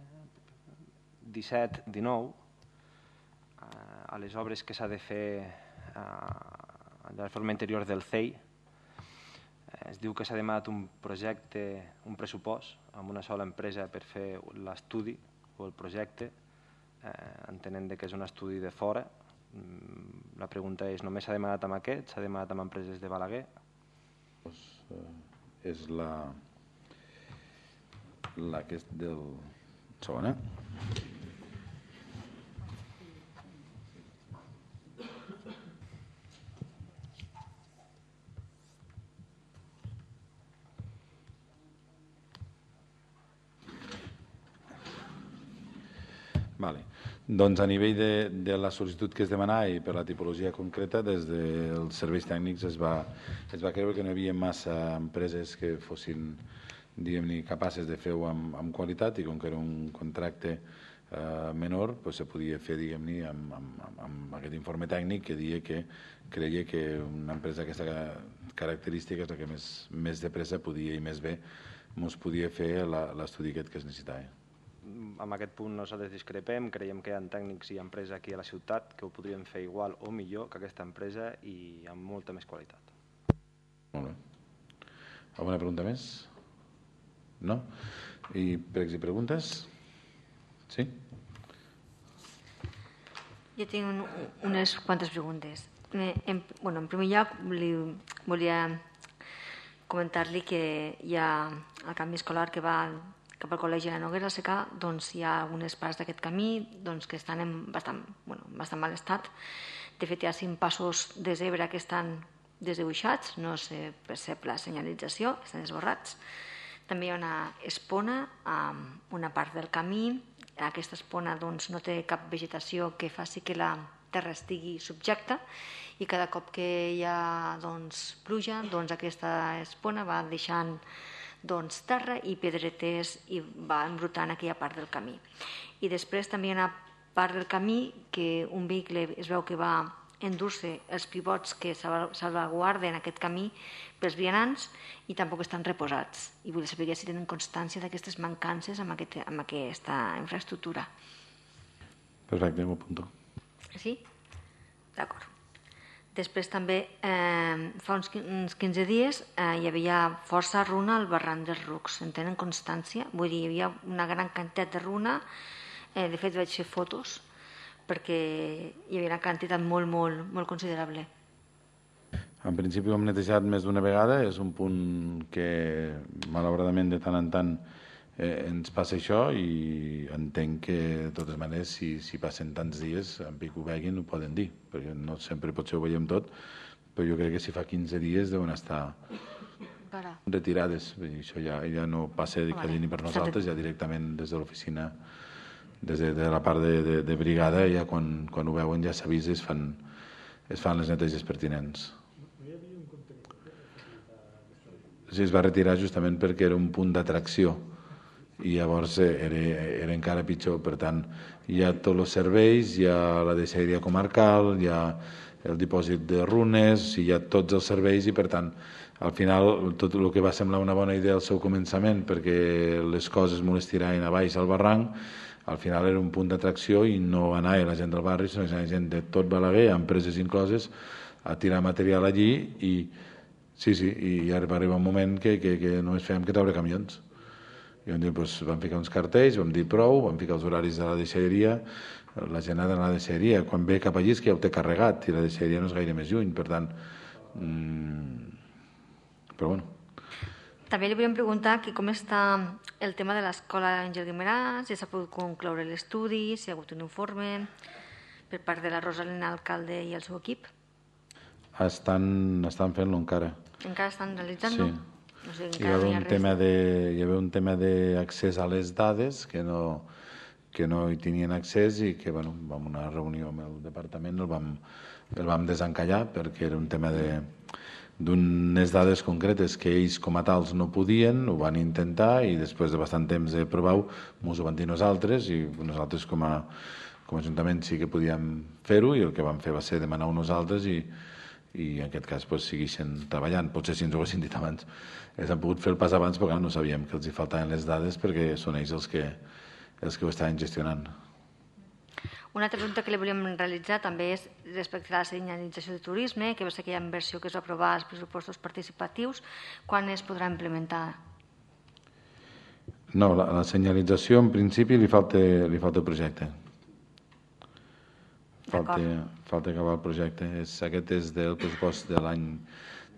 disset dinou, eh, a les obres que s'ha de fer eh, de la forma interior del C E I. Eh, es diu que s'ha demanat un projecte, un pressupost, amb una sola empresa per fer l'estudi o el projecte, eh, entenent que és un estudi de fora. La pregunta és, només s'ha demanat amb aquest? S'ha demanat amb empreses de Balaguer? Pues, eh, és la, la que és del segon, eh? Vale. Doncs a nivell de, de la sol·licitud que es demanava i per la tipologia concreta, des dels serveis tècnics es va, es va creure que no hi havia massa empreses que fossin, diguem-ne, capaces de fer-ho amb, amb qualitat, i com que era un contracte eh, menor, pues, se podia fer, diguem-ne, amb, amb, amb aquest informe tècnic que deia que creia que una empresa d'aquesta característica és la que més, més de pressa podia i més bé ens podia fer l'estudi aquest que es necessitava. En aquest punt nosaltres discrepem, creiem que hi ha tècnics i empreses aquí a la ciutat que ho podrien fer igual o millor que aquesta empresa i amb molta més qualitat. Molt bé. Alguna pregunta més? No? I pregs i preguntes? Sí? Jo tinc un, unes quantes preguntes. En, bueno, en primer lloc, li, volia comentar-li que hi ha el canvi escolar que va cap al Col·legi de la Noguera Secà, doncs hi ha algunes parts d'aquest camí doncs, que estan en bastant, bueno, bastant mal estat. De fet, hi ha cinc passos de zebra que estan desdibuixats, no se percep la senyalització, estan esborrats. També hi ha una espona a una part del camí. Aquesta espona doncs, no té cap vegetació que faci que la terra estigui subjecta, i cada cop que hi ha doncs, pluja, doncs, aquesta espona va deixant doncs, terra i pedretes i va embrutant aquella part del camí. I després també hi ha una part del camí que un vehicle es veu que va endur-se els pivots que salvaguarden aquest camí pels vianants i tampoc estan reposats. I vull saber si tenen constància d'aquestes mancances amb, aquest, amb aquesta infraestructura. Perfecte, m'ho apunto. Sí? D'acord. Després també, eh, fa uns quinze dies, eh, hi havia força runa al barranc dels Rucs. En tenen constància? Vull dir, hi havia una gran quantitat de runa. Eh, de fet, vaig fer fotos perquè hi havia una quantitat molt, molt, molt considerable. En principi ho hem netejat més d'una vegada. És un punt que, malauradament, de tant en tant eh, ens passa això, i entenc que, de totes maneres, si, si passen tants dies, en pic ho veguin, ho poden dir, perquè no sempre potser ho veiem tot, però jo crec que si fa quinze dies deuen estar Para. retirades. Això ja, ja no passa de vale. Ni per nosaltres, ja directament des de l'oficina, des de, de la part de, de, de brigada, ja quan, quan ho veuen ja s'avisa i es fan, es fan les neteges pertinents. Sí, es va retirar justament perquè era un punt d'atracció i llavors era, era encara pitjor. Per tant, hi ha tots els serveis, hi ha la deixalleria comarcal, hi ha el dipòsit de runes, hi ha tots els serveis i, per tant, al final, tot el que va semblar una bona idea al seu començament, perquè les coses molt es tiraven a baix al barranc, al final era un punt d'atracció i no anava la gent del barri, sinó la gent de tot Balaguer, empreses incloses, a tirar material allí i sí, sí, i va arribar un moment que, que, que només fèiem que treure camions. I vam dir, doncs, vam ficar uns cartells, vam dir prou, vam ficar els horaris de la deixalleria, la gent ha d'anar a la deixalleria. Quan ve cap allí és que ja ho té carregat i la deixalleria no és gaire més lluny, per tant... Mmm, però bueno. També li volíem preguntar que com està el tema de l'escola Àngel Guimerà, si s'ha pogut concloure l'estudi, si hi ha hagut un informe per part de la Rosalina, alcalde i el seu equip. Estan, estan fent-lo encara. Encara estan realitzant-lo? Sí. No sé, hi, va un tema de, hi havia un tema d'accés a les dades que no, que no hi tenien accés i que, bueno, vam a una reunió amb el departament, el vam, el vam desencallar perquè era un tema de d'unes dades concretes que ells com a tals no podien, ho van intentar i després de bastant temps de provar-ho ens ho van dir nosaltres i nosaltres com a, com a Ajuntament sí que podíem fer-ho i el que vam fer va ser demanar-ho nosaltres i, i en aquest cas pues, segueixen treballant. Potser si ens ho haguessin dit abans ells han pogut fer el pas abans però no sabíem que els hi faltaven les dades perquè són ells els que, els que ho estaven gestionant. Una altra pregunta que li volíem realitzar també és respecte a la senyalització de turisme, que va ser aquella inversió que es va aprovar als pressupostos participatius, quan es podrà implementar? No, la, la senyalització en principi li falta, li falta el projecte. Falta, falta acabar el projecte. És, aquest és del pressupost de l'any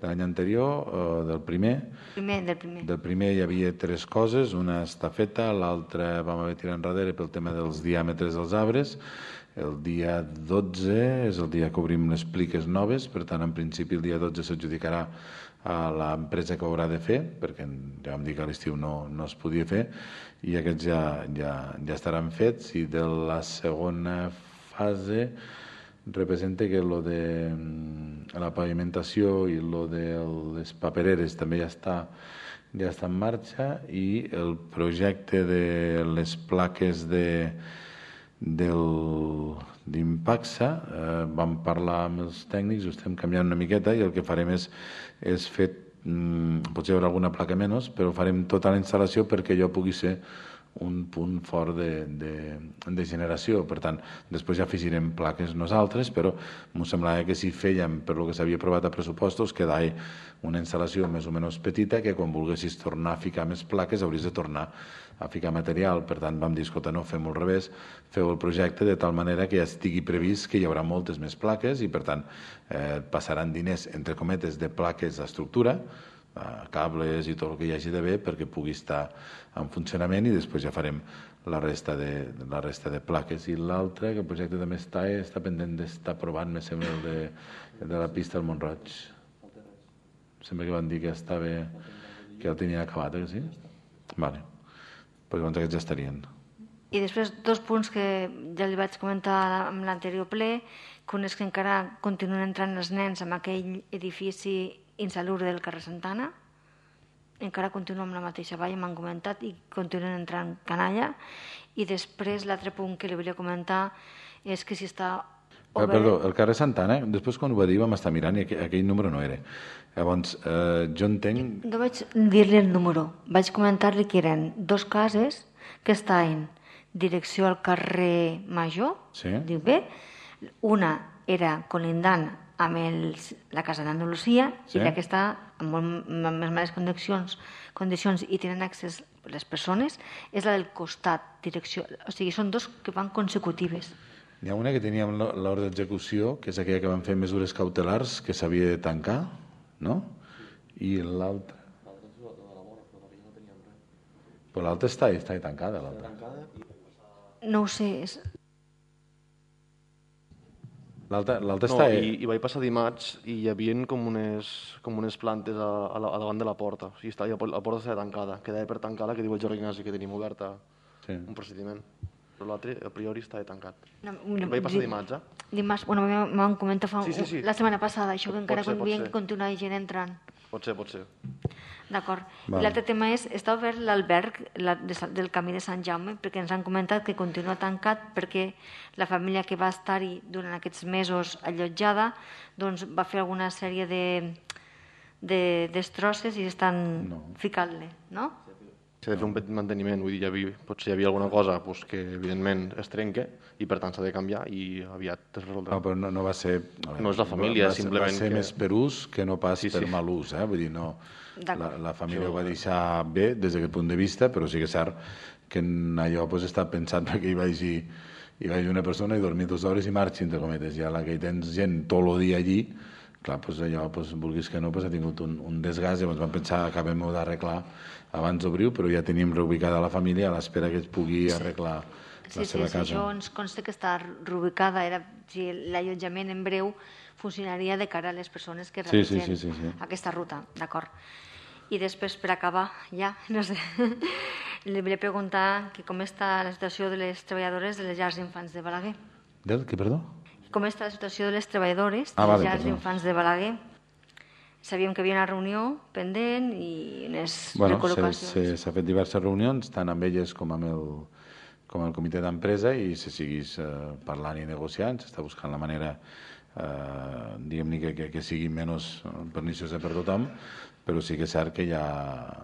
de l'any anterior, eh, del primer. Primer, del primer. Del primer hi havia tres coses, una està feta, l'altra vam haver tirat enrere pel tema dels diàmetres dels arbres. El dia dotze és el dia que obrim les pliques noves, per tant, en principi el dia dotze s'adjudicarà a l'empresa que ho haurà de fer, perquè ja vam dir que a l'estiu no, no es podia fer, i aquests ja, ja, ja estaran fets, i de la segona fase representa que lo de la pavimentació i lo de les papereres també ja està, ja està en marxa i el projecte de les plaques de, del, d'Impaxa, eh, vam parlar amb els tècnics, ho estem canviant una miqueta i el que farem és, és fer, mm, potser hi haurà alguna placa menys, però farem tota la instal·lació perquè allò pugui ser un punt fort de, de, de generació. Per tant, després ja afegirem plaques nosaltres, però m'ho semblava que si fèiem per lo que s'havia aprovat a pressupostos quedava una instal·lació més o menys petita que quan volguessis tornar a ficar més plaques hauries de tornar a ficar material. Per tant, vam dir, escolta, no, fem-ho al revés, feu el projecte de tal manera que ja estigui previst que hi haurà moltes més plaques i, per tant, eh, passaran diners, entre cometes, de plaques d'estructura, cables i tot el que hi hagi d'haver perquè pugui estar en funcionament i després ja farem la resta de, la resta de plaques. I l'altre, que el projecte també està, està pendent d'estar aprovat, me sembla, el de, el de la pista del Montroig. Sembla que van dir que estava, que el tenien acabat, eh, sí? Vale. Pues llavors aquests ja estarien. I després dos punts que ja li vaig comentar en l'anterior ple, que un és que encara continuen entrant els nens en aquell edifici insalubre del carrer Santana, encara continua amb la mateixa valla, m'han comentat, i continuen entrant canalla. I després l'altre punt que li volia comentar és que si està obert... Perdó, el carrer Santana, després quan ho va dir vam estar mirant i aquell, aquell número no era. Llavors, eh, jo entenc... No vaig dir-li el número, vaig comentar-li que eren dos cases que estaven direcció al carrer Major, sí. Dic bé, una era colindant amb el, la Casa d'Andalusia, sí. I la que està en molt més males condicions, condicions i tenen accés les persones, és la del costat, direcció. O sigui, són dos que van consecutives. Hi ha una que teníem l'ordre d'execució, que és aquella que van fer mesures cautelars, que s'havia de tancar, no? I l'altra... Però l'altra està, està tancada, l'altra. No ho sé, és... L'altre no, està... I, I vaig passar dimarts i hi havia com unes, com unes plantes a, a, la, a davant de la porta. O sigui, estava, la porta estava tancada. Quedava per tancar la que diu el Jordi Ignasi, que tenim oberta sí. Un procediment. Però l'altre, a priori, estava tancat. No, no, vaig passar dimarts, eh? Dimarts, bueno, m'han comentat fa, sí, sí, sí. la setmana passada, això que encara ser, convien que continua gent entrant. Pot ser, pot ser. D'acord. I l'altre tema és, està obert l'alberg del Camí de Sant Jaume, perquè ens han comentat que continua tancat perquè la família que va estar-hi durant aquests mesos allotjada doncs va fer alguna sèrie de destrosses i estan ficant-le, no? S'ha de fer un petit manteniment, vull dir, potser hi havia alguna cosa que evidentment es trenca i per tant s'ha de canviar i aviat es resoldrà. No, però no va ser... No és la família, simplement... Va ser més per ús que no pas per mal ús, eh? Vull dir, no... La família ho va deixar bé des d'aquest punt de vista, però sí que és cert que allò està pensat perquè hi vagi hi vagi una persona i dormir dues hores i marxi, entre cometes. Ja la que hi tens gent tot el dia allí, clar, allò, vulguis que no, ha tingut un desgast i llavors vam pensar que acabem d'arreglar abans d'obrir, però ja tenim reubicada la família a l'espera que es pugui arreglar la seva casa. Sí, sí, això ens consta que està reubicada, l'allotjament en breu funcionaria de cara a les persones que realitzen aquesta ruta, d'acord. I després, per acabar, ja, no sé, li volia preguntar com està la situació de les treballadores de les llars d'infants de Balaguer. Del què, perdó? Com està la situació de les treballadores de les llars d'infants de Balaguer? Sabíem que hi havia una reunió pendent i unes recol·locacions. S'ha fet diverses reunions, tant amb elles com amb el comitè d'empresa, i se seguís parlant i negociant, s'està buscant la manera, diguem-ne, que sigui menys perniciosa per tothom, però sí que és cert que hi ha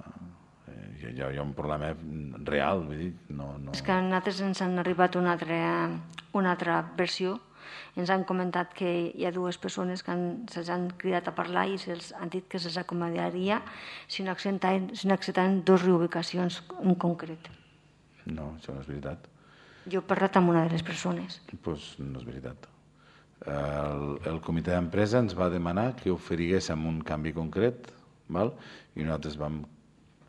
un problema real, vull dir, no... És que a nosaltres ens han arribat una altra versió. Ens han comentat que hi ha dues persones que se'ls han cridat a parlar i se'ls han dit que se'ls acomodaria si no acceptaven dues reubicacions en concret. No, això no és veritat. Jo he parlat amb una de les persones. Doncs no és veritat. El comitè d'empresa ens va demanar que oferiguéssim un canvi concret i nosaltres vam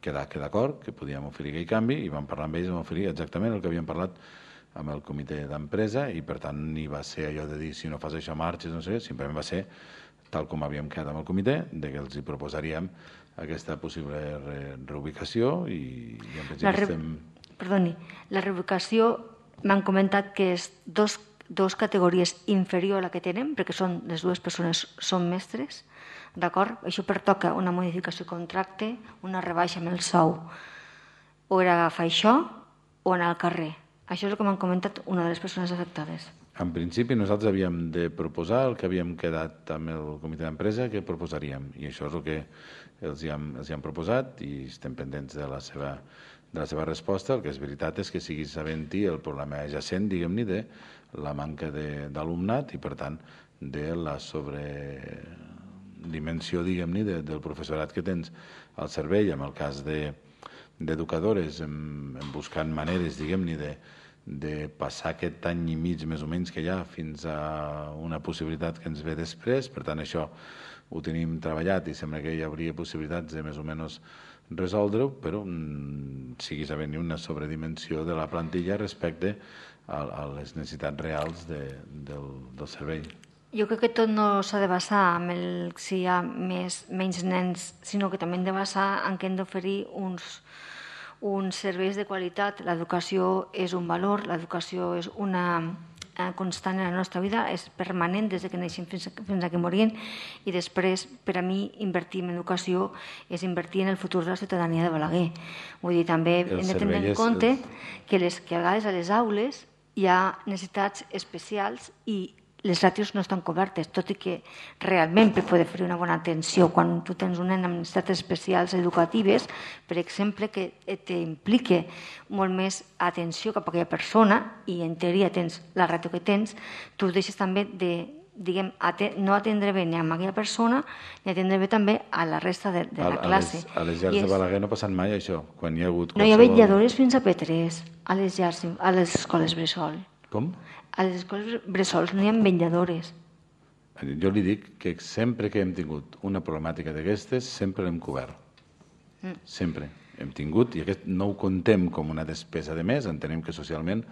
quedar d'acord que podíem oferir aquell canvi i vam parlar amb ells i vam oferir exactament el que havíem parlat amb el comitè d'empresa i per tant ni va ser allò de dir si no fas això marxes, no sé, simplement va ser tal com havíem quedat amb el comitè, de que els hi proposaríem aquesta possible reubicació i en principi estem... Perdoni, la reubicació m'han comentat que és dos dos categories inferior a la que tenen, perquè són les dues persones són mestres, d'acord? Això pertoca una modificació de contracte, una rebaixa amb el sou. O era agafar això o anar al carrer. Això és el que m'han comentat una de les persones afectades. En principi nosaltres havíem de proposar el que havíem quedat amb el comitè d'empresa que proposaríem i això és el que els hi hem, els hi hem proposat i estem pendents de la seva, de la seva resposta. El que és veritat és que siguis sabent-hi el problema adjacent, diguem-ne, de la manca d'alumnat i per tant de la sobredimensió, diguem-ne, de, del professorat que tens al servei. En el cas d'educadores, de, buscant maneres, diguem-ne, de de passar aquest any i mig més o menys que hi ha fins a una possibilitat que ens ve després. Per tant, això ho tenim treballat i sembla que hi hauria possibilitats de més o menys resoldre-ho, però mm, siguis havent-hi una sobredimensió de la plantilla respecte a, a les necessitats reals de, del, del servei. Jo crec que tot no s'ha de basar en el, si hi ha més, menys nens, sinó que també hem de basar en què hem d'oferir uns uns serveis de qualitat. L'educació és un valor, l'educació és una constant en la nostra vida, és permanent des que neixem fins, fins a que morim i després, per a mi, invertir en educació és invertir en el futur de la ciutadania de Balaguer. Vull dir, també hem de tenir en compte que, les, que a vegades a les aules hi ha necessitats especials i les ràtios no estan cobertes, tot i que realment per poder fer una bona atenció quan tu tens un nen amb necessitats especials educatives, per exemple, que t'implique molt més atenció cap a aquella persona i en teoria tens la ràtio que tens, tu deixes també de, diguem, no atendre bé ni a aquella persona ni atendre bé també a la resta de, de la classe. A les llars de Balaguer no ha passat mai això? Quan hi ha hagut no hi ha vetlladores fins a P tres a les llars, a les escoles bressol. Com? A les escoles bressols no hi ha vetlladores. Jo li dic que sempre que hem tingut una problemàtica d'aquestes, sempre l'hem cobert. Mm. Sempre hem tingut, i aquest no ho contem com una despesa de més, entenem que socialment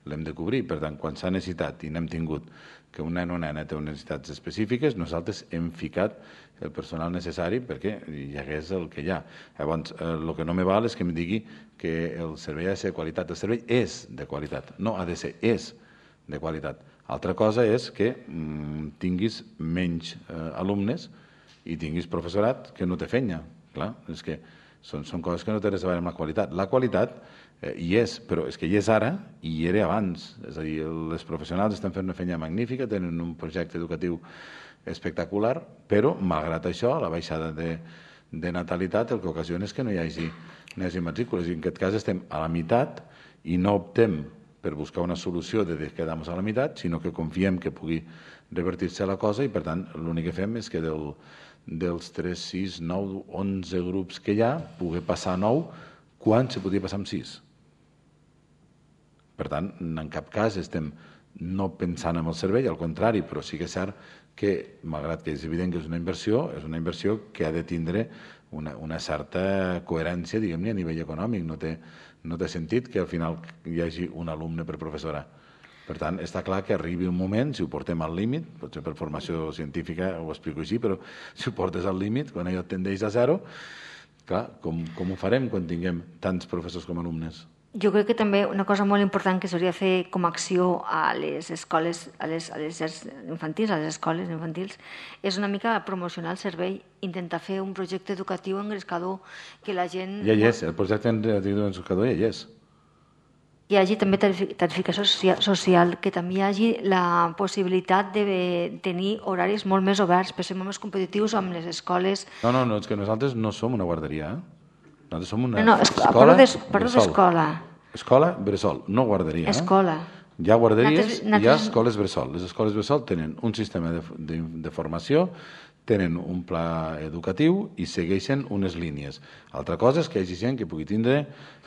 l'hem de cobrir. Per tant, quan s'ha necessitat i n'hem tingut que un nen o nena té unes necessitats específiques, nosaltres hem ficat el personal necessari perquè hi hagués el que hi ha. Llavors, el que no me val és que em digui que el servei ha de ser de qualitat. El servei és de qualitat, no ha de ser, és de qualitat. Altra cosa és que mm, tinguis menys eh, alumnes i tinguis professorat que no té feina, Clar, és que són, són coses que no tenen res a veure amb la qualitat. La qualitat eh, hi és, però és que hi és ara i hi era abans. És a dir, les professionals estan fent una feina magnífica, tenen un projecte educatiu espectacular, però, malgrat això, la baixada de, de natalitat el que ocasiona és que no hi hagi, no hi hagi matrícules. I en aquest cas estem a la meitat i no optem per buscar una solució de quedar-nos a la meitat, sinó que confiem que pugui revertir-se la cosa i, per tant, l'únic que fem és que del, dels tres, sis, nou, onze grups que hi ha, pugui passar a nou quan se podia passar amb sis. Per tant, en cap cas estem no pensant en el servei, al contrari, però sí que és cert que, malgrat que és evident que és una inversió, és una inversió que ha de tindre una, una certa coherència, diguem-ne, a nivell econòmic. No té, no té sentit que al final hi hagi un alumne per professora. Per tant, està clar que arribi un moment, si ho portem al límit, potser per formació científica ho explico així, però si ho portes al límit, quan allò tendeix a zero, clar, com, com ho farem quan tinguem tants professors com alumnes? Jo crec que també una cosa molt important que s'hauria de fer com a acció a les escoles, a les, a les infantils, a les escoles infantils, és una mica promocionar el servei, intentar fer un projecte educatiu engrescador, que la gent... Ja hi és, el projecte educatiu engrescador ja hi és. Hi hagi també tarificació social, que també hi hagi la possibilitat de tenir horaris molt més oberts, per ser molt més competitius amb les escoles... No, no, no, és que nosaltres no som una guarderia, eh? Nosaltres som una no, no, escola d'escola. Escola bressol, no guarderia. Escola. Hi ha guarderies i hi ha escoles bressol. Les escoles bressol tenen un sistema de, de, de formació, tenen un pla educatiu i segueixen unes línies. Altra cosa és que hi hagi gent que pugui tindre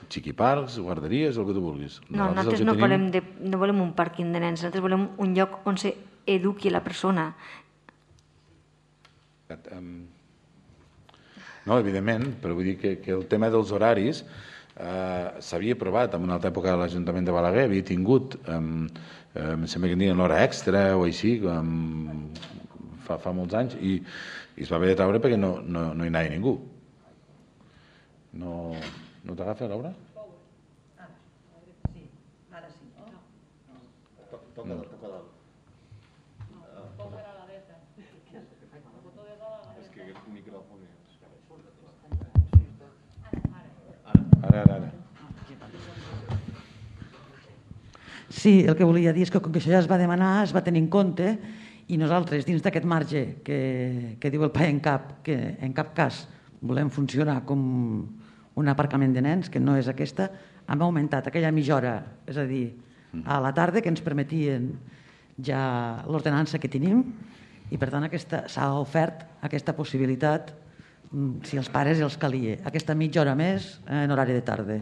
xiquiparcs, guarderies, el que tu vulguis. No, nosaltres no, tenim... volem de, no volem un pàrquing de nens, nosaltres volem un lloc on s'eduqui la persona. No, evidentment, però vull dir que, que el tema dels horaris eh, s'havia aprovat en una altra època a l'Ajuntament de Balaguer, havia tingut, eh, eh, em sembla que tenien l'hora extra o així, eh, fa, fa molts anys, i, i es va haver de treure perquè no, no, no hi anava ningú. No, no t'agafa, Laura? Sí, ara sí. Toca No. dalt, toca dalt. Ara, ara, ara. Sí, el que volia dir és que com que això ja es va demanar, es va tenir en compte i nosaltres, dins d'aquest marge que, que diu el PAENCAP, que en cap cas volem funcionar com un aparcament de nens, que no és aquesta, hem augmentat aquella mitja hora, és a dir, a la tarda, que ens permetien ja l'ordenança que tenim, i per tant s'ha ofert aquesta possibilitat, si els pares els calia, aquesta mitja hora més en horari de tarda.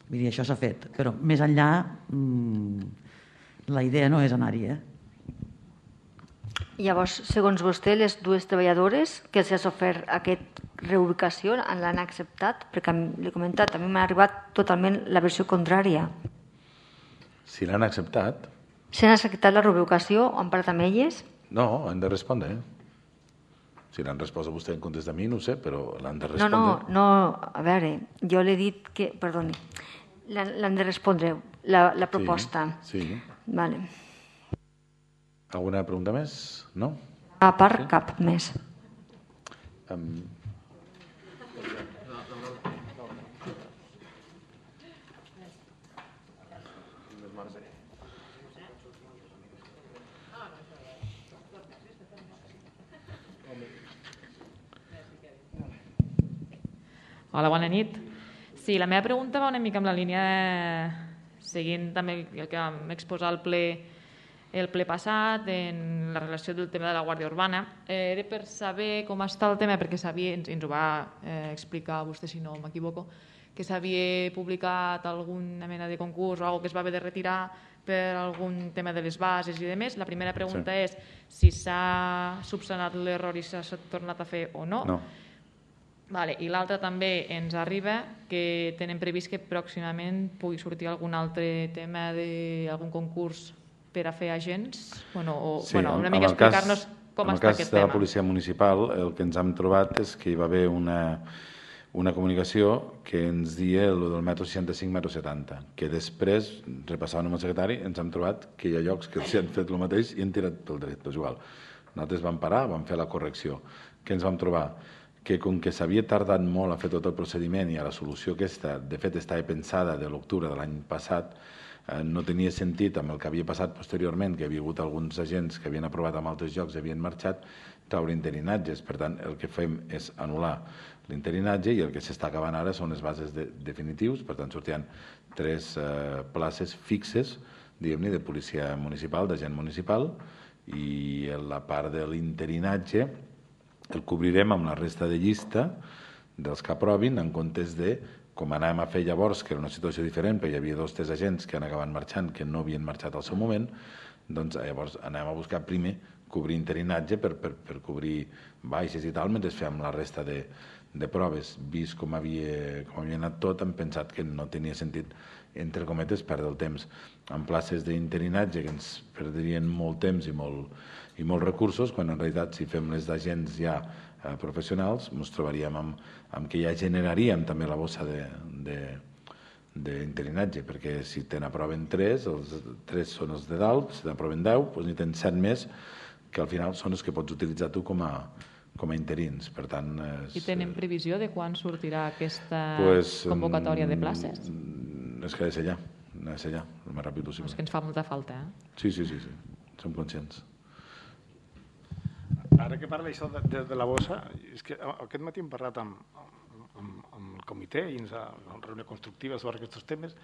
Vull dir, això s'ha fet, però més enllà la idea no és anar-hi. Eh? Llavors, segons vostè, les dues treballadores que els ha ofert aquesta reubicació l'han acceptat? Perquè l'he comentat, a mi m'ha arribat totalment la versió contrària. Si l'han acceptat... Si han acceptat la reubicació, han parlat amb elles? No, han de respondre. Si l'han respost a vostè en comptes de mi, no ho sé, però l'han de respondre. No, no, no, a veure, jo l'he dit que... Perdoni, l'han de respondre, la, la proposta. Sí, sí. Vale. Alguna pregunta més? No? A part, sí? Cap més. Um... Hola, bona nit. Sí, la meva pregunta va una mica amb la línia de... seguint també el que vam exposar al ple, el ple passat en la relació del tema de la Guàrdia Urbana. Eh, era per saber com està el tema, perquè sabia, ens, ens ho va eh, explicar vostè, si no m'equivoco, que s'havia publicat alguna mena de concurs o alguna que es va haver de retirar per algun tema de les bases i demés. La primera pregunta sí. és si s'ha subsanat l'error i s'ha tornat a fer o no. No. Vale. I l'altra també ens arriba que tenen previst que pròximament pugui sortir algun altre tema d'algun concurs per a fer agents? Bueno, o, sí, bueno, una mica explicar-nos com està aquest tema. En el cas de la policia municipal, el que ens hem trobat és que hi va haver una, una comunicació que ens dia el del metro seixanta-cinc, metro setanta, que després, repassant amb el secretari, ens hem trobat que hi ha llocs que s'hi han fet el mateix i han tirat pel dret, és igual. Nosaltres vam parar, vam fer la correcció. Què ens vam trobar? que com que s'havia tardat molt a fer tot el procediment i a la solució aquesta, de fet estava pensada de l'octubre de l'any passat, eh, no tenia sentit amb el que havia passat posteriorment, que hi havia hagut alguns agents que havien aprovat en altres llocs i havien marxat, traure interinatges. Per tant, el que fem és anul·lar l'interinatge i el que s'està acabant ara són les bases de, definitius. Per tant, sortiran tres eh, places fixes, diguem-ne, de policia municipal, d'agent municipal, i la part de l'interinatge el cobrirem amb la resta de llista dels que aprovin, en comptes de, com anàvem a fer llavors, que era una situació diferent, perquè hi havia dos tres agents que han acabat marxant, que no havien marxat al seu moment, doncs llavors anàvem a buscar primer cobrir interinatge per, per, per cobrir baixes i tal, mentre fèiem la resta de, de proves. Vist com havia, com havia anat tot, hem pensat que no tenia sentit, entre cometes, perdre el temps en places d'interinatge que ens perdrien molt temps i, molt, i molts recursos, quan en realitat si fem les d'agents ja eh, professionals ens trobaríem amb, amb que ja generaríem també la bossa de, de, d'interinatge, perquè si te n'aproven tres, els tres són els de dalt, si t'aproven deu, doncs n'hi tens set més, que al final són els que pots utilitzar tu com a, com a interins. Per tant, és, I tenen previsió de quan sortirà aquesta pues, convocatòria de places? És que ha de ser ja, ha de ser ja, el més ràpid possible. És que ens fa molta falta, eh? Sí, sí, sí, sí. Som conscients. Ara que parla això de, de, de la bossa, és que aquest matí hem parlat amb, amb, amb el comitè i ens ha una reunió constructiva sobre aquests temes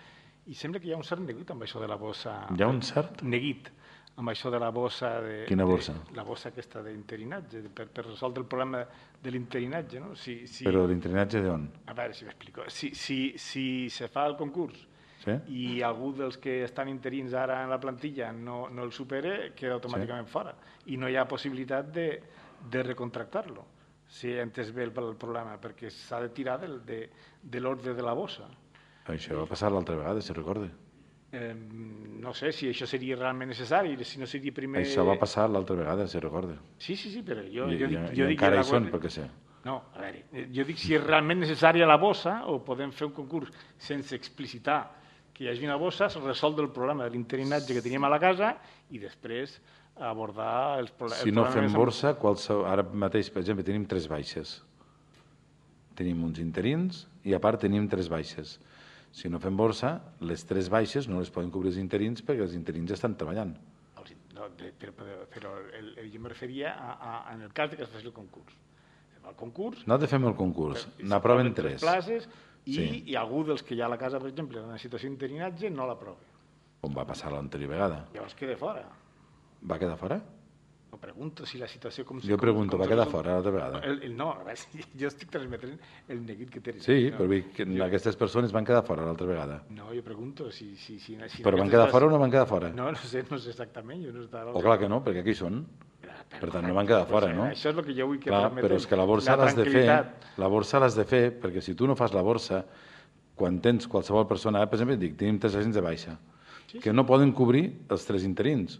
i sembla que hi ha un cert neguit amb això de la bossa. Hi ha un cert? Neguit amb això de la bossa... De, Quina bossa? De, la bossa aquesta d'interinatge, per, per resoldre el problema de l'interinatge, no? Si, si... Però l'interinatge d'on? A veure si m'explico. Si, si, si se fa el concurs sí? i algú dels que estan interins ara en la plantilla no, no el supera, queda automàticament sí? fora. I no hi ha possibilitat de, de recontractar-lo, si he entès bé el, el problema, perquè s'ha de tirar del, de, de l'ordre de la bossa. Això va passar l'altra vegada, si recorda. Eh, no sé si això seria realment necessari, si no seria primer... Això va passar l'altra vegada, si recorda. Sí, sí, sí, però jo, I, jo dic... I, jo i dic encara la... hi són, perquè sé. No, a veure, jo dic si és realment necessària la bossa o podem fer un concurs sense explicitar que hi hagi una bossa, resoldre el problema de l'interinatge que teníem a la casa i després abordar els problemes... Si no fem borsa, qualsevol... ara mateix, per exemple, tenim tres baixes. Tenim uns interins i a part tenim tres baixes. Si no fem borsa, les tres baixes no les poden cobrir els interins perquè els interins estan treballant. No, però, però el, el, jo em referia a, a, en el cas que es faci el concurs. El concurs... Nosaltres fem el concurs, n'aproven tres. Places i, sí. i algú dels que hi ha a la casa, per exemple, en una situació d'interinatge, no l'aprova. Com va passar l'anterior vegada. Llavors queda fora. Va quedar fora? No pregunto si la situació... Com, jo com, pregunto, com va quedar fora l'altra vegada? El, el, no, a veure, jo estic transmetent el neguit que tens. Sí, no? però vull que jo... aquestes persones van quedar fora l'altra vegada. No, jo pregunto si... si, si, si però van quedar fora o no van quedar fora? No, no sé, no sé exactament. Jo no estava... O clar que no, perquè aquí són. Per tant, no van quedar fora, no? Això és el que jo vull que clar, però és que la borsa l'has de fer, la borsa l'has de fer, perquè si tu no fas la borsa, quan tens qualsevol persona, per exemple, dic, tenim tres agents de baixa, sí, que no poden cobrir els tres interins.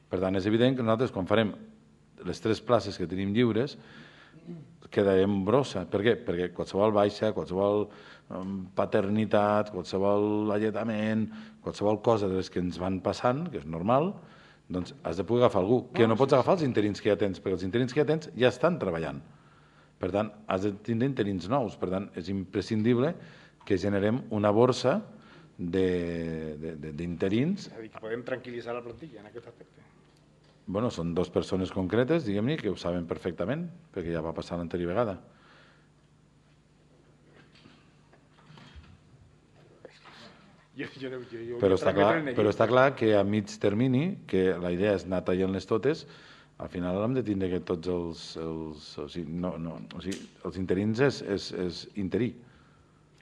Per tant, és evident que nosaltres, quan farem les tres places que tenim lliures, quedarem brossa. Per què? Perquè qualsevol baixa, qualsevol um, paternitat, qualsevol alletament, qualsevol cosa de les que ens van passant, que és normal, doncs has de poder agafar algú, que no pots agafar els interins que ja tens, perquè els interins que ja tens ja estan treballant. Per tant, has de tindre interins nous. Per tant, és imprescindible que generem una borsa d'interins. És a dir, que podem tranquil·litzar la plantilla en aquest aspecte. Bueno, són dues persones concretes, diguem-ne, que ho saben perfectament, perquè ja va passar l'anterior vegada. Jo, jo, jo, jo però, està clar, però està clar que a mig termini, que la idea és anar tallant-les totes, al final hem de tindre que tots els... els o sigui, no, no, o sigui, els interins és, és, és interí.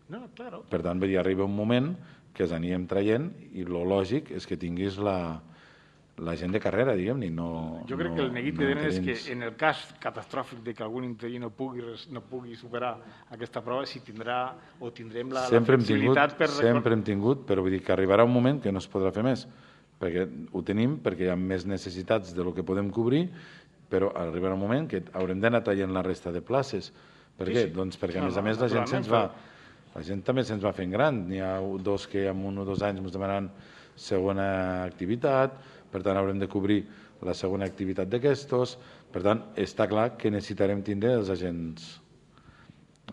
No, claro. Per tant, ja arriba un moment que els anirem traient i el lògic és que tinguis la... la gent de carrera, diguem-ne. No, jo crec no, que el neguit no que tenen és que en el cas catastròfic de que algun interí no pugui, no pugui superar aquesta prova, si tindrà o tindrem la, la flexibilitat tingut, per... Sempre hem tingut, però vull dir que arribarà un moment que no es podrà fer més, perquè ho tenim, perquè hi ha més necessitats de lo que podem cobrir, però arribarà un moment que haurem d'anar traient la resta de places. Per què? Sí, sí. Doncs perquè, no, a més a més, la gent se'ns va... La gent també se'ns va fent gran. N'hi ha dos que en un o dos anys ens demanaran segona activitat, per tant haurem de cobrir la segona activitat d'aquestos, per tant està clar que necessitarem tindre els agents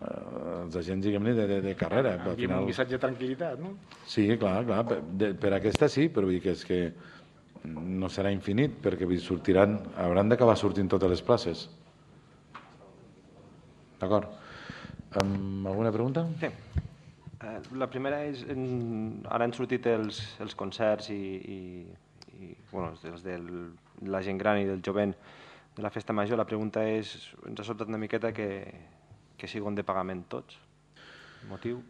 els agents, diguem-ne, de, de, de carrera. Al final... un missatge de tranquil·litat, no? Sí, clar, clar. Per, de, per aquesta sí, però vull dir que és que no serà infinit, perquè vull dir, sortiran, hauran d'acabar sortint totes les places. D'acord. Um, alguna pregunta? Sí. Uh, la primera és, en, ara han sortit els, els concerts i, i, i bueno, els de la gent gran i del jovent de la festa major. La pregunta és, ens ha sobtat una miqueta que, que siguin de pagament tots. Motiu?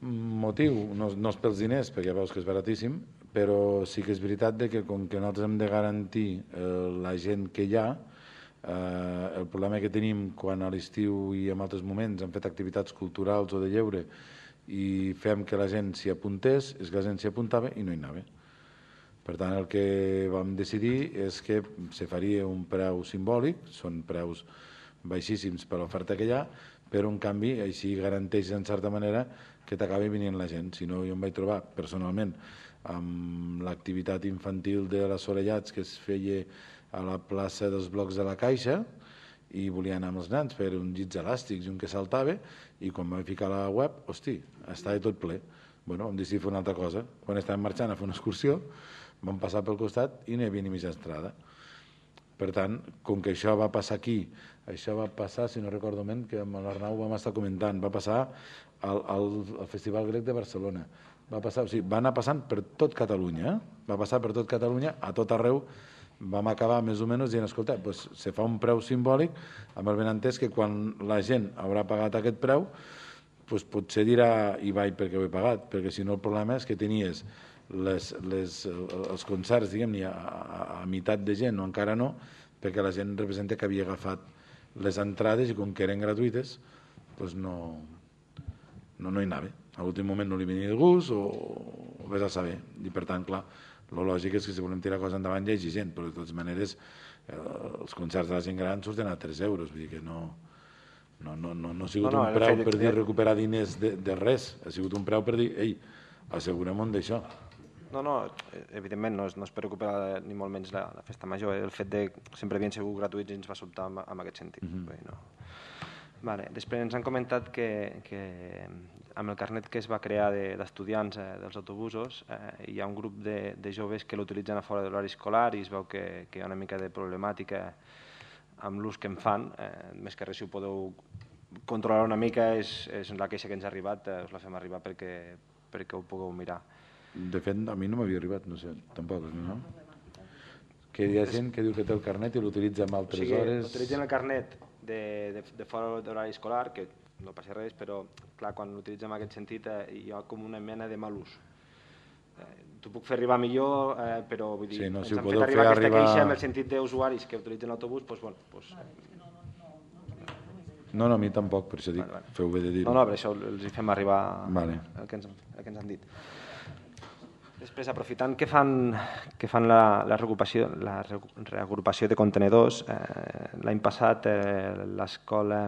Motiu, no, no és pels diners, perquè ja veus que és baratíssim, però sí que és veritat de que com que nosaltres hem de garantir eh, la gent que hi ha, eh, el problema que tenim quan a l'estiu i en altres moments hem fet activitats culturals o de lleure i fem que la gent s'hi apuntés, és que la gent s'hi apuntava i no hi anava. Per tant, el que vam decidir és que se faria un preu simbòlic, són preus baixíssims per l'oferta que hi ha, però en canvi així garanteix en certa manera que t'acabi venint la gent. Si no, jo em vaig trobar personalment amb l'activitat infantil de les Orellats que es feia a la plaça dels Blocs de la Caixa i volia anar amb els nens per uns llits elàstics i un que saltava, i quan vam ficar a la web, hosti, estava tot ple. Bueno, vam decidir fer una altra cosa. Quan estàvem marxant a fer una excursió, vam passar pel costat i no hi havia ni mitja entrada. Per tant, com que això va passar aquí, això va passar, si no recordo ben, que amb l'Arnau vam estar comentant, va passar al, al, al Festival Grec de Barcelona. Va passar, o sigui, va anar passant per tot Catalunya, eh? va passar per tot Catalunya, a tot arreu. Vam acabar més o menys dient, escolta, pues, se fa un preu simbòlic amb el benentès que quan la gent haurà pagat aquest preu, pues, potser dirà i vaig perquè ho he pagat, perquè si no el problema és que tenies les, les, els concerts, diguem-ne, a, a, a meitat de gent o encara no, perquè la gent representa que havia agafat les entrades i com que eren gratuïtes, pues no, no, no hi anava. A l'últim moment no li venia de gust o, o vés a saber. I per tant, clar, el lògic és que si volem tirar coses endavant hi hagi gent, però de totes maneres eh, els concerts de la gent gran surten a tres euros, vull dir que no, no, no, no, no ha sigut no, no, un preu per dir recuperar diners de, de res, ha sigut un preu per dir, ei, assegurem-nos d'això. No, no, evidentment no és, no és per recuperar ni molt menys la, la festa major, el fet de sempre havien sigut gratuïts i ens va sobtar en, en aquest sentit. Mm -hmm. no. Vale. Després ens han comentat que, que amb el carnet que es va crear d'estudiants de, eh, dels autobusos eh, hi ha un grup de, de joves que l'utilitzen a fora de l'horari escolar i es veu que, que hi ha una mica de problemàtica amb l'ús que en fan. Eh, més que res, si ho podeu controlar una mica, és, és la queixa que ens ha arribat, eh, us la fem arribar perquè, perquè ho pugueu mirar. De fet, a mi no m'havia arribat, no sé, tampoc, no? Que hi ha gent que diu que té el carnet i l'utilitza en altres o sigui, hores... Utilitzen el carnet de, de, de fora de l'horari escolar, que no passa res, però clar, quan l'utilitzem en aquest sentit eh, hi ha com una mena de mal ús. Eh, T'ho puc fer arribar millor, eh, però vull dir, sí, no, ens si han fet arribar aquesta arribar... queixa amb el sentit d'usuaris que utilitzen l'autobús, doncs, bueno, doncs... No, no, a mi tampoc, per això dic, vale, vale. Feu bé de dir-ho. No, no, per això els hi fem arribar vale. el, que ens, el que ens han dit. Després, aprofitant que fan, que fan la, la, reagrupació, la reagrupació de contenedors, eh, l'any passat eh, l'escola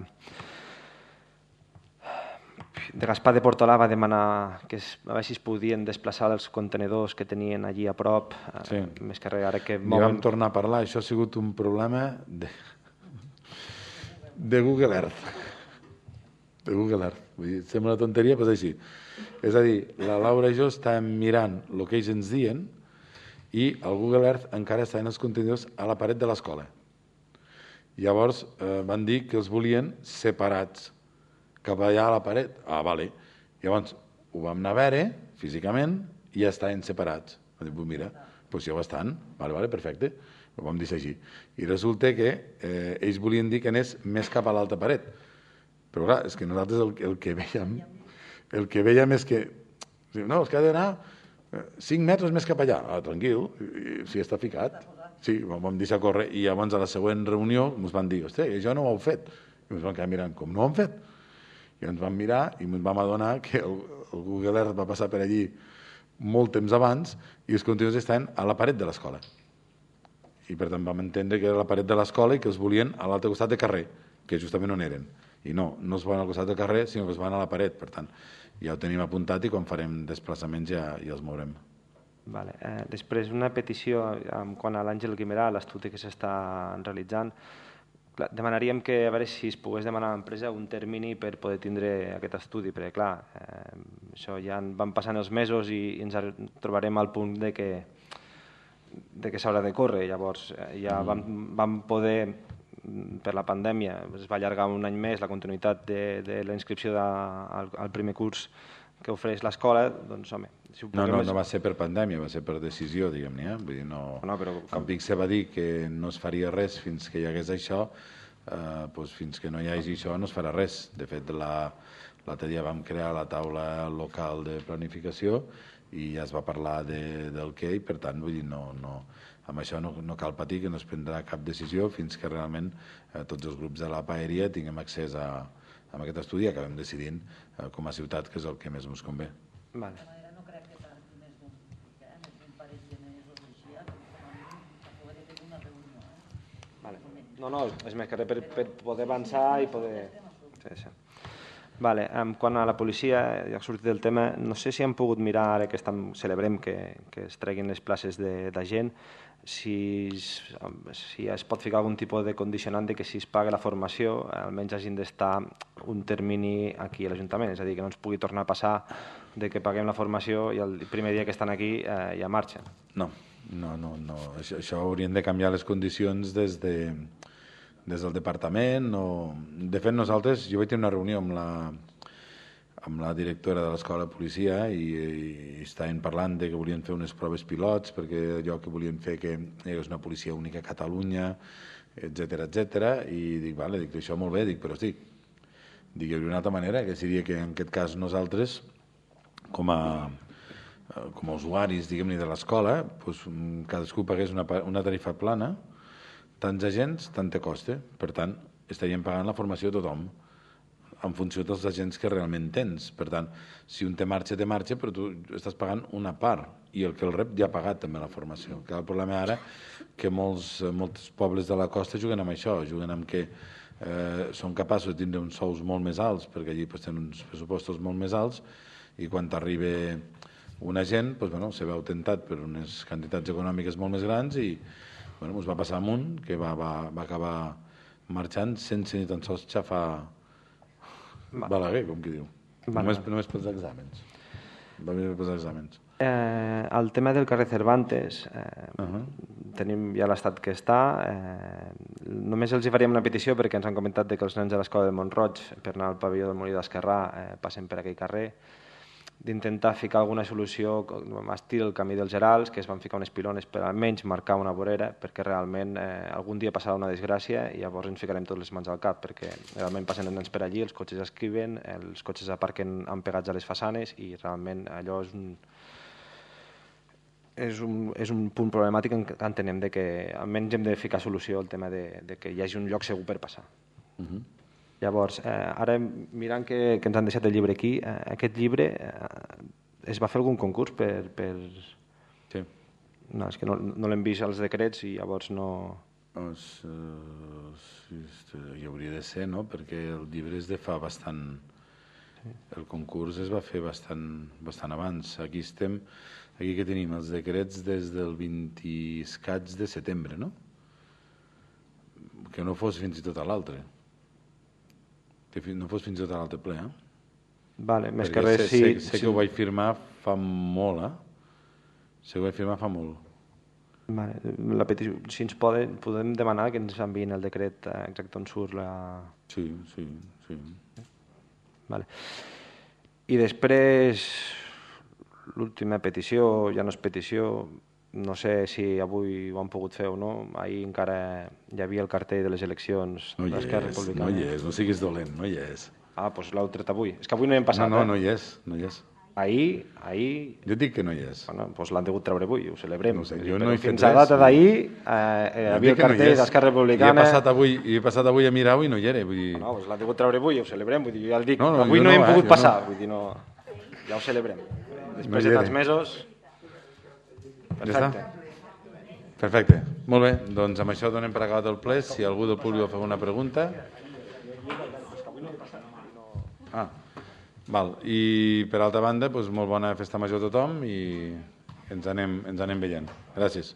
de Gaspar de Portolà va demanar que es, a veure si es podien desplaçar els contenedors que tenien allí a prop, eh, sí. més que res, ara que mouen... I vam tornar a parlar, això ha sigut un problema de, de Google Earth. De Google Earth. Vull dir, sembla una tonteria, però és així. És a dir, la Laura i jo estàvem mirant el que ells ens diuen i el Google Earth encara estaven els contenidors a la paret de l'escola. Llavors eh, van dir que els volien separats cap allà a la paret. Ah, vale. Llavors ho vam anar a veure físicament i ja estaven separats. Vam dir, pues mira, doncs ja ho estan. Vale, vale, perfecte. Ho vam dir així. I resulta que eh, ells volien dir que anés més cap a l'alta paret. Però clar, és que nosaltres el, el que vèiem el que vèiem és que no, és que ha d'anar cinc metres més cap allà. Ah, tranquil, si està ficat. Sí, vam deixar córrer i abans a la següent reunió ens van dir, hosti, això no ho heu fet. I ens vam quedar mirant, com no ho hem fet? I ens vam mirar i ens vam adonar que el, el Google Earth va passar per allí molt temps abans i els contenidors estaven a la paret de l'escola. I per tant vam entendre que era la paret de l'escola i que els volien a l'altre costat de carrer, que justament on eren. I no, no es van al costat del carrer, sinó que es van a la paret. Per tant, ja ho tenim apuntat i quan farem desplaçaments ja, ja els mourem. Vale. Eh, després, una petició en quant a l'Àngel Guimerà, l'estudi que s'està realitzant. Clar, demanaríem que a veure si es pogués demanar a l'empresa un termini per poder tindre aquest estudi, perquè clar, eh, això ja van passant els mesos i, i ens trobarem al punt de que, de que s'haurà de córrer. Llavors eh, ja mm. vam, vam poder, per la pandèmia, es va allargar un any més la continuïtat de, de la inscripció de, al, al primer curs que ofereix l'escola, doncs home... Si no, no, no va ser per pandèmia, va ser per decisió, diguem-ne. Eh? Vull dir, no... no però... Com Vic se va dir que no es faria res fins que hi hagués això, eh, doncs fins que no hi hagi això no es farà res. De fet, l'altre dia vam crear la taula local de planificació i ja es va parlar de, del què, i per tant, vull dir, no, no, amb això no, no cal patir, que no es prendrà cap decisió fins que realment eh, tots els grups de la paeria tinguem accés a, a aquest estudi i acabem decidint eh, com a ciutat que és el que més ens convé. Vale. No, no, és més que res per, per poder avançar i poder... Sí, sí. Vale, um, quan a la policia, ja ha sortit el tema, no sé si han pogut mirar, ara que estem, celebrem que, que es treguin les places d'agent, si, si es pot ficar algun tipus de condicionant de que si es paga la formació almenys hagin d'estar un termini aquí a l'Ajuntament, és a dir, que no ens pugui tornar a passar de que paguem la formació i el primer dia que estan aquí eh, ja marxen. No, no, no, no. Això, això haurien de canviar les condicions des de... des del departament o... De fet, nosaltres, jo vaig tenir una reunió amb la, amb la directora de l'escola de policia i, i estaven parlant de que volien fer unes proves pilots perquè allò que volien fer que hi hagués una policia única a Catalunya, etcètera, etcètera, i dic, vale, dic, això molt bé, dic, però sí, dic, hi hauria una altra manera, que seria que en aquest cas nosaltres, com a, com a usuaris, diguem-ne, de l'escola, doncs, cadascú pagués una, una tarifa plana, tants agents, tant te costa. Per tant, estaríem pagant la formació a tothom en funció dels agents que realment tens. Per tant, si un te marxa, te marxa, però tu estàs pagant una part i el que el rep ja ha pagat també la formació. El problema ara que molts, molts pobles de la costa juguen amb això, juguen amb que eh, són capaços de tindre uns sous molt més alts, perquè allí pues, tenen uns pressupostos molt més alts, i quan t'arriba un agent pues, bueno, se veu tentat per unes quantitats econòmiques molt més grans i bueno, ens va passar amunt, que va, va, va acabar marxant sense ni tan sols xafar Balaguer, com qui diu. Va, només, va. només pels exàmens. Va venir pels exàmens. Eh, el tema del carrer Cervantes, eh, uh -huh. tenim ja l'estat que està. Eh, només els hi faríem una petició perquè ens han comentat que els nens de l'escola de Montroig, per anar al pavelló del Molí d'Esquerrà, eh, passen per aquell carrer, d'intentar ficar alguna solució a estil el camí dels Gerals, que es van ficar unes pilones per almenys marcar una vorera, perquè realment eh, algun dia passarà una desgràcia i llavors ens ficarem tots les mans al cap, perquè realment passen els nens per allí, els cotxes escriven, els cotxes aparquen empegats a les façanes i realment allò és un, és un, és un punt problemàtic en què entenem de que almenys hem de ficar solució al tema de, de que hi hagi un lloc segur per passar. Uh-huh. Llavors, eh, ara mirant que, que ens han deixat el llibre aquí, eh, aquest llibre eh, es va fer algun concurs per... per... Sí. No, és que no, no l'hem vist als decrets i llavors no... Pues, uh, sí, hi hauria de ser, no? Perquè el llibre és de fa bastant... Sí. El concurs es va fer bastant, bastant abans. Aquí estem... Aquí que tenim els decrets des del vint escaig de setembre, no? Que no fos fins i tot a l'altre. Que no fos fins i tot a l'altre ple, eh? Vale, més Perquè que res, sé, sí. Sé, sé sí. que ho vaig firmar fa molt, eh? Sé que ho vaig firmar fa molt. Vale, la petició, si ens poden, podem demanar que ens enviïn el decret exacte on surt la... Sí, sí, sí. Vale. I després, l'última petició, ja no és petició, no sé si avui ho han pogut fer o no, ahir encara hi havia el cartell de les eleccions no de l'Esquerra Republicana. No hi és, no siguis dolent, no hi és. Ah, doncs l'heu tret avui. És que avui no hi hem passat, no, no, eh? No hi és, no hi és. Ahir, ahir... Jo dic que no hi és. Bueno, doncs l'han degut treure avui, ho celebrem. No sé, jo no he fet fins a data d'ahir eh, hi havia el cartell no d'Esquerra Republicana... I he passat avui, i he passat avui a mirar-ho i no hi era. Vull dir... No, doncs l'han degut treure avui, ho celebrem. Vull dir, jo ja el dic, no, no, avui no, no hem eh, pogut passar. No. Vull dir, no... Ja ho celebrem. Després no de tants mesos... Perfecte. Ja Perfecte. Molt bé, doncs amb això donem per acabat el ple. Si algú del públic vol fer una pregunta... Ah, val. I per altra banda, doncs, molt bona festa major a tothom i ens anem, ens anem veient. Gràcies.